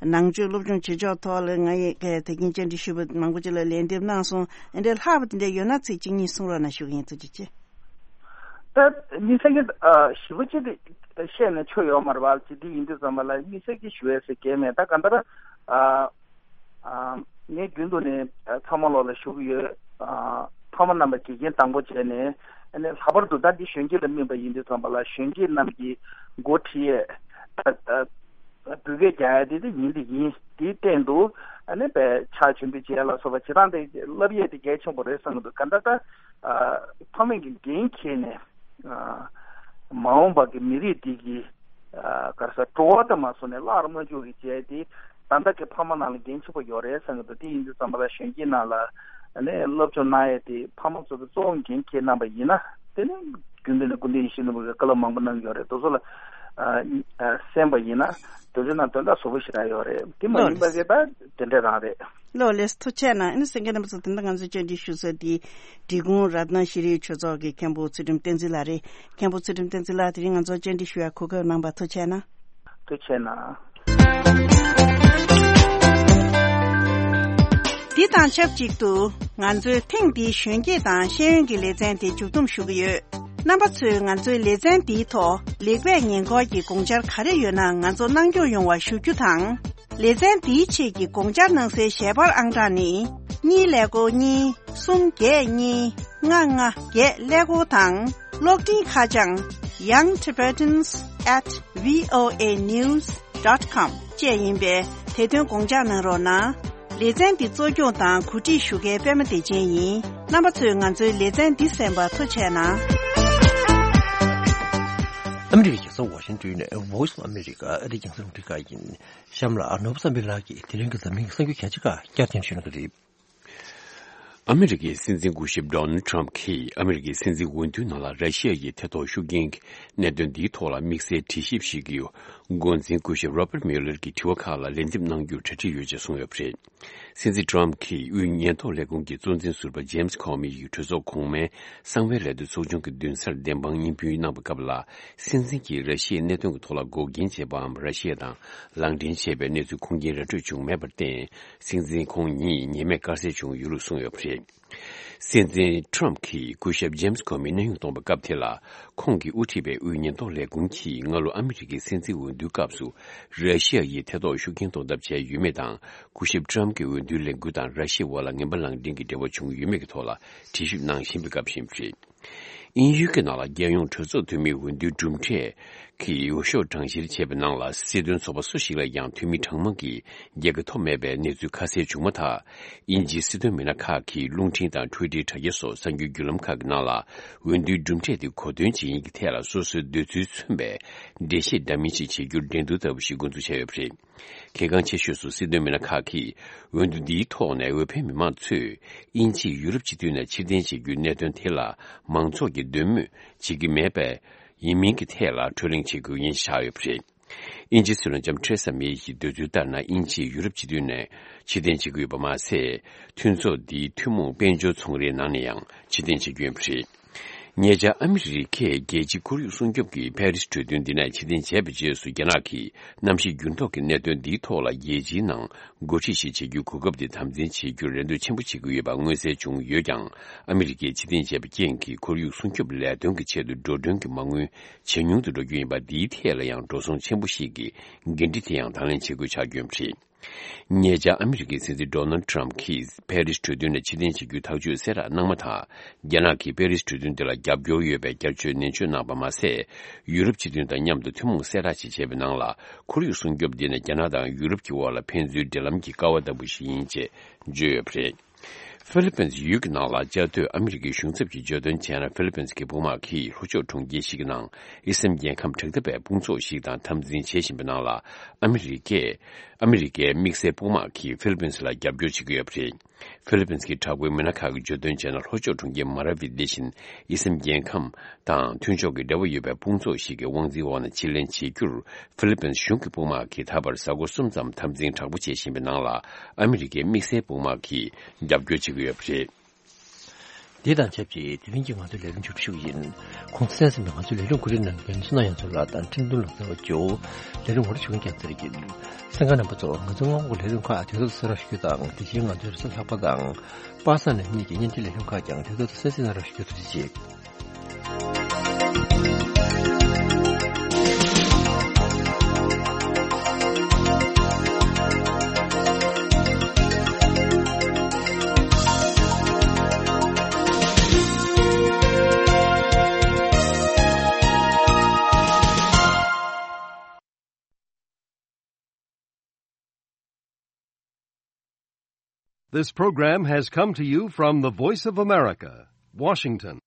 ནང་ཆོས་སློབ་སྦྱོང་བྱེད་ཕྱོགས་ཐོག་ལ་ང་ཡི་གི་ད་གིན་བཅར་འདྲི་ཞུས་པ་མང་པོ་ཅིག་ལ་ལན་འདེབས་གནང་སོང་། ཨེ་འདྲ་ལྷག་པ་དེ་འདྲ་ཡོད་ན་ཚིག་གཅིག་གཉིས་གསུང་རོགས་གནང་ཞུ་གི་ཡིན། ཐུགས་རྗེ་ཆེ། ད་དམིགས་བསལ་གྱི་ཨ་ཞིབ་པོ་ཅིག་དེ་བཤད་ནས་ཆོ་ཡོད་མ་རེད་བ། ཅི་འདི་ཡིན་དུས་ཙམ་པ་ལ་དམིགས་བསལ་གྱི་ཞུ་ཡས་ཟེར་གྱི་མེད། ད་ག་འདྲ་ཨ་ཨ་ངས་རྒྱུན་དུ་ནས་ཚང་མ་ལོག་ལ་ཞུ་གི་ཡོད། ཨ་ཕ་མ་རྣམ་པ་དགེ་རྒན་དང་པོ་བྱས་ནས། ཨ་ནི་ལྷག་པར་དུ་ད་འདི་གཞོན་སྐྱེས་ལ་དམིགས་པ་ཡིན་དུས་ཙམ་པ་ལ་གཞོན་སྐྱེས་རྣམས་ཀྱི་འགོ་ཁྲིད་ཡས་ཨ་ཨ་བོད་སྐད་རྒྱག་ཡ་དེ་དེ་ཡིན་དེ་ཡིན། དེའི་སྟེང་དུ་ཨ་ནི་པའི་ཕྱག་ཆེན་པོ་བྱས་ལ་སོགས་པ་བྱེད་སྟངས་དེ་བསླབ་ཡས་དེ་གལ་ཆེན་པོ་རེད་བསམ་གི་འདུག་ག་འདྲ་ད་ཨ་ཕ་མེས་ཀྱི་འགན་འཁྱེར་ནས་ཨ་མ་འོངས་པ་གི་མི་རིགས་འདི་གི་ཨ་ག་རེ་ཟེར་བྲོ་བ་དང་མ་སོང་ནས་བརླག་ར་མ་འཇུག་གི་བྱས་དེ་ད་ལྟ་གི་ཕ་མ་ནང་ལ་འགན་ཆེན་པོ་ཡོད་རེད་བསམ་གི་འདུག་དེ་ཡིན་དུས་ཙམ་པ་ལ་གཞོན་སྐྱེས་ནང་ལ་ཨ་ནི་སློབ་སྦྱོང་གནང་ཡས་དེ་ཕ་མ་ཚོ་གི་གཙོ་བོ་འགན་འཁྱེར་གནང་པ་ཡིན་ན་དེ་ནི། རྒྱུན་ལྡན་ནས་སྐུ་ཕྲེང་ཡིད་བཞིན་ནོར་བུ་གིས་བཀའ་སློབ་མང་པོ་གནང་གི་ཡོད་རེད། དེ་ཚོ་ལ་ཨ་ཨ་གསན་པ་ཡིན་ན་དེ་ཚོའི་ནང་དོན་དག་ཟབ་པོ་ཞེ་དྲག་ཡོད་རེད། དེ་མ་ཡིན་པ་གི་ད་དེ་འདྲ་རང་རེད། ལོ་ལེགས་ཐུགས་རྗེ་གནང་། ཨ་ནི་གསན་མཁན་རྣམ་པ་ཚོ་དེ་འདྲ་ང་ཚོའི་བཅར་འདྲི་ཞུ་ས་དེ་འབྲི་གུང་རཏྣ་ཤྲཱིའི་ཆོས་ཚོགས་ཀྱི་མཁན་པོ་ཚུལ་ཁྲིམས་བསྟན་འཛིན་ལགས་རེད། མཁན་པོ་ཚུལ་ཁྲིམས་བསྟན་འཛིན་ལགས་དེ་རིང་ང་ཚོར་བཅར་འདྲི་ཞུ་ཡ་གོ་སྐབས་གནང་བ་ཐུགས་རྗེ་གནང་། ཐུགས་རྗེ་གནང་། འདི་དང་ཆབས་ཅིག་ཏུ་ང་ཚོའི་ཐེངས་འདིའི་གཞོན་སྐྱེས་དང་ཤེས་ཡོན་གྱི་ལེ་ཚན་དེ་མཇུག་བསྡོམས་ཞུ་གི་ཡོད། རྣམ་པ་ཚོས་ང་ཚོའི་ལེ་ཚན་འདིའི་ཐོག་ལེགས་སྤེལ་ཉེས་འཁོར་གྱི་དགོངས་འཆར་ག་རེ་ཡོད་ན་ང་ཚོ་གནང་སྐྱོང་ཡོང་བ་ཞུ་རྒྱུ་དང་། ལེ་ཚན་འདིའི་ཆེད་ཀྱི་དགོངས་འཆར་གནང་སའི་ཞལ་པར་ཨང་གྲངས་ནི། གཉིས་ཀླད་ཀོར་གཉིས། གསུམ་བརྒྱད་གཉིས། ལྔ་ལྔ་བརྒྱད་ཀླད་ཀོར་དང་། གློག་འཕྲིན་ཁ་བྱང་young tibetans at voa news dot com བཅས་ཡིན་པས་དེ་དོན་དགོངས་འཇགས་གནང་རོགས་གནང་། ལེ་ཚན་འདི་གཙོ་སྐྱོང་དང་གོ་སྒྲིག་ཞུ་མཁན་པད་མ་བདེ་ཆེན་ཡིན། རྣམ་པ་ཚོས་ང་ཚོའི་ལེ་ཚན་འདི་གསན་པར་ཐུགས་རྗེ་གནང་། ཨ་མི་རི་ཀའི་རྒྱལ་ས་ཝ་ཤིང་ཏོན་ནས་Voice of America ཨ་རིའི་རྒྱང་སྲིང་རླུང་འཕྲིན་ཁང་ཡིན། གཤམ་ལ་ནོར་བུ་བསམ་འཕེལ་ལགས་ཀྱིས་དེ་རིང་གི་འཛམ་གླིང་གི་གསར་འགྱུར་གལ་ཆེ་ཁག་བསྐྱར་ཟློས་ཞུ་གནང་གི་རེད། ཨ་མི་རི་ཀའི་སྲིད་འཛིན་སྐུ་ཞབས་Donald Trump གྱིས་ཨ་མི་རི་ཀའི་སྲིད་འཛིན་འོས་བསྡུའི་ནང་ལ་ར་ཤི་ཡ་ཡིས་ཐེ་གཏོགས་ཤུགས་རྐྱེན་གྱི་གནད་དོན་འདིའི་ཐོག་ལ་དམིགས་བསལ་དྲི་ཞིབ་ཞིག་གི་འགོ་འཛིན་སྐུ་ཞབས་Robert Mueller གྱི་དྲི་བ་ཁག་ལ་ལན་འདེབས་གནང་རྒྱུར་གྲ་སྒྲིག་ཡོད་ཅེས་གསུངས་ཡོད་པ་རེད། སྲིད་འཛིན་Trump གྱིས་དབུས་ཉེན་རྟོག་ལས་ཁུངས་ཀྱི་གཙོ་འཛིན་ཟུར་པ་James Comey ཡིས་གྲོས་ཚོགས་གོང་མའི་གསང་བའི་ལས་དོན་ཚོགས་ཆུང་གི་མདུན་སར་བདེན་དཔང་སྙན་འབུལ་གནང་པའི་སྐབས་ལ། སྲིད་འཛིན་གྱིས་ར་ཤི་ཡའི་གནད་དོན་གྱི་ཐོག་ལ་འགོག་རྐྱེན་བྱེད་པའམ་ར་ཤི་ཡ་དང་ལག་འབྲེལ་བྱས་པའི་གནས་ཚུལ་ཁུངས་སྐྱེལ་ར་སྤྲོད་བྱུང་མེད་པར་བརྟེན། སྲིད་འཛིན་ཁོང་ཉིད་ཉེས་མེད་དཀར་གསལ་བྱུང་ཡོད་ལུགས་གསུངས་ཡོད་པ་རེད། སྲིད་འཛིན་Trump གྱིས་སྐུ་ཞབས་James Comey གནས་དབྱུང་གཏོང་བའི་སྐབས་དེ་ལ། ཁོང་གིས་དབུ་ཁྲིད་པའི་དབུས་ཉེན་རྟོག་ལས་ཁུངས་ཀྱིས་སྔ་ལོ་ཨ་མི་རི་ཀའི་སྲིད་འཛིན་འོས་བསྡུའི་སྐབས་སུ་ར་ཤི་ཡ་ཡིས་ཐེ་གཏོགས་ཤུགས་རྐྱེན་གཏོང་ཐབས་བྱས་ཡོད་མེད་དང་། སྐུ་ཞབས་Trump གྱི་འོས་བསྡུའི་ལས་འགུལ་དང་ར་ཤི་ཡའི་དབར་ལ་ངན་པ་ལག་འབྲེལ་གྱི་འབྲེལ་བ་བྱུང་ཡོད་མེད་ཀྱི་ཐོག་ལ་དྲི་ཞིབ་གནང་བཞིན་པའི་སྐབས་ཤིག་རེད། དབྱིན་ཡུལ་གྱི་ནང་ལ་རྒྱལ་ཡོངས་གྲོས་ཚོགས་འཐུས་མིའི་འོས་བསྡུའི་གྲུབ་འབྲས་ཀྱི་འོས་ཤོག་གྲངས་བཤེར་བྱས་པའི་ནང་ལ། སྲིད་དོན་ཚོགས་པ་སུ་ཞིག་ལ་ཡང་འཐུས་མི་གྲངས་མང་གི་རྒྱལ་ཁ་ཐོབ་མེད་པའི་གནས་ཚུལ་ཁ་གསལ་བྱུང་མ་ཐག་དབྱིན་ཇིའི་སྲིད་དོན་མི་སྣ་ཁག་གིས་རླུང་འཕྲིན་དང་འཕྲུལ་སྒྲིལ་དྲ་རྒྱ་སོགས་གསར་འགྱུར་བརྒྱུད་ལམ་ཁག་གི་ནང་ལ། འོས་བསྡུའི་གྲུབ་འབྲས་དེ་གོ་སྟོན་བྱེད་མཁན་གྱི་ཐད་ལ་སོ་སོའི་འདོད་ཚུལ་མཚོན་པའི་འགྲེལ་བཤད་འདྲ་མིན་ཞིག་བྱེད་རྒྱུར་འགྲན་བསྡུར་ལྟ་བུ་ཞིག་འགོ་འཛུགས་བྱས་ཡོད་པ་རེད། གལ་འགངས་ཆེ་ཤོས་སུ་སྲིད་དོན་མི་སྣ་ཁག་གིས་འོས་བསྡུ་འདིའི་ཐོག་ནས་འོས་འཕེན་མི་མང་ཚོས་དབྱིན་ཇིས་ཡུ་རོབ་སྤྱི་མཐུན་ནས་ཕྱིར་འཐེན་བྱེད་རྒྱུའི་གནད་དོན་དེ་ལ་མང་ཚོགས་ཀྱིས་འདོད་མོས་བྱེད་ཀྱི་མེད་པའི་ཡིན་མིན་གྱི་ཐད་ལ་གྲོས་གླེང་བྱེད་དགོས་ཡིན་བཞག་ཡོད་པ་རེད། དབྱིན་ཇིའི་སྲིད་བློན་ལྕམ་ཐེ་རེ་ས་མེ་ཡི་འདོད་ཚུལ་ལྟར་ན། དབྱིན་ཇིས་ཡུ་རོབ་སྤྱི་མཐུན་ནས་ཕྱིར་འཐེན་བྱེད་ཀྱི་ཡོད་པ་མ་ཟད། མཐུན་ཚོགས་འདིའི་ཐུན་མོང་དཔལ་འབྱོར་ཚོང་རའི་ནང་ནས་ཡང་ཕྱིར་འཐེན་བྱེད་ཀྱི་ཡོད་པ་རེད། ཉེ་ཆར་ཨ་མི་རི་ཀས་རྒྱལ་སྤྱིའི་ཁོར་ཡུག་སྲུང་སྐྱོབ་ཀྱི་པེ་རིས་གྲོས་མཐུན་འདི་ནས་ཕྱིར་འཐེན་བྱས་པའི་རྗེས་སུ། རྒྱ་ནག་གིས་གནམ་གཤིས་འགྱུར་ལྡོག་གི་གནད་དོན་འདིའི་ཐོག་ལ་རྒྱལ་སྤྱིའི་ནང་འགོ་ཁྲིད་ཞིག་བྱེད་རྒྱུའི་གོ་སྐབས་དེ་དམ་འཛིན་བྱེད་རྒྱུར་རེ་འདོད་ཆེན་པོ་བྱེད་ཀྱི་ཡོད་པ་མངོན་གསལ་བྱུང་ཡོད་ཀྱང་། ཨ་མི་རི་ཀས་ཕྱིར་འཐེན་བྱས་པའི་རྐྱེན་གྱིས་ཁོར་ཡུག་སྲུང་སྐྱོབ་ལས་དོན་གྱི་ཆེད་དུ་འགྲོ་གྲོན་གྱི་མ་དངུལ་ཇེ་ཉུང་དུ་འགྲོ་རྒྱུ་ཡིན་པ། འདིའི་ཐད་ལ་ཡང་འགྲོ་སོང་ཆེན་པོ་ཞིག་གི་འགན་འཁྲི་དེ་ཡང་དང་ལེན་བྱེད་དགོས་ཆགས་ཀྱི་ཡོད་པ་རེད། ཉེ་ཆར་ཨ་མི་རི་ཀའི་སྲིད་འཛིན་ཌོ་ནལ་ཊམ་གྱིས་པེ་རིས་གྲོས་མཐུན་ནས་ཕྱིར་འཐེན་བྱེད་རྒྱུའི་ཐག་གཅོད་གསལ་བསྒྲགས་གནང་མ་ཐག་རྒྱ་ནག་གིས་པེ་རིས་གྲོས་མཐུན་དེ་ལ་རྒྱབ་སྐྱོར་ཡོད་པའི་བསྐྱར་བཅོས་ནན་བརྗོད་གནང་པ་མ་ཟད། ཡུ་རོབ་སྤྱི་མཐུན་དང་མཉམ་དུ་ཐུན་མོང་གསལ་བསྒྲགས་ཤིག་བྱས་པའི་ནང་ལ། ཁོར་ཡུག་སྲུང་སྐྱོབ་འདི་ནི་རྒྱ་ནག་དང་ཡུ་རོབ་ཀྱི་དབར་ལ་ཕན་ཚུན་འབྲེལ་ལམ་གྱི་ཀ་བ་ལྟ་བུ་ཞིག་ཡིན་ཅེས་བརྗོད་ཡོད་པ་རེད། ཧྥི་ལི་པིན་ཡུལ་གྱི་ནང་ལ་བཅའ་སྡོད་ཨ་མི་རི་ཀའི་གཞུང་ཚབ་ཀྱིས་བརྗོད་དོན་བྱས་ན། ཧྥི་ལི་པིན་གྱི་དཔུང་དམག་གིས་ལྷོ་ཕྱོགས་གྲོང་ཁྱེར་ཞིག་གི་ནང་ཨི་སམ་རྒྱལ་ཁམས་དྲག་འཐབ་པའི་དཔུང་ཚོགས་ཤིག་དང་འཐབ་འཛིང་བྱེད་བཞིན་པའི་ནང་ལ། ཨ་མི་རི་ཀས་ཨ་མི་རི་ཀའི་དམིགས་བསལ་དཔུང་དམག་གིས་ཧྥི་ལི་པིན་ལ་རྒྱབ་སྐྱོར་བྱེད་ཀྱི་ཡོད་པ་རེད། ཧྥི་ལི་པིན་གྱི་དྲག་པོའི་མི་སྣ་ཁག་གིས་བརྗོད་དོན་བྱས་ན། ལྷོ་ཕྱོགས་གྲོང་ཁྱེར་མ་ར་ཝི་འདི་བཞིན་ཨི་སམ་རྒྱལ་ཁམས་དང་མཐུན་ཕྱོགས་ཀྱི་འབྲེལ་བ་ཡོད་པའི་དཔུང་ཚོགས་ཤིག་གི་དབང་འཛིན་འོག་ནས་ཕྱིར་ལེན་བྱེད་རྒྱུར། ཧྥི་ལི་པིན་གཞུང་གི་དཔུང་དམག་གིས་ད་བར་གཟའ་འཁོར་གསུམ་ཙམ་འཐབ་འཛིང་དྲག་པོ་བྱེད་བཞིན་པའི་ནང་ལ། ཨ་མི་རི་ཀའི་དམིགས་བསལ་དཔུང་དམག་གིས་རྒྱབ་སྐྱོར་བྱེད་ཀྱི་ཡོད་པ་རེད། འདི་དང་ཆབས་ཅིག་དེ་རིང་གི་ང་ཚོའི་ལས་རིམ་མཇུག་སྒྲིལ་ཞུ་གི་ཡིན། གོང་དུ་གསན་ཟིན་པའི་ང་ཚོའི་ལས་རིམ་གོ་སྒྲིག་གནང་མཁན་བསོད་ནམས་དབྱངས་མཚོ་ལགས་དང་འཕྲིན་དོན་ལགས་རྩ་བ་ཇོ། ལས་རིམ་ངོ་སྤྲོད་ཞུ་མཁན་རྒྱལ་མཚན་རིག་གིས། གསན་མཁན་རྣམ་པ་ཚོ། ང་ཚོའི་སྔོན་འགོག་ལས་རིམ་ཁག་དུས་ཐོག་ཏུ་གསན་རོགས་ཞུ་རྒྱུ་དང་། དེ་བཞིན་ང་ཚོའི་རེས་གཟའ་ལྷག་པ་དང་པ་སངས་ཉིན་གཉིས་ཀྱི་བརྙན་འཕྲིན་ལས་རིམ་ཁག་ཀྱང་དུས་ཐོག་ཏུ་གསན་གཟིགས་གནང་རོགས་ཞུ་རྒྱུ་ཐུགས་རྗེ་ཆེ། This program has come to you from the Voice of America, Washington.